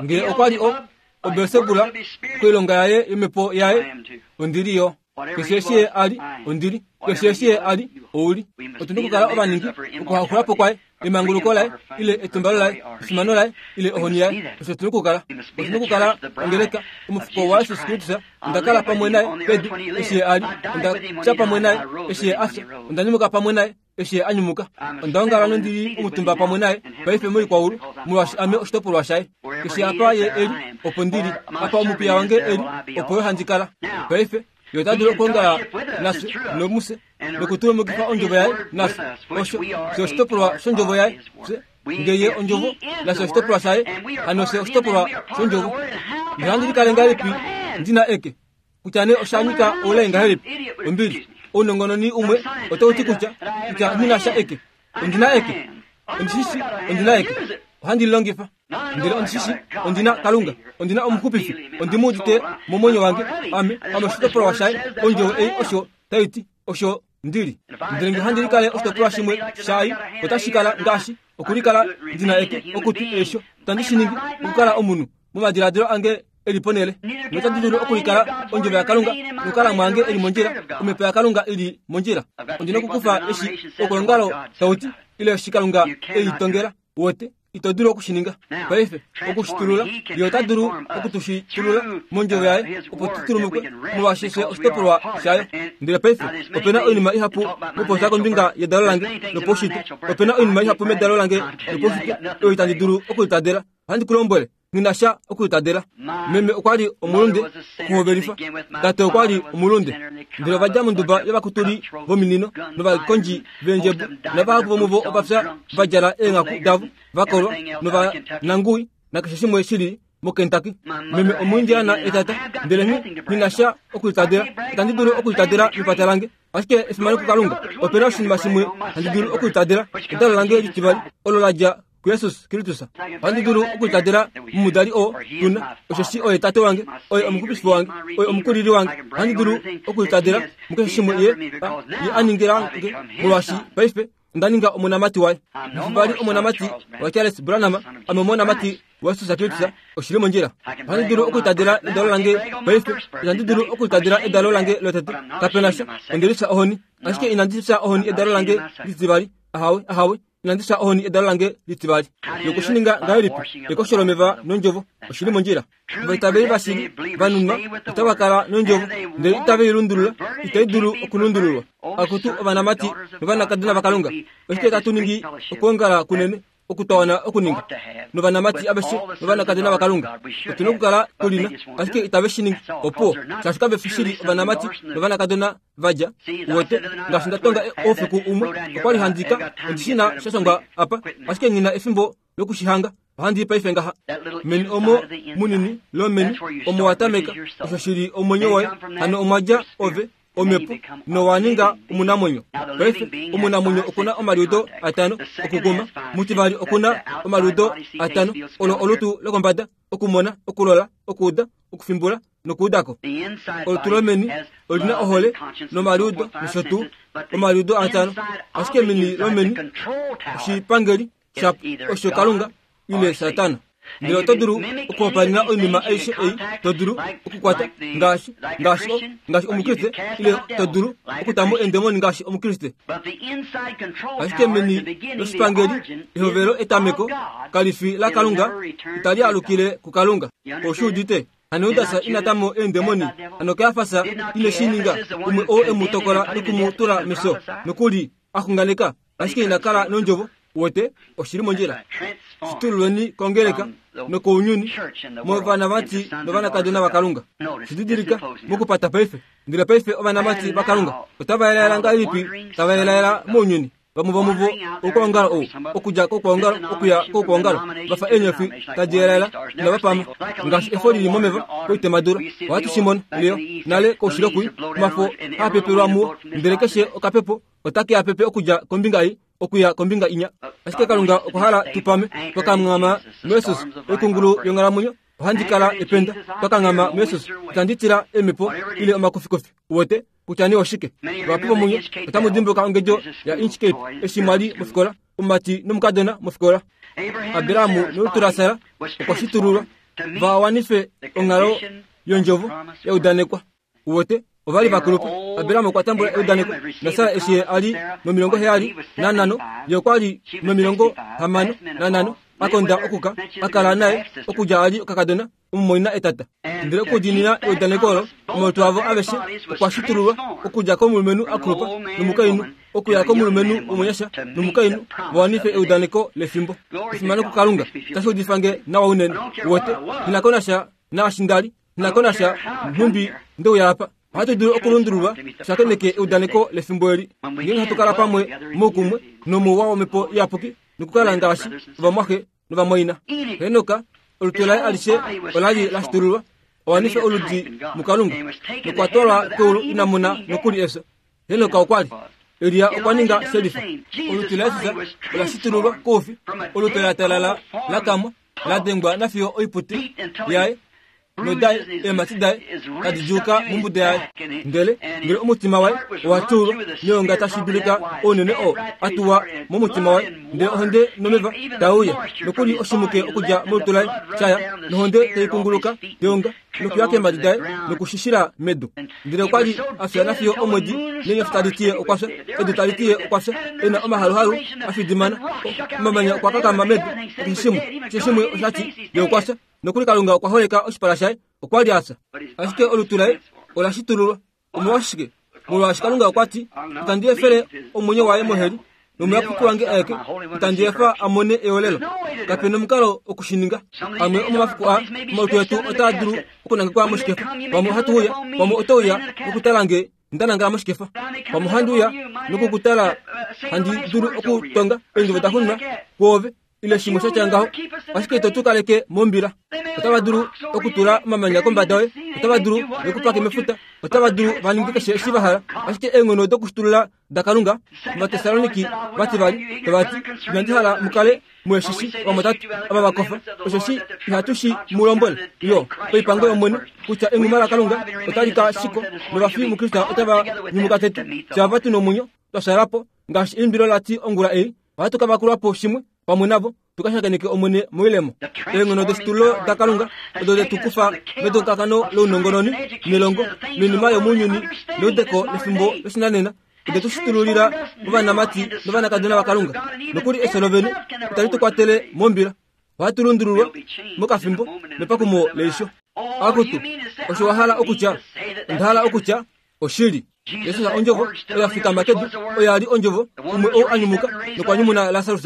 Speaker 2: Nge okwa li o, oBelsebula, koilonga yaye yomhepo yaye, ondili yo. Keshe eshi ye ali, ondili. Keshe eshi ye ali, ouli. Otu nokukala ovaningi okuhaxulapo kwaye, emanguluko laye, ile etumbalo laye, efimano laye, ile ohoni yaye, osho tu nokukala. Otu nokukala ongeleka omufuko waJesus Kristus. Onda kala pamwe naye pedu eshi ye ali, onda fya pamwe naye eshi ye afya, onda nyumuka pamwe naye eshi ye anyumuka. Onda ongala nondili omutumba pamwe naye paife moikwaulu, molwaashi ame oshitopolwa shaye. Keshe apa ye eli, opo ndili. Apa omupiya wange eli, opo yo handi kala. Paife yo ota dulu okwoongala nafye nomuse nokutulumukifa ondjovo yaye nafye. Osho fye oshitopolwa shondjovo yaye. Fye nge ye ondjovo, nafye oshitopolwa shaye, hano fye oshitopolwa shondjovo. Ndele handi likale ngahelipi ndina eke, kutya nee osha nyika oulai ngahelipi? Ombili, ounongononi umwe otau ti kutya, kutya nghina sha eke. Ondina eke, ondishishi ondina eke, ohandi lilongifa. Ndele ondishishi ondina Kalunga, ondina omuxupifi, ondimuudite momwenyo wange, ame, ame oshitopolwa shaye, ondjovo ei osho tai ti, osho ndili. Ndele nge handi likale oshitopolwa shimwe shai, otashi kala ngaashi okulikala ndina eke, okutu eesho, tandi shi ningi okukala omunhu momadiladilo ange eli ponele. Notandi dulu okulikala ondjovo yaKalunga nokukala mwange eli mondjila, omhepo yaKalunga ili mondjila. Ondina okukufa eshi okolongalo tauti, ile eshi Kalunga ei tongela. Wote, ito dulu okushininga. Paife, okushitulula, ye ota dulu okutushitulula mondjovo yaye, opo tutulumukwe, molwaashi fye oshitopolwa shayo. Ndele paife, opena oinima ihapu mupopya kombinga yedalo lange lopaushitwe. Opena oinima ihapu medalo lange lopaushitwe oyo itandi dulu okulitadela. Ohandi ku lombwele, nghina sha okulitadela. Meme okwa li omulunde okuhovelifa, tate okwa li omulunde. Ndele ova dja monduba yovakutuli vominino novakondji veendjebo, navahapu vomuvo ova fya va djala eenghaku davo, vakolwa novananguwi nakeshe shimwe shili moKentucky. Meme Omuindiana etata, ndele nghina sha okulitadela. Itandi dulu okulitadela mepata lange, ashike efimano kuKalunga, opena oshinima shimwe handi dulu okulitadela, edalo lange litivali, olo la dja kuJesus Kristus. Ohandi dulu okulitadela momudali oo tuna, osheshi oye tate wange, oye omuxupifi wange, oye omukulili wange. Ohandi dulu okulitadela mukeshe shimwe ye, ye a ningila nge, molwaashi paife Onda ninga omonamati waye. Vali omonamati wa Charles Branham, ame omonamati wa Jesus Kristus, oshili mondjila. Ohandi dulu okutadila edalo lange paife, inandi dulu okutadila edalo lange lotete. Kapena sha, ondelisa ohoni, ashike inandi fya ohoni edalo lange litivali. Ahawe, ahawe, inandi fya ohoni edalo lange litivali. Yokushininga ngahelipi? Ekosholomeva nondjovo, oshili mondjila. Vaitaveli vashili vanunwa otava kala nondjovo, ndele itave i lundulula, itai dulu okulundululwa. Akutu ovanamati novanakadona vaKalunga, oshike tatu ningi okwoongala kunene okutawana okuninga novanamati aveshe novanakadona vaKalunga? Otuna okukala tulina, ashike itave shi ningi. Opo shaashi kave fi shili ovanamati novanakadona vadja wote. Ngaashi nda tonga oufiku umwe, okwali handika ondishina shashangwa apa, ashike ngina efimbo lokushihanga. Ohandi paife ngaha meni omo munini lomeni omo watameka, osho shili omwenyo woye. Hano omwadja ove omepo nowaninga omunamwenyo. Paife omunamwenyo okuna omaliudo atano okuguma, mutivali okuna omaliudo atano olo olutu lokombada, okumona, okulola, okuuda, okufimbula nokuudako. Olutu lomeni olina ohole nomaliudo nosho tuu omaliudo atano, ashike meni lomeni oshipangeli shapo osho Kalunga ile Satana. Ndele oto dulu okuhopaenena oinima aishe ei, to dulu okukwata ngaashi ngaashi ngaashi omukriste, ile to dulu okutamo eendemoni ngaashi omukriste. Ashike meni loshipangeli ehovelo etameko kalifi la Kalunga, itali alukile kuKalunga. Oshuudite hano Judas ina tamo eendemoni, hano Kaiafas ine shi ninga, umwe oo e mu tokola nokumutula mefyo, nokuli a xunganeka, ashike ina kala nondjovo. Wote oshili mondjila. Shitululweni kongeleka nokounyuni movanamati novanakadona vaKalunga. Shididilika mokupata paife. Ndele paife ovanamati vaKalunga otava yelaela ngahelipi? Tava yelaela mounyuni. Vamwe vomuvo okwoongala ou okudja kokwoongala okuya kokwoongala, vafa eenyofi tadi yelaela inava pama ngaashi efo lili momeva koitemadula. Ohatu shi mono leo nale koushilo kui, omafo haa pepelwa muo, ndele keshe okapepo otake a pepe okudja kombinga ei okuya kombinga inya. Ashike Kalunga okwa hala tupame twakanghama muJesus, oikungulu yonghalamwenyo. Ohandi kala ependa twakanghama muJesus, itandi tila eemhepo ile omakufikufi. Wote kutya nee oshike. Vahapu vomunye otamu dimbuluka ongedjo ya Inchcape eshi mwali mofikola, omumati nomukadona mofikola. Abraham nolutu laSara okwa shitululwa va wanife onghalo yondjovo ya udanekwa. Wote ovali vakulupa. Abraham okwa tambula eudaneko, naSara eshi ye ali nomilongo heyali nanhano, ye okwa li nomilongo hamano nanhano, akonda okuka akala naye okudja ali okakadona omumwaina etata. Ndele okudiinina eudaneko olo, omalutu avo aveshe okwa shitululwa okudja komulumenhu akulupa nomukainhu okuya komulumenhu omunyasha nomukainhu, va wanife eudaneko lefimbo. Efimano kuKalunga, tashi udifa nge nawa unene. Wote nghi ko nasha naashi ndali, nghi ko nasha nhumbi ndeuya apa. Ohatu dulu okulundululwa shakeneke eudaneko lefimbo eli, ngeenge hatu kala pamwe moukumwe nomouwa womhepo iyapuki nokukala ngaashi ovamwaxe novamwaina. Henoka olutu laye alishe olali la shitululwa awanife oludi muKalunga, nokwa twalwa keulu ina mona nokuli efyo. Henoka okwa li Elia okwa ninga shelifa. Olutu laJesus ola shitululwa koufi, olutu la talala la kamwa, la dengwa nafiyo oipute yaye nodaye eemhati daye tadi djuuka mombuda yaye. Ndele ndele omutima waye owa tulwa neonga tashi dulika ounene oo a tuwa momutima waye, ndele ohonde nomeva tauya nokuli oshimuke okudja molutu laye shaya, nohonde tai kunguluka teonga nokuya keemhadi daye nokushishila medu. Ndele okwa li a fya nafiyo omwedi neenyofi tadi tiye okwa fya, edu tali tiye okwa fya, e na omahaluhalu a fidimana, omamanya okwa kakama medu, keshe shimwe keshe shimwe oshati ye okwa fya. Nokuli Kalunga okwa holeka oshipala shaye, okwa li a fya. Ashike olutu laye ola shitululwa. Omolwashike? Molwaashi Kalunga okwa ti, itandi efele omwenyo waye moheli, nomuyapuki wange aeke itandi efa a mone eolelo. Kapena omukalo okushininga. Amwe omomafiku aa omalutu etu otaa dulu okunangekwa moshikefa. Pamwe ohatu uya, pamwe oto uya nokutala nge nda nangala moshikefa, pamwe ohandi uya nokukutala handi dulu okutonga eendjovo da xunwa kwoove ile shimwe sha tya ngaho, ashike ito tu kaleke mombila. Otava dulu okutula omamanya kombada yoye, otava dulu vekupake mefuta, otava dulu va ninge keshe eshi va hala, ashike eenghono dokushitulula daKalunga. Ovatessaloniki vati vali tava ti, inandi hala mukale mueshishi vamwatatu ava vakofa, osheshi ihatu shi mu lombwele yo oipango yOmwene kutya enghuma laKalunga otali ka shikwa, novafi muKristus otava nyumuka tete. Fyava tu nomwenyo twashala po Ngaashi eimbilo lati ongula ei, ohatu ka vakulwa po shimwe pamwe navo, tukashakeneke Omwene moilemo. Eenghono deshitulo daKalunga odo detu kufa metongakano lounongononi, nelongo, noinima yomounyuni, neudeko lefimbo loshinanena, ode tu shitululila ovanamati novanakadona vaKalunga. Nokuli efyo lovene itali tu kwatele mombila. Ohatu lundululwa mokafimbo mepakumo leisho. Akutu, osho wa hala okutya, onda hala okutya oshili. Jesus ondjovo oya fikama kedu, oya li ondjovo, umwe ou a nyumuka nokwa nyumuna Lasarus.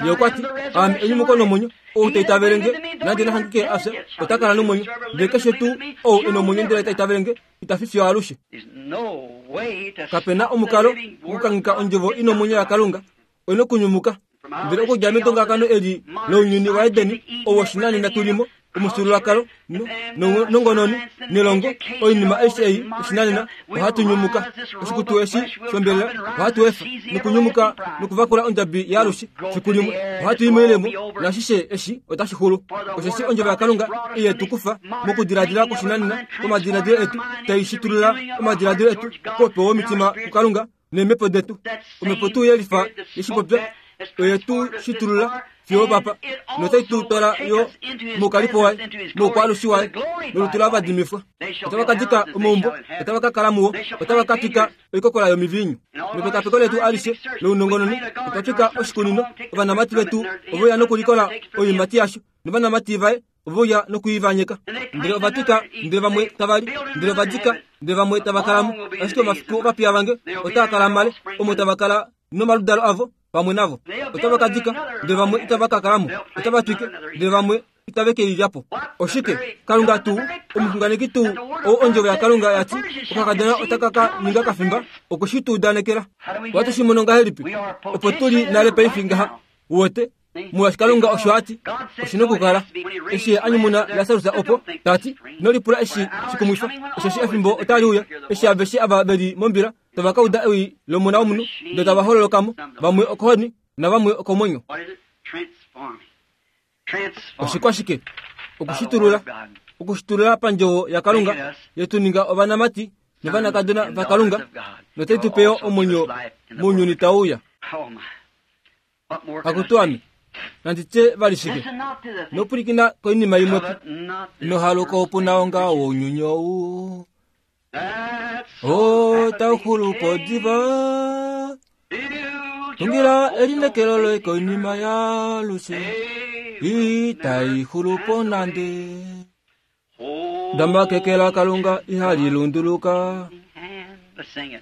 Speaker 2: Ye okwa ti, aame enyumuko nomwenyo, ou ta itavele nge, nande na hangike a fya, ota kala nomwenyo. Ndele keshe tuu ou e nomwenyo ndele ta itavele nge, ita fi fiyo alushe. Kape na omukalo wokukangika ondjovo i nomwenyo yaKalunga, oina okunyumuka. Ndele okudja metongakano eli lounyuni waEdeni, ou woshinanena tulimo, omufyuululwakalo, nongononi, nelongo, oinima aishe ei oshinanena, ohatu nyumuka. Oshikutu eshi shombelela ohatu efa nokunyumuka nokuvakula ondjabi yaalushe fiku limwe. Ohatu i moilemo, nashishe eshi otashi xulu. Osheshi ondjovo yaKalunga iye tu kufa mokudiladila kwoshinanena kwomadiladilo etu, tai shitulula omadiladilo etu koupe womitima kuKalunga neemhepo detu. Omhepo tuu yelifa yeshipopya oye tu shitulula fiyo papa, notai tu twala yo moukalipo waye, moukwaalushi waye, nolutu lavadimifwa. Otava ka dika omaumbo, otava ka kala muwo, otava ka twika oikokola yomiviinyu. Mepekapeko letu alishe lounongononi, otwa twika oshikunino. Ovanamati vetu oveuya nokulikola oiimati yasho, novanamati vaye oveuya nokuivanyeka. Ndele ova twika, ndele vamwe tava li, ndele ova dika, ndele vamwe tava kalamo. Ashike omafiku ovapiya vange otaa kala male, omo tava kala nomaludalo avo pamwe navo. Otava ka dika, ndele vamwe itava ka kalamo. Otava twike, ndele vamwe itave ke i lya po. Oshike? Kalunga tuu, omuxunganeki tuu, ou ondjovo yaKalunga yati okakadona otaka ka ninga kafimba, okwe shi tu udanekela. Ohatu shi mono ngahelipi? Opo tuli nale paife ngaha, uwete, molwaashi Kalunga osho a ti, oshi nokukala. Eshi ye a nyumuna Lasarus opo, ta ti, ino lipula eshi shikumwifa, osheshi efimbo otali uya, eshi aveshe ava ve li mombila tava ka uda ewi lOmona wOmunhu, ndele tava hololokamo, vamwe okohoni navamwe okomwenyo. Oshikwashike? Okushitulula. Okushitulula pandjovo yaKalunga, yetu ninga ovanamati novanakadona vaKalunga, notai tu pe yo omwenyo mounyuni tau uya. Akutu ame, nandi tye vali shike? Nopwilikina koinima imwe po. Ino haluka oupuna wongaho wounyuni ou, otau xulu po diva. Tungila elinekelo loye koinima yaalushe, itai xulu po nande. Dama keke laKalunga ihali lunduluka.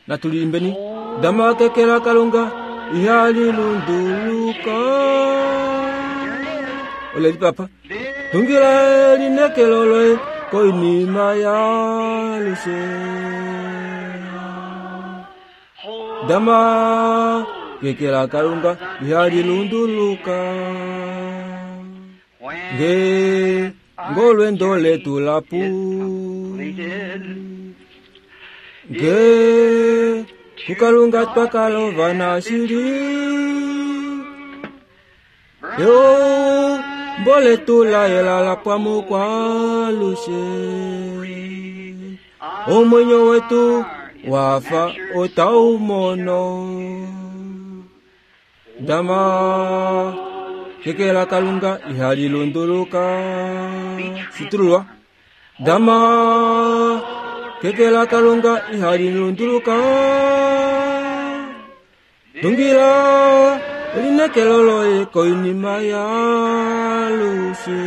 Speaker 2: Natu liimbeni. Dama keke laKalunga ihali lunduluka. Oleli papa. Tungila elinekelo loye koinima yaalushe. Dama keke laKalunga ihali lunduluka. Nge ngolwendo letu lapu, nge kuKalunga twakalova nashili, eumbo letu layela lapwa mokwalushe. Omwenyo wetu wafa otau mono. Dama keke laKalunga ihali lunduluka. Shitululwa. Dama keke laKalunga ihali lunduluka. Tungila elinekelo loye koinima yaalushe.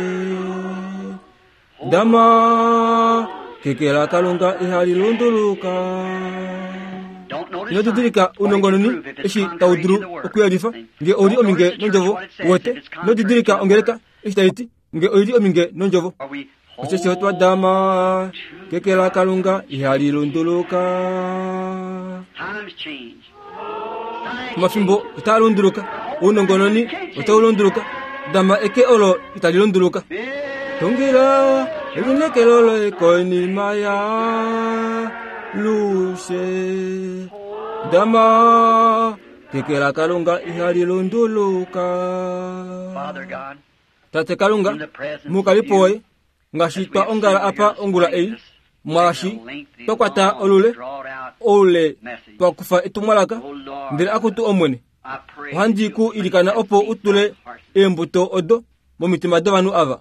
Speaker 2: Dama keke laKalunga ihali lunduluka. Ino didilika unongononi eshi tau dulu okuyelifa nge ouli ominge nondjovo, uwete. Ino didilika ongeleka eshi tai ti nge oili ominge nondjovo. Osheshi otwa dama keke laKalunga ihali lunduluka. Omafimbo otaa lunduluka, ounongononi otau lunduluka, dama eke olo itali lunduluka. Tungila elinekelo loye koinima yaalushe. Dama keke laKalunga ihali lunduluka. Tate Kalunga, mukalipo woye, ngaashi twa ongala apa ongula ei, mwaashi twa kwata olule oule twa kufa etumwalaka ndele akutu omwene ohandi ku ilikana opo u tule eembuto odo momitima dovanhu ava.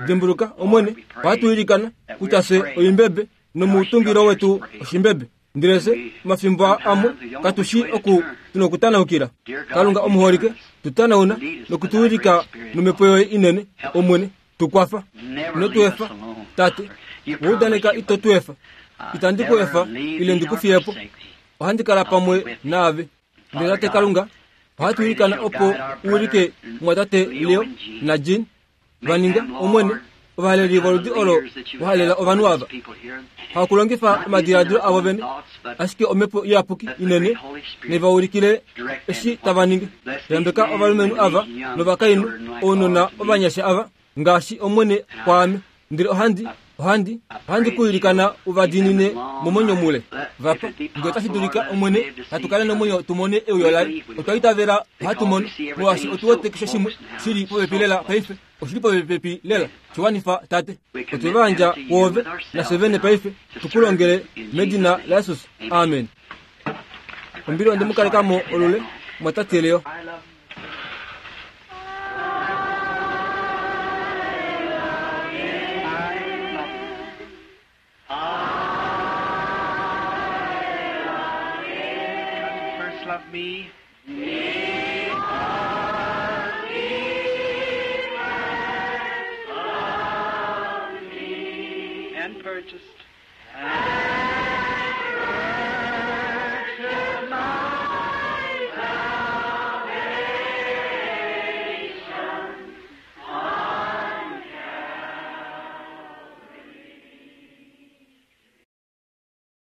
Speaker 2: Dimbuluka omwene, ohatu ilikana kutya fye oimbebe nomutungilo wetu oshimbebe, ndele fye omafimbo amwe katushi oku tuna okutanaukila. Kalunga omuholike, tutanauna nokutuwilika nomhepo yoye inene omwene, tukwafa ino tu efa tate, waudaneka ito tu efa, itandi ku efa ile ndikufiyepo, ohandi kala pamwe naave. Ndele tate Kalunga, ohatu ilikana opo u wilike mwatate Leo naJean vaninga omwene ovahaleli voludi olo wahalela ovanhu ava, hakulongifa omadiladilo avo vene, ashike omhepo iyapuki inene nevaulikile eshi tava ningi. Yambeka ovalumenhu ava novakainhu, ounona ovanyasha ava ngaashi omwene kwaame, ndele ohandi ohandi ohandi ku ilikana uvadiinine momwenyo mule vapa, ngee otashi dulika omwene hatu kale nomwenyo tumone euyo laye. Otwa itavela ohatu mono, molwaashi otu wete keshe shimwe shili popepi lela paife, oshili popepi lela. Shiwanifa tate, otwe va yandja kwoove nafye vene paife tukulongele medina laJesus, amen. Ombili onde mu kalekamo olule mwatate Leo.
Speaker 3: Love me. And purchased. And